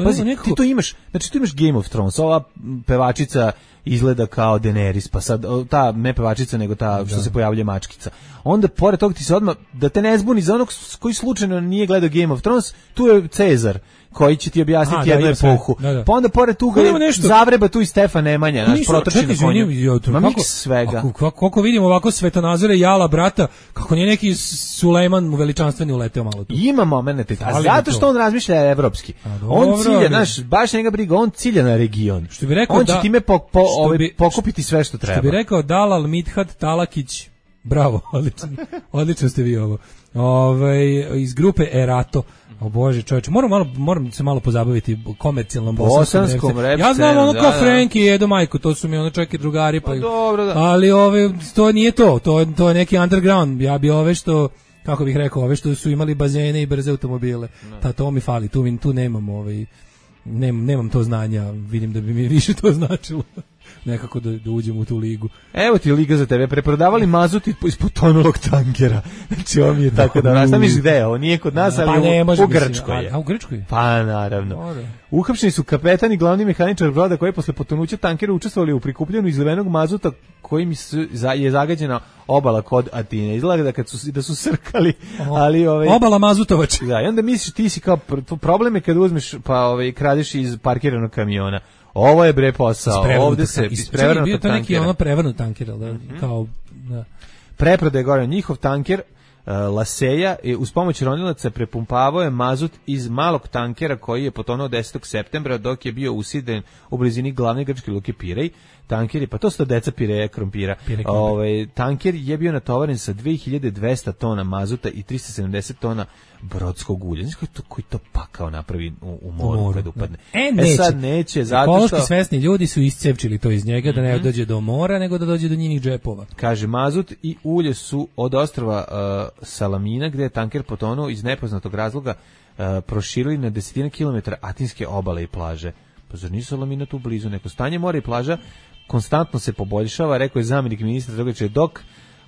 ti to imaš, znači tu imaš Game of Thrones, ova pevačica izgleda kao Daenerys, pa sad ta ne pevačica nego ta što se pojavljuje mačkica. Onda pored toga ti se odmah, da te ne zbuni za onog koji slučajno nije gledao Game of Thrones, tu je Cezar koji će ti objasniti jednu epohu. Pa onda pored toga zavreba tu i Stefan Nemanja, naš protočni na konju. Ma miks svega. Koliko vidimo ovako svetonazore Jala brata, kako nije neki Sulejman veličanstveni uleteo malo tu. Ima momenata, a zato što on razmišlja evropski. On cilja, znaš, baš njega briga, on cilja na region. Što bi rekao, on će time pokupiti sve što treba. Što bi rekao Dalal Midhat Talakić, bravo, odlično ste vi ovo. Iz grupe Erato. O Bože, čovječe, moram se malo pozabaviti komercijalnom bosanskom rap. Ja znam ono kao Franky i Edo Majko, to su mi ono čak i drugari, pa dobro, da. Ali to nije to je neki underground. Ja bi što, kako bih rekao, što su imali bazene i brze automobile. To mi fali, tu nemam nemam to znanja, vidim da bi mi više to značilo. Nekako da uđem u tu ligu. Evo ti liga za tebe, preprodavali mazut iz potonulog tankera. Znači ovo mi je tako da... Šta misliš gde je? Ovo nije kod nas, ali u Grčkoj je. A u Grčkoj? Pa naravno. Uhapšeni su kapetan i glavni mehaničar broda koji je posle potonuća tankera učestvovali u prikupljanju izlivenog mazuta kojim je zagađena obala kod Atine. Izgleda da su srkali, ali... Obala mazutovač. Da, i onda misliš ti si kao... Problem je kad uzmeš pa kradeš iz parkiranog kamiona. Ovo je bre posao. Ovde se isprevrnuto tankera. Bio to neki prevrnut tanker, da? Kao... Da. Preprodaje gore njihov tanker, Laseja, uz pomoć ronilaca prepumpavao je mazut iz malog tankera koji je potonuo 10. septembra dok je bio usiden u blizini glavne grčke luke Pirej. Tanker, pa to su deca Pireja krompira. Tanker je bio natovaren sa 2200 tona mazuta i 370 tona brodskog ulja. Znaš koji to pakao napravi u moru kad upadne? Sad neće, zato što... Ekološki svesni ljudi su iscepčili to iz njega, da ne dođe do mora, nego da dođe do njinih džepova. Kaže, mazut i ulje su od ostrva Salamina, gde je tanker potonuo iz nepoznatog razloga proširili na desetine kilometara atinske obale i plaže. Pa zar nisu Salamina tu blizu? Neko stanje mora i plaža konstantno se poboljšava, rekao je zamjenik ministra Drogače,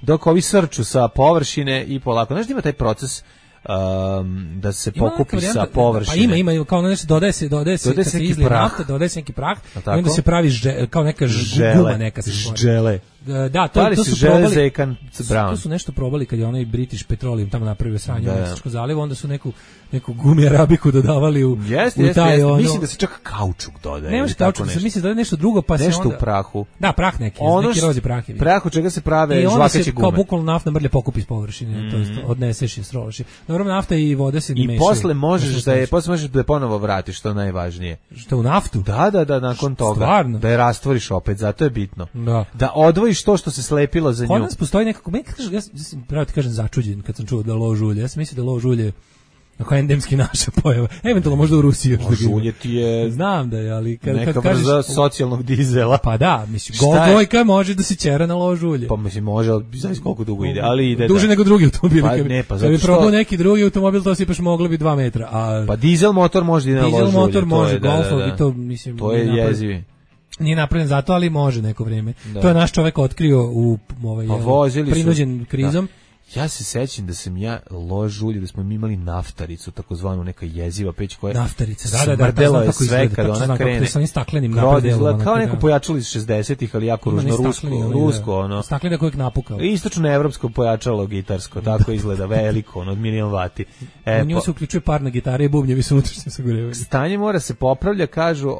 dok ovi srču sa površine i polako. Znaš da ima taj proces da se pokupi sa površine? Pa ima, kao nešto dodaje se kad se izlije nafta, dodaje se neki prah i onda se pravi kao neka guma neka se žele. Da, to su probali. To su nešto probali kad je onaj British Petroleum tamo napravio sranje u Meksičkom zalivu, onda su neku gumi arabiku dodavali u taj ono. Mislim da se čak kaučuk dodaje. Nemaš kaučuk, mislim da je nešto drugo, pa se nešto u prahu. Da, prah neki rozi prah. Prah od čega se prave žvakaće gume. Kao bukvalno naftna mrlja pokupi s površine, to jest odneseš je, strolaš je. Naravno nafta i voda se mešaju. I posle možeš da je ponovo vratiš, što je najvažnije. Što u naftu? Da, nakon toga. Stvarno? Da je rastvoriš opet, zato je bitno. Da odvojiš to što se slepilo za nju. Kod nas postoji nekako, ja sam pravo ti kažem začuđen kad sam čuo da lož ulje. Ja sam mislio da lož ulje ako endemski naša pojava. Eventualno možda u Rusiji. Ulje ti je... Znam da je, ali neka vrza socijalnog dizela. Pa da, mislim, gojka može da se ćera na lož ulje. Pa mislim, može, ali znaš koliko dugo ide, ali ide. Duže nego drugi automobil. Pa ne, pa zato što... Kad bi probao neki drugi automobil, to sipaš moglo bi 2 metra. Pa dizel motor može da ide na lož ulje. Dizel motor može, golfovi, to mislim... To je jezivi. Nije napravljen zato, ali može neko vrijeme. To je naš čovjek otkrio u prinuđen krizom. Ja se sećam da sam ja lož ulje, da smo mi imali naftaricu, takozvanu neka jeziva peć koja smrdela je sve kad ona krene. Sa onim staklenim napredelom. Kao neko pojačalo iz 60-ih, ali jako ružno rusko. Ono. Staklene kojeg napukao. Istočno evropsko pojačalo gitarsko, tako izgleda veliko, od 1.000.000 vati. U njemu se uključuje parna gitara i bubnjevi su unutrašnje sagorevanje. Stanje mora se popravlja, kažu,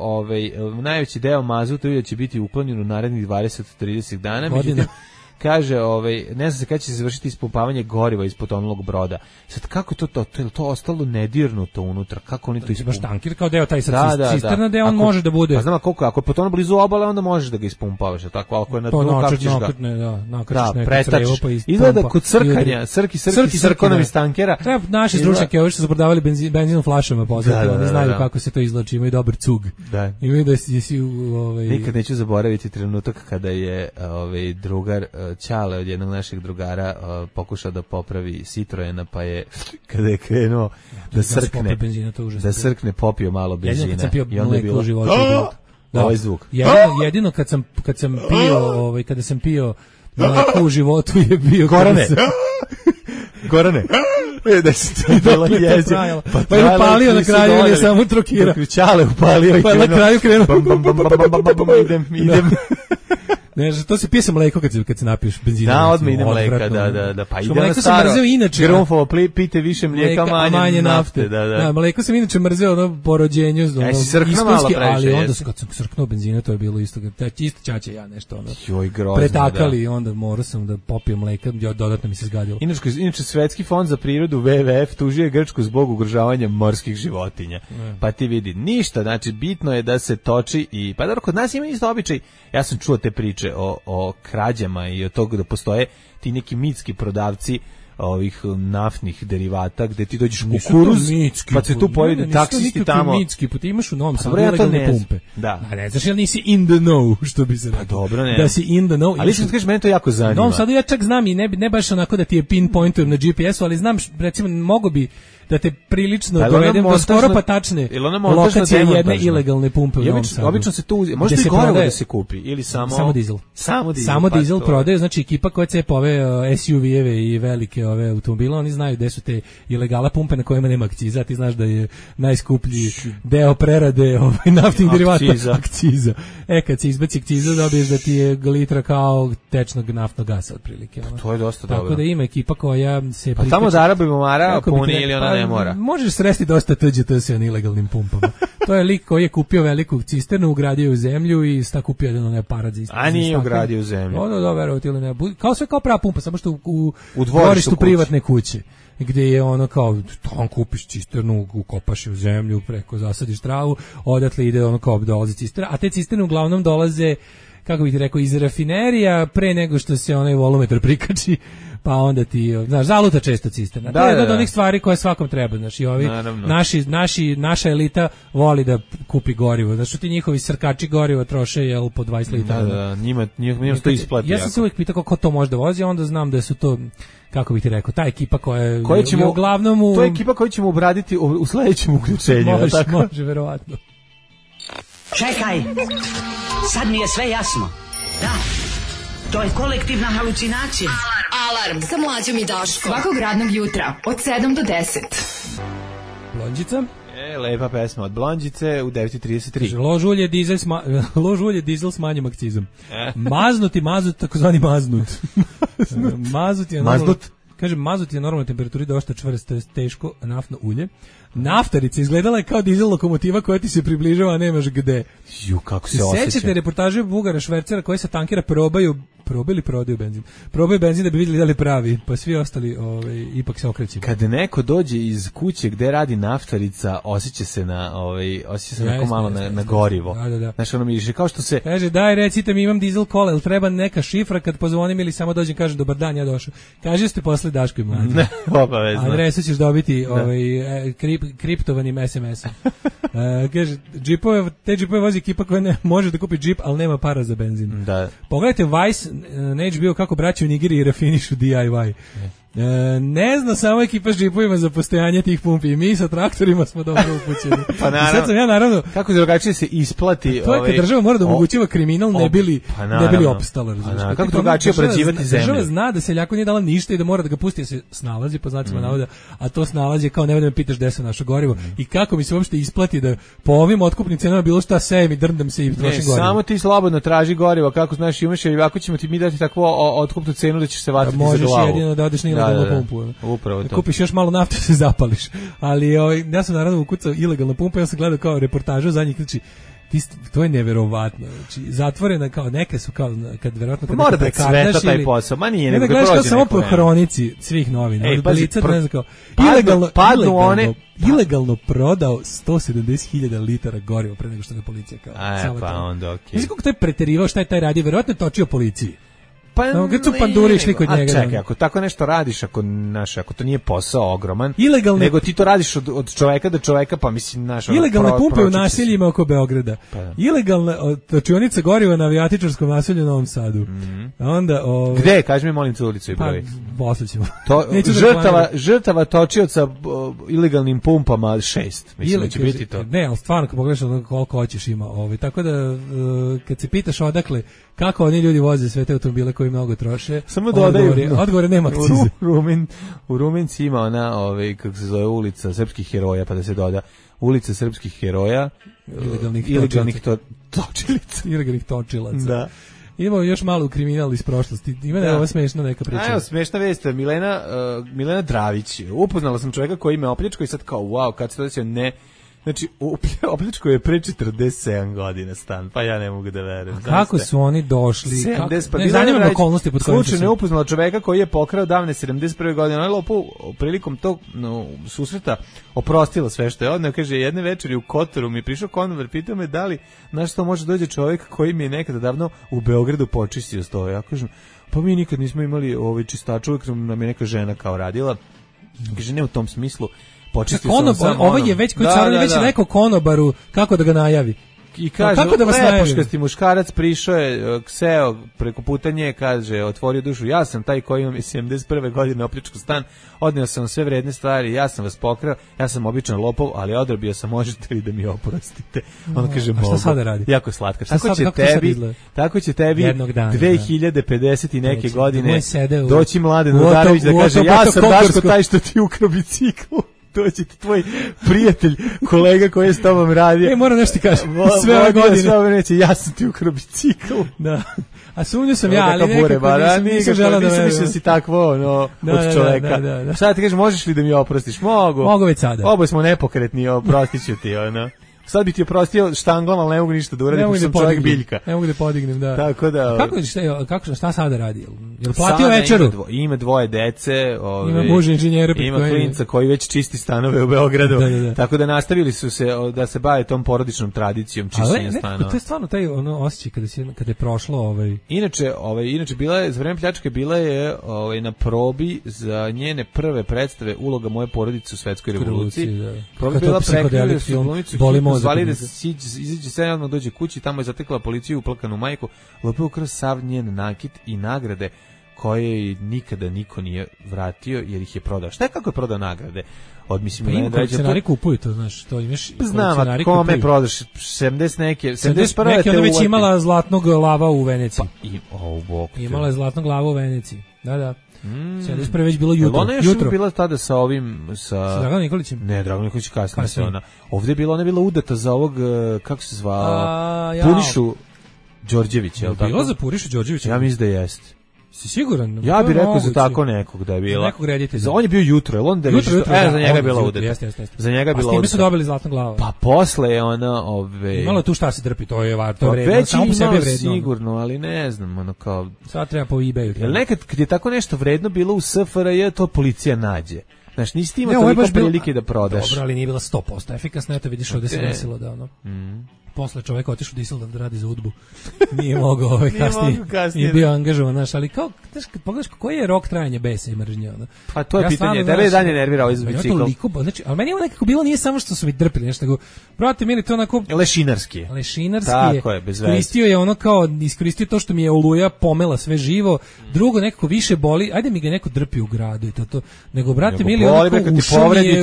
najveći deo mazuta će biti uklonjen u narednih 20-30 dana. kaže, ne znam se kada će se završiti ispumpavanje goriva iz potonulog broda. Sad, kako je to ostalo nedirnuto unutra? Kako oni to ispumpavaju? Baš tankir kao deo taj cisterna, da on može da bude. Pa znam, ako je potonuo blizu obale, onda možeš da ga ispumpavaš, tako, ako je na dnu, kako ćeš ga? Pretačeš. Izgleda kod crkanja, srkonom iz tankera. Treba naši stručnjaki, ovi što su prodavali benzin u flašama, poznati, oni znaju kako se to izlači, imaju dobar cug. Da. Imaju da si Nikad neću zaboraviti trenutak kada je drugar Ćale od jednog našeg drugara pokušao da popravi Citroena, pa je kada je krenuo da srkne popio malo benzina i onda je bilo ovaj zvuk. Jedino kad sam pio kada sam pio mleko u životu je bio Gorane da si to bilo jezivo. Pa je upalio na kraju ili je samo trokirao. Ćale upalio i pa na kraju krenuo. Idem. Ne, to se pije sa mleko kad se napiješ benzina. Da, odmah ide mleka, da. Pa ide na staro. Grunfovo, pijte više mlijeka, manje nafte. Da, mleko sam inače mrzeo po rođenju. Iskonski, ali onda kad sam srknuo benzina, to je bilo isto. Isto čače ja nešto. Pretakali i onda morao sam da popijem mleka, dodatno mi se zgadilo. Inače, Svetski fond za prirodu, WWF, tužio Grčku zbog ugrožavanja morskih životinja. Pa ti vidi, ništa, znači bitno je da se toči i, pa dobro, kod nas ima isto običaj, ja sam čuo te priče o krađama i o toga da postoje ti neki mitski prodavci ovih naftnih derivata gde ti dođeš kukuruz pa se tu pojede taksisti tamo. Mitski put imaš u Novom Sadu ilegalne pumpe. Da. A ne znaš jel nisi in the know, što bi se rekao. Pa dobro, ne. Da si in the know. Ali što ti kažeš, mene to jako zanima. U Novom Sadu ja čak znam i ne baš onako da ti je pinpointujem na GPS-u, ali znam, recimo, mogo bi da te prilično dovedem do skoro pa tačne lokacije jedne ilegalne pumpe u Novom Sadu. Obično se tu može i gorivo da se kupi ili samo dizel. Samo dizel prodaju, znači ekipa koja cepa ove SUV-eve i velike ove automobile, oni znaju gde su te ilegala pumpe na kojima nema akciza, ti znaš da je najskuplji deo prerade naftnih derivata akciza. Kad se izbaci akciza, dobiješ da ti je litra kao tečnog naftnog gasa otprilike. To je dosta dobro. Tako da ima ekipa koja se pa tamo za Arabi Mara puni ili ona ne mora. Možeš sresti dosta TGT sa ilegalnim pumpama. To je lik koji je kupio veliku cisternu, ugradio u zemlju i sta kupio jedan onaj aparat za isto. A nije ugradio u zemlju. Da, verovati ili ne. Kao prava pumpa, samo što u dvorištu privatne kuće. Gde je ono kao, on kupiš cisternu, ukopaš je u zemlju, preko zasadiš travu, odatle ide ono kao dolazi cisterna, a te cisterne uglavnom dolaze, kako bih ti rekao, iz rafinerija pre nego što se onaj volumetar prikači, pa onda ti, znaš, zaluta često cisterna. To je jedna od onih stvari koje svakom treba, znaš, i ovi naša elita voli da kupi gorivo, znaš, ti njihovi srkači gorivo troše, jel, po 20 litara. Da, njima to isplati. Ja sam se uvijek pitao kako to može da vozi, a onda znam da su to, kako bih ti rekao, ta ekipa koja je uglavnom to je ekipa koju ćemo obraditi u sledećem uključenju. Može, verovatno. Čekaj, sad mi je sve jasno. Da, to je kolektivna halucinacija. Alarm sa Mlađom i Daškom. Svakog radnog jutra od 7 do 10. Blondžica. Lepa pesma od Blondžice u 9:33. Lož ulje dizel s manjim akcizom. Mazut, takozvani maznut. Maznut. Kažem, mazut je normalnoj temperaturi dosta čvrsto, je teško naftno ulje. Naftarica izgledala je kao dizel lokomotiva koja ti se približava, a nemaš gde. Kako se osjeća. Sećate reportaže Bugara Švercera koji sa tankera prodaju benzin. Probaju benzin da bi vidjeli da li pravi, pa svi ostali ipak se okreću. Kad neko dođe iz kuće gde radi naftarica, osjeća se neko malo na gorivo. Da. Znaš, ono miriše, kao što se... Kaže, daj, recite mi, imam dizel kola, ili treba neka šifra kad pozvonim ili samo dođem, kažem, dobar dan, ja došao. Kaže, ste posle Daško i Mlađe. Ne, obavezno. Adresu ćeš dobiti kriptovanim SMS-om. Kaže, te džipove vozi ekipa koja ne može da kupi džip, ali nema para za benzin. Da. Pogledajte Vice na HBO kako braće u Nigeriji rafinišu DIY. Ne zna samo ekipa s džipovima za postojanje tih pumpi i mi sa traktorima smo dobro upućeni. Pa naravno, sad sam ja naravno kako drugačije se isplati. To je kad država mora da omogućava kriminal ne bili opstala. Kako drugačije obrađivati zemlju? Država zna da seljaku nije dala ništa i da mora da ga pusti da se snalazi po znacima navoda, a to snalazi kao ne me pitaš gde se naše gorivo i kako mi se uopšte isplati da po ovim otkupnim cenama bilo šta sejem i drndam se i trošim gorivo. Samo ti slobodno traži gorivo, kako znaš imaš, jer ako ćemo ti mi dati takvu otkupnu cenu da ćeš se vatiti za glavu. Možeš jedino da odeš na pumpu. Upravo to. Kupiš još malo nafte se zapališ. Ali ja sam naravno ukucao ilegalna pumpa, ja sam gledao kao reportažu zadnjih, znači To je neverovatno. Znači, zatvorena kao neke su kao kad verovatno kad mora da cveta taj posao. Ma nije, nego gledaš kao samo po hronici svih novina. Od Blica, ne znam kao ilegalno prodao 170.000 litara goriva pre nego što ga policija kao. Pa onda okej. Mislim kako to je preterivao, šta je taj radio, verovatno je točio policiji. Pa kad su panduri išli kod njega. Čekaj, ako tako nešto radiš, ako to nije posao ogroman, nego ti to radiš od čoveka do čoveka, pa mislim ilegalne pumpe u naseljima oko Beograda. Ilegalna točionica goriva na avijatičarskom naselju u Novom Sadu. Onda gde, kaži mi molim te ulicu i broj. Posle ćemo. Žrtava točioca ilegalnim pumpama 6. Mislim da će biti to. Ne, al stvarno kad pogledaš koliko hoćeš ima, tako da kad se pitaš odakle kako oni ljudi voze sve te automobile koji mnogo troše, samo dodaju odgovore nema akcize. U Rumenci ima ona, kako se zove, ulica srpskih heroja, pa da se doda ulica srpskih heroja, ilegalnih točilica. Ilegalnih točilaca. Da. Imamo još malo kriminal iz prošlosti. Ima da je ovo smešna neka priča. Evo, smešna vest, Milena Dravić. Upoznala sam čovjeka koji me opljačkao i sad kao, wow, kad se to desio, ne. Znači, opljačkao je pre 47 godina stan, pa ja ne mogu da verujem. Kako su oni došli? 70, pa ne zanima me okolnosti pod kojim su. Slučajno je upoznala čoveka koji je pokrao davne 71. godine. Ona je prilikom tog susreta oprostila sve što je odneo. Kaže, jedne večeri u Kotoru mi je prišao konobar, pitao me da li, znaš što može dođe čovjek koji mi je nekada davno u Beogradu počistio stoje. Ja kažem, pa mi nikad nismo imali čistač, uvijek nam je neka žena kao radila. Kaže, ne u tom smislu. Ovo je već koji carani već rekao konobaru kako da ga najavi. I kaže, lepoškasti muškarac prišao je, seo preko puta nje, kaže, otvorio dušu, ja sam taj koji imam 71. godine opljačkao stan, odneo sam sve vredne stvari, ja sam vas pokrao, ja sam običan lopov, ali odrobio sam, možete li da mi oprostite? On kaže, mogu. Šta sada radi? Jako slatka. Tako će tebi 2050 i neke godine doći Mladen Udarević da kaže, ja sam Daško taj što ti ukrao bicikl. Doći ti tvoj prijatelj, kolega koji je s tobom radio. Moram nešto ti kažem. Sve ove godine. Sve ove neće, ja sam ti ukrao bicikl. Da. A sumnju sam ja, ali nekako nisam želeo da verujem. Nisam si takvo, od čoveka. Sada ti kažeš, možeš li da mi oprostiš? Mogu. Mogu već sada. Oboje smo nepokretni, oprostit ću ti, Sad bi ti oprostio štanglom, ali ne mogu ništa da uradim, pošto sam čovjek biljka. Ne mogu da podignem, da. Tako da. Šta sada radi? Jel platio večeru? Ima dvoje dece, ima muž inženjera, ima klinca koji već čisti stanove u Beogradu. Da. Tako da nastavili su se da se bave tom porodičnom tradicijom čišćenja stanova. To je stvarno taj osjećaj kada je prošlo Inače bila je za vreme pljačke bila je na probi za njene prve predstave Uloga moje porodice u svetskoj revoluciji. Proba bila prekrenula su glumnicu, zvali da se izađe sve, odmah dođe kući, tamo je zatekla policiju, uplakanu majku, lopio kroz sav njen nakit i nagrade koje nikada niko nije vratio jer ih je prodao. Šta je kako je prodao nagrade? Kolekcionari kupuju to, znaš, to imaš. Znam, a kome prodaš 70 neke, 71. Neke ona već imala zlatnog lava u Veneciji. Imala je zlatnog lava u Veneciji, da. 71. već bilo jutro. Ona je bila tada sa ovim... Sa Draganom Nikolićem? Ne, Dragan Nikolić kasnije se ona. Ovdje je bila, ona je bila udata za ovog, kako se zvao, Punišu Đorđević, je li tako? Bila za Punišu Đorđevića? Ja mislim da jeste. Si siguran? Ja bih rekao za tako nekog da je bila. Nekog reditelja. On je bio jutro, jel on da jutro, za njega je bila udata. Za njega je bila udata. A s time su dobili zlatnu glavu. Pa posle je ona, Imalo tu šta se trpi, to je vredno. Samo po sebi je vredno. Sigurno, ali ne znam, kao... Sad treba po eBayu. Jel nekad kad je tako nešto vredno bilo u SFRJ, to policija nađe. Znaš, nisi ti imao toliko prilike da prodaš. Dobro, ali nije bila 100% efikasna, eto vidiš ovdje se desilo da posle čovjek otišao u Diseldorf da radi za UDBU. Nije mogao kasnije. I bio angažovan, znaš, ali kao, kad pogledaš koji je rok trajanja besa i mržnje, Pa to je pitanje, tebe je dalje nervirao iz bicikl. Znači, ali meni je nekako bilo, nije samo što su mi drpili, nešto nego, brate, meni to onako... Lešinarski je. Tako je, bez veze. Iskoristio to što mi je oluja pomela sve živo, drugo nekako više boli, ajde mi ga neko drpi u gradu i to, nego, brate, mili, onako ušao mi je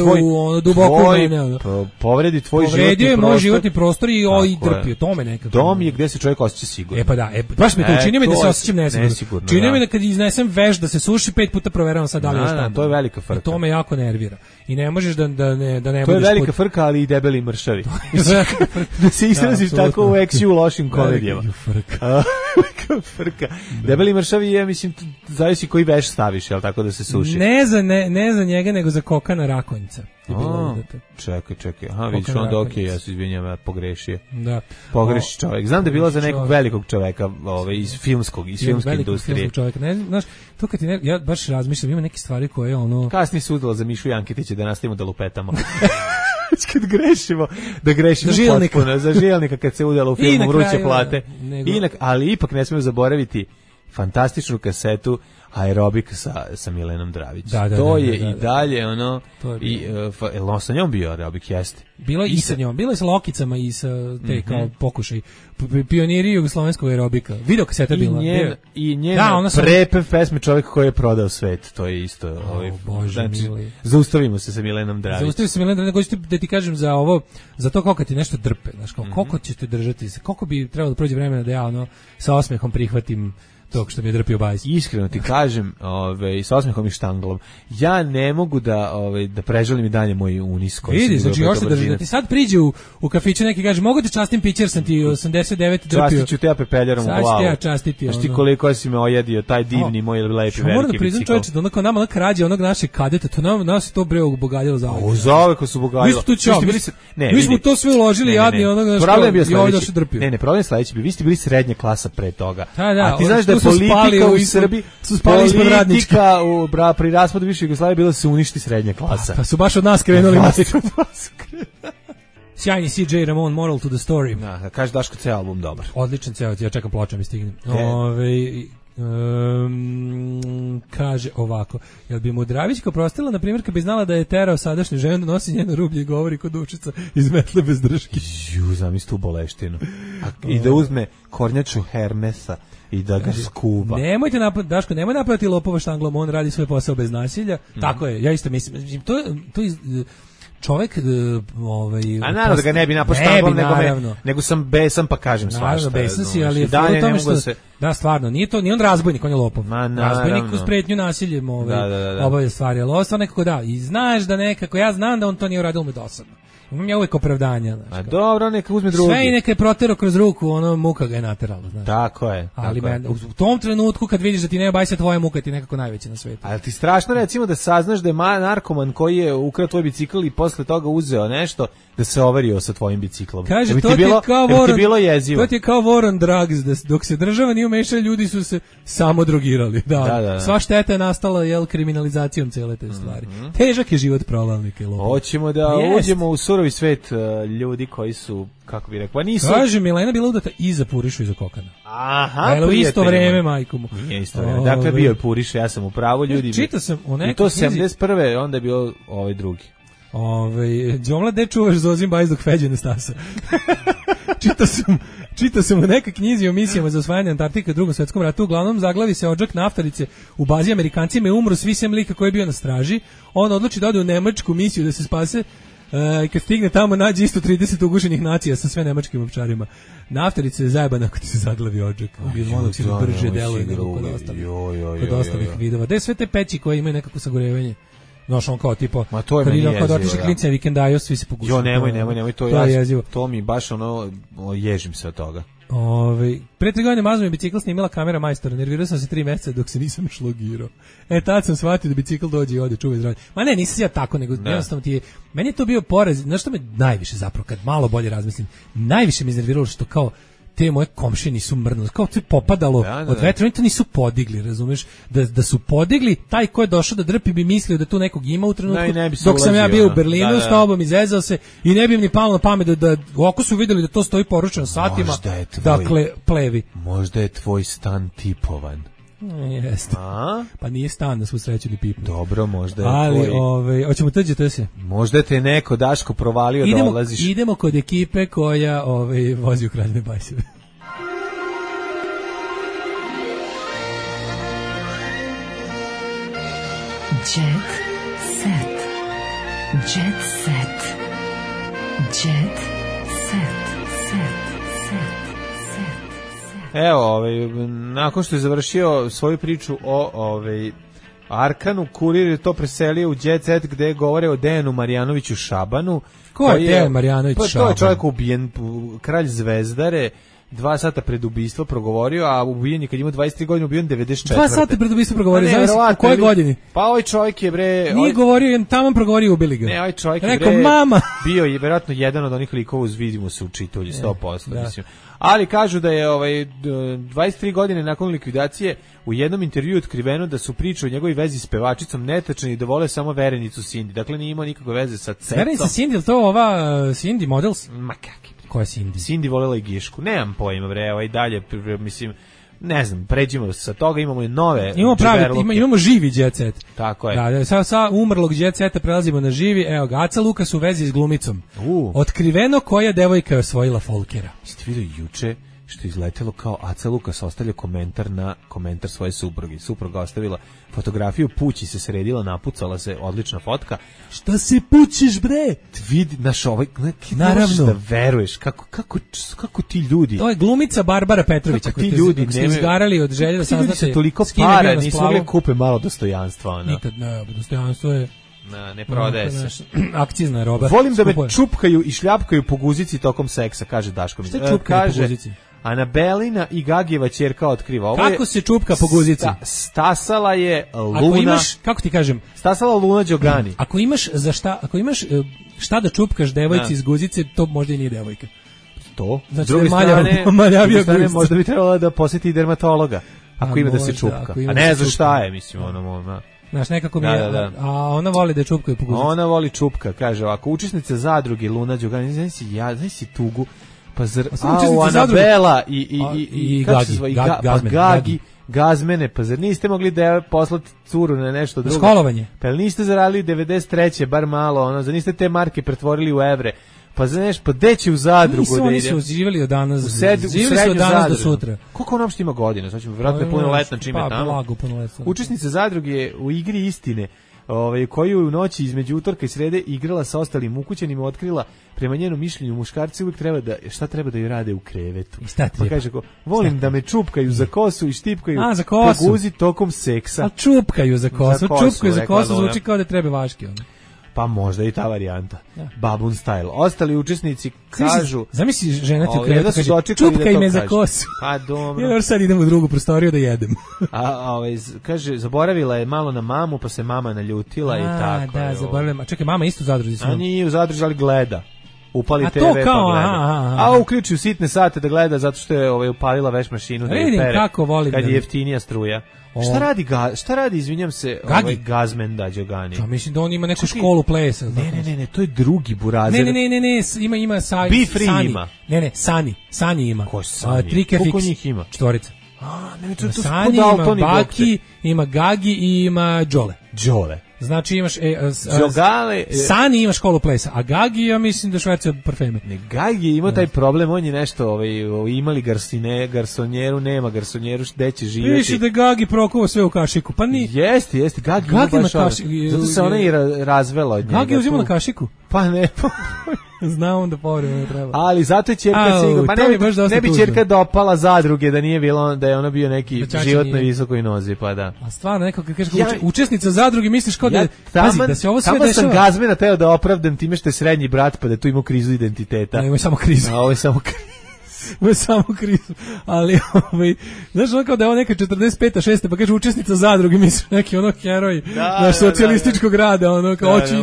duboko u mene. Povredi tvoj životni prostor i drpio, to me nekako. Dom je gdje se čovjek osjeća sigurno. Pa da, baš mi to čini mi da se osjećam nesigurno. Čini mi da kad iznesem veš da se suši 5 puta proveravam sad da li je šta. To je velika frka. To me jako nervira. I ne možeš da ne budeš... To je velika frka, ali i debeli mršavi. Da se izraziš tako u eksiju u lošim komedijama. Velika frka. Debeli mršavi je, mislim, zavisi koji veš staviš, jel tako da se suši. Ne za njega, nego za Kokana Rakonjica. je bila udata. Čekaj. Aha, vidiš, onda okej, ja se izvinjam, ja pogrešio. Da. Pogreši čovjek. Znam da je bila za nekog velikog čoveka, iz filmske industrije. Filmskog čovjeka. Ne, znaš, to kad ja baš razmišljam, ima neke stvari koje ono... Kasnije se udala za Mišu Janketića da nastavimo da lupetamo. Kad grešimo, da grešimo potpuno, za žilnika kad se udala u filmu Vruće plate. Ali ipak ne smijemo zaboraviti fantastičnu kasetu Aerobik sa Milenom Dravić. To je i dalje ono i sa njom bio Aerobik, jeste. Bilo i sa njom, bilo je sa Lokicama i sa te kao pokušaj pioniri jugoslovenskog aerobika. Video kaseta bila. I njena prepev pesme Čovjek koji je prodao svet, to je isto. Znači, zaustavimo se sa Milenom Dravić. Zaustavimo se sa Milenom Dravić, da ti kažem za ovo, za to koliko ti nešto drpe, znaš, koliko ćete držati se, koliko bi trebalo da prođe vremena da ja ono sa osmehom prihvatim tog što mi je drpio bajs. Iskreno ti kažem, sa osmehom i štanglom, ja ne mogu da preželim i dalje moj unis koji vidi, znači još se drži, da ti sad priđe u kafiću neki kaže, mogu te častim pićer, sam ti 89 drpio. Častit ću te ja pepeljarom u glavu. Sad ću te ja častiti. Znaš ti koliko si me ojedio, taj divni moj lepi veliki bicikl. Moram da priznam čovječe, da onako nama krađe onog našeg kadeta, to nas je to bre obogaljalo za ovog. Zauvek su obogaljalo. Mi smo to sve uložili, jadni onog naš problem je sledeći, vi ste bili srednja klasa pre toga. A ti znaš da politika u Srbiji su spali ispod radnička. Pri raspadu više Jugoslavije bilo da se uništi srednja klasa. Pa su baš od nas krenuli. Sjajni CJ Ramon, Moral to the Story. Da kaže Daško, ceo album dobar. Odličan ceo, ja čekam ploče mi stignem. Kaže ovako, jel bi mu Dravićka oprostila, na primjer, kad bi znala da je terao sadašnju ženu, nosi njeno rublje i govori kod učica iz metle bez drške. Zamisli tu boleštinu. I da uzme kornjaču Hermesa i da ga skuva. Nemojte Daško, nemoj napadati lopova štanglom, on radi svoj posao bez nasilja. Tako je, ja isto mislim, to čovjek a naravno da ga ne bi napao štanglom, nego sam besan pa kažem svašta. Naravno, besan si, ali je u tome što... Da, stvarno, nije on razbojnik, on je lopov. Razbojnik uz pretnju nasiljem obavlja stvari, ali ovo stvarno nekako da. I znaš da nekako, ja znam da on to nije uradio dosadno. Imam ja uvijek opravdanja. A dobro, neka uzme drugi. Sve i neka je protero kroz ruku, ono muka ga je naterala. Znaš. Tako je. Ali u tom trenutku kad vidiš da ti nema bajsa, tvoja muka ti nekako najveća na svijetu. Ali ti strašno recimo da saznaš da je narkoman koji je ukrao tvoj bicikl i posle toga uzeo nešto da se overio sa tvojim biciklom. Kaže, to ti bilo jezivo. To ti je kao war on drugs, dok se država nije umešala, ljudi su se samo drogirali. Da. Sva šteta je nastala kriminalizacijom cele te stvari. Težak je život provalnika. Hoćemo da uđemo u surovi svet ljudi koji su, kako bi rekao, nisu... Kaže, Milena bila udata i za Purišu i za Kokana. Aha, u isto vreme, majku mu. Nije isto vreme. Dakle, bio je Puriša, ja sam u pravu, ljudi. Čitao sam u nekoj i to 71. onda je bio ovaj drugi. Đomla, gde čuvaš Zozim bajs dok feđe ne stasa? Čitao sam u nekoj knjizi o misijama za osvajanje Antarktika u Drugom svjetskom ratu. Uglavnom zaglavi se odžak naftarice u bazi, Amerikancima je umro svi sem lika koji je bio na straži. On odluči da ode u nemačku misiju da se spase. Kad stigne tamo nađe isto 30 ugušenih nacija sa sve nemačkim ovčarima. Naftarice je zajebana ako ti se zaglavi odžak. Monoksid brže deluje nego kod ostalih vidova. Gde sve te peći koje imaju nekako sagorevanje? Znaš, on kao tipa, kad otiše klince vikendaju, svi se pogušaju. Nemoj, to je jezivo. To mi baš ježim se od toga. Pre 3 godine mazno mi bicikl snimila kamera majstora, nervirao sam se 3 meseca dok se nisam šlogirao. Tad sam shvatio da bicikl dođe i ode, čuvaj zdravlje. Ma ne, nisam ja tako, nego jednostavno ti je, meni je to bio poraz, znaš što me najviše zapravo, kad malo bolje razmislim, najviše me iznerviralo što kao, te moje komšije nisu mrnuli, kao to je popadalo od vetra, oni to nisu podigli, razumeš, da su podigli, taj ko je došao da drpi bi mislio da tu nekog ima u trenutku, dok sam ja bio u Berlinu s tobom, izezao se i ne bi im ni palo na pamet da ako su vidjeli da to stoji poručeno satima, dakle, plevi. Možda je tvoj stan tipovan. Jeste. Pa nije stan na svu sreću ni pipnu. Dobro, možda je ali, hoćemo tuđe to se. Možda te neko Daško provalio da odlaziš. Idemo kod ekipe koja vozi u Kraljevine bajseve. Jet set. Jet set. Jet set. Evo, nakon što je završio svoju priču o Arkanu, Kurir je to preselio u Jet Set gde govore o Dejanu Marjanoviću Šabanu. Ko je Dejan Marjanović Šaban? To je čovjek ubijen, kralj Zvezdare, 2 sata pred ubistvo progovorio, a ubijen je kad ima 23 godine, ubijen 94. 2 sata pred ubistvo progovorio, znaš u kojoj godini? Pa ovaj čovjek je bre... Nije govorio, je tamo progovorio, ubili ga. Ne, ovaj čovjek rekao, je bre... mama! Bio je vjerojatno jedan od onih likova uz vidimo se u čitulji, 100%, mislim. Ali kažu da je 23 godine nakon likvidacije u jednom intervjuu otkriveno da su priče o njegovoj vezi s pevačicom netačne i da vole samo verenicu Cindy. Dakle, nije imao nikakve veze sa Cetom. Verenica Cindy, ili to ova Cindy Models? Ma kakvi. Koja je Cindy? Cindy volela i Gišku. Nemam pojma, bre, dalje, mislim, ne znam, pređimo sa toga, imamo i nove. Imamo živi jet set. Tako je. Da, sa umrlog jet seta prelazimo na živi. Evo ga, Aca Lukas u vezi s glumicom. Otkriveno koja devojka je osvojila Folkera. Jeste vidio juče što je izletelo kao Aca Lukas ostavlja komentar na komentar svoje supruge. Supruga ostavila fotografiju, pući se sredila, napucala se, odlična fotka. Šta se pućiš, bre? Vidi, naš ovaj, naravno da veruješ, kako ti ljudi. To je glumica Barbara Petrovića, koji ljudi ste izgarali od želje da saznate. Toliko para, nisu mogli kupe malo dostojanstva. Ona. Nikad ne, dostojanstvo je... Ne prodaje se. Akcizna roba. Volim da me čupkaju i šljapkaju po guzici tokom seksa, kaže Daško. Šta čupkaju po guzici? Anabelina i Gagijeva ćerka otkriva. Ovo kako se čupka po guzici? Stasala je Luna. Ako imaš, kako ti kažem? Stasala Luna Đogani. Ako imaš šta da čupkaš devojci iz guzice, to možda i nije devojka. To? Znači, druge strane, možda bi trebala da posjeti dermatologa. Ako ima da se čupka. A ne znaš šta je, mislim, ono. Znaš, nekako mi je, a ona voli da čupkaju po guzici. Ona voli čupka, kaže ovako, učesnica zadruge Luna Đogani, znaš si tugu, pa Anabela i Gagi, Gazmene, pa zar niste mogli da poslati curu na nešto drugo? Školovanje. Pa niste zaradili 93. bar malo, zar niste te marke pretvorili u evre? Pa znaš, pa gde će u zadrugu da ide? Oni su živjeli od danas, živjeli su od danas do sutra. Koliko ona uopšte ima godina? Sad ćemo vjerojatno punoletna čime tamo. Pa, blago punoletna. Učesnica zadruge u igri istine, koju je u noći između utorka i srede igrala sa ostalim ukućanima, otkrila prema njenom mišljenju muškarci uvijek treba da joj rade u krevetu. Pa kaže, volim da me čupkaju za kosu i štipkaju po guzi tokom seksa. A čupkaju za kosu, zvuči kao da treba vaški. Pa možda i ta varijanta. Babun style. Ostali učesnici kažu... Zamisli žena ti u krevetu kaže, čupkaj me za kosu. Pa dobro. Ja sad idem u drugu prostoriju da jedem. Kaže, zaboravila je malo na mamu, pa se mama naljutila i tako. Da, zaboravila. Čekaj, mama isto u zadruzi. A nije u zadruzi, ali gleda. Upali TV kao, pa gleda. A uključi u sitne sate da gleda zato što je upalila veš mašinu da je pere. Kako volim kad je jeftinija struja. Šta radi, izvinjam se, Gazmen Đogani? Ja mislim da on ima neku školu plesa. Ne, to je drugi burazer. Ne, ima Be Free Sani. ima. Ne, Sani ima. Ko Sani? Koliko njih ima? 4. Sani ima Baki, ima Gagi i ima Đole. Znači imaš Sani ima školu plesa, a Gagi ja mislim da šverca parfeme. Ne, Gagi ima taj problem, on je nešto imali garsonjeru, nema garsonjeru, gde će živjeti. Piše da Gagi prokuva sve u kašiku, pa ni. Jeste, Gagi ima kašiku. Zato se ona i razvela od njega. Gagi uzima na kašiku? Pa ne. Znam onda povremeno ne treba. Ali zato je ćerka pa ne bi ćerka dopala zadruge da nije bilo da je ona bio neki životno visokoj nozi, pa da. A stvarno neko kad kažeš učesnica zadruge misliš kao da pazi da se ovo sve dešava. Samo sam Gazmena teo da opravdam time što je srednji brat pa da tu ima krizu identiteta. Ne, ima samo krizu. A ovo je samo samo krizu. Ali znaš ono kao da je ovo neka 45. 6. pa kaže učesnica zadruge, misliš neki ono heroj naš socijalističkog rada, ono kao oči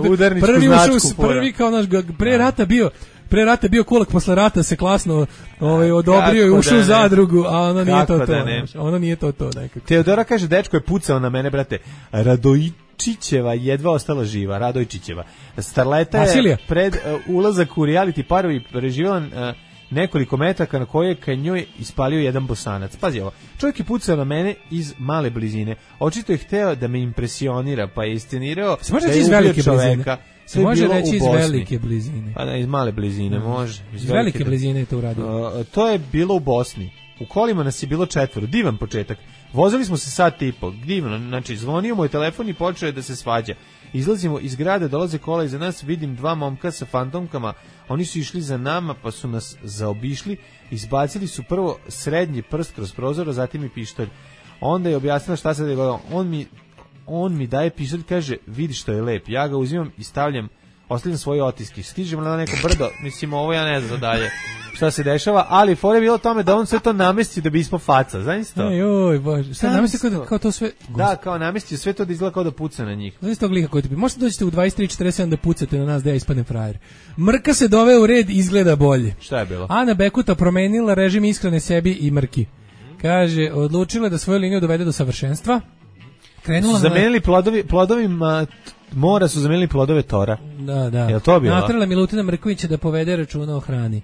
prvi kao naš pre rata bio kulak, posle rata se klasno odobrio i ušao u zadrugu, a ono nije to. Ono nije to nekako. Teodora kaže, dečko je pucao na mene, brate. Radojčićeva jedva ostala živa, Radojčićeva. Starleta je pred ulazak u reality parovi preživjela nekoliko metaka na koje ka njoj ispalio jedan Bosanac. Pazi ovo, čovjek je pucao na mene iz male blizine. Očito je hteo da me impresionira, pa je iscenirao da je ubio čoveka. Se može reći iz velike blizine. Pa da, iz male blizine, može. Iz velike blizine je to uradio. To je bilo u Bosni. U kolima nas je bilo 4, divan početak. Vozili smo se sat i po, divno, znači zvonio moj telefon i počeo je da se svađa. Izlazimo iz grada, dolaze kola iza nas, vidim 2 momka sa fantomkama, oni su išli za nama pa su nas zaobišli, izbacili su prvo srednji prst kroz prozor, a zatim i pištolj. Onda je objasnila šta se dogodilo. On mi daje pištolj, kaže, vidi što je lep. Ja ga uzimam i stavljam ostavljam svoje otiske. Stižemo na neko brdo, mislim, ovo ja ne znam dalje šta se dešava, ali fore je bilo tome da on sve to namesti da bi ispao faca, znaš to? Joj, bože, šta namesti kao to sve? Da, kao namesti sve to da izgleda kao da puca na njih. Znaš tog lika koji ti bi, možete dođete u 23:47 da pucate na nas da ja ispadnem frajer. Mrka se doveo u red, izgleda bolje. Šta je bilo? Ana Bekuta promenila režim ishrane sebi i Mrki. Kaže, odlučila da svoju liniju dovede do savršenstva. Krenula zamenili plodovima mora su zamenili plodove tora. Da. Jel to bilo? Natrala Milutina Mrkovića da povede računa o hrani.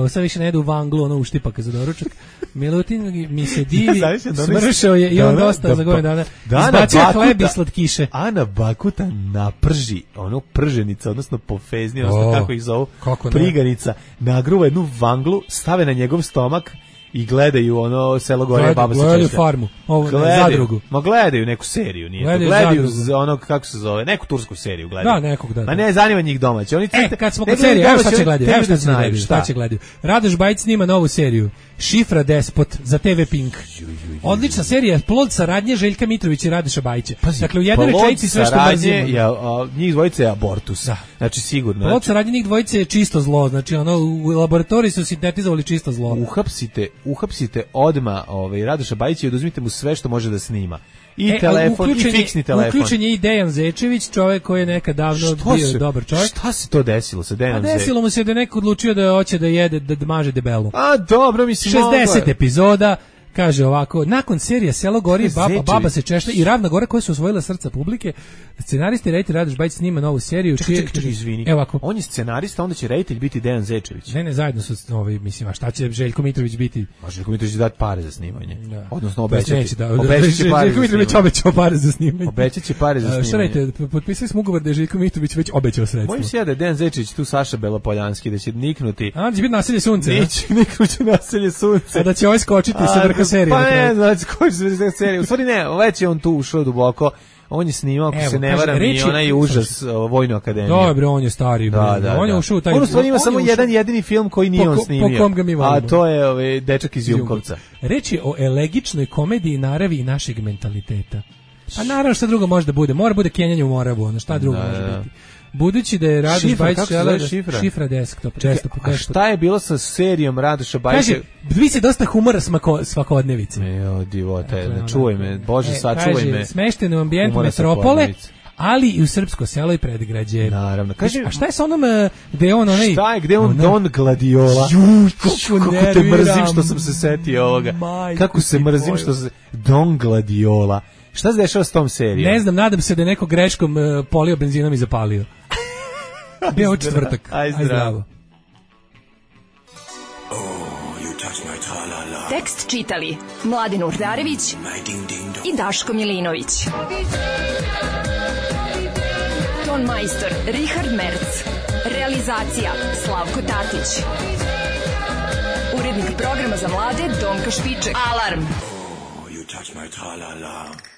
Sad više ne jedu u vanglu, ono uštipaka za doručak. Milutin mi se divi, smršao je i on dosta za godinu dana. Izbacio hleb i slatkiše. Ana Bakuta naprži, ono prženica, odnosno pofezni, odnosno kako ih zovu, priganica, nagruva jednu vanglu, stave na njegov stomak i gledaju ono Selo gore, baba se češlja. Gledaju farmu, zadrugu. Ma gledaju neku seriju, nije to. Gledaju ono, kako se zove, neku tursku seriju gledaju. Da, nekog da. Ma ne, zanima njih domaće. Oni kad smo kod serije, evo šta će gledaju. Radoš Bajić snima novu seriju. Šifra Despot za TV Pink. Odlična serija, plod saradnje Željka Mitrovića i Radoša Bajića. Dakle, u jednoj rečenici sve što mrzimo. Njih dvojice je abortus. Znači, sigurno. Plod saradnje njih dvojice je čisto zlo. Znači, ono, u laboratoriji su sintetizovali čisto zlo. Uhapsite odma Radoša Bajića i oduzmite mu sve što može da snima. I telefon, i fiksni telefon. Uključen je i Dejan Zečević, čovjek koji je nekad davno bio dobar čovjek. Šta se to desilo sa Dejanom Zečevićem? Desilo mu se da je neko odlučio da hoće da jede, da maže debelu. A dobro, mislim, 60 epizoda. Kaže ovako, nakon serije Selo gori, baba se češlja i Ravna Gora koje su osvojila srca publike, scenaristi reditelj Radoš Bajić snima novu seriju. Čekaj, izvini. Evo ovako. On je scenarista, onda će reditelj biti Dejan Zečević. Ne, zajedno su mislim, a šta će Željko Mitrović biti? A Željko Mitrović će dati pare za snimanje. Da. Odnosno obećati. Željko Mitrović obećao pare za snimanje. Obećaće pare za snimanje. Šta radite, potpisali smo ugovor da je Željko Mitrović već obećao sredstva. Mojim se da je Dejan Zečević tu Saša Belopoljanski, da će niknuti. A, da će biti Naselje sunce. Neće niknuti Naselje sunce. A da će ovaj skočiti sa vrha serije. U stvari ne, već je on tu ušao duboko. On je snimao, ako se ne varam, i onaj užas Vojnu akademiju. Dobro, on je stari. On je ušao u taj... On u stvari ima samo jedan jedini film koji nije on snimio. Po kom ga mi volimo. A to je Dečak iz Jumkovca. Reč je o elegičnoj komediji naravi i našeg mentaliteta. Pa naravno šta drugo može da bude. Mora bude kenjanje u Moravu, ono šta drugo može biti. Budući da je Radoš Bajić šifra desktop. A šta je bilo sa serijom Radoša Bajića? Kaže, vi se dosta humora svakodnevice. Divote, čuvaj me, Bože, sačuvaj me. Kaže, smešteno u ambijentu metropole, ali i u srpsko selo i predgrađe. Naravno. Kaže, a šta je sa onom gde je on onaj... Šta je, gde je on Don Gladiola? Kako te mrzim što sam se setio ovoga. Kako se mrzim što se... Don Gladiola. Šta se dešava s tom serijom? Ne znam, nadam se da je neko greškom polio benzinom i zapalio. Bio je četvrtak. Aj zdravo. Tekst čitali Mladen Urdarević i Daško Milinović. Ton majstor Richard Merc. Realizacija Slavko Tatić. Urednik programa za mlade Donka Špiček. Alarm! You touch my tra-la-la.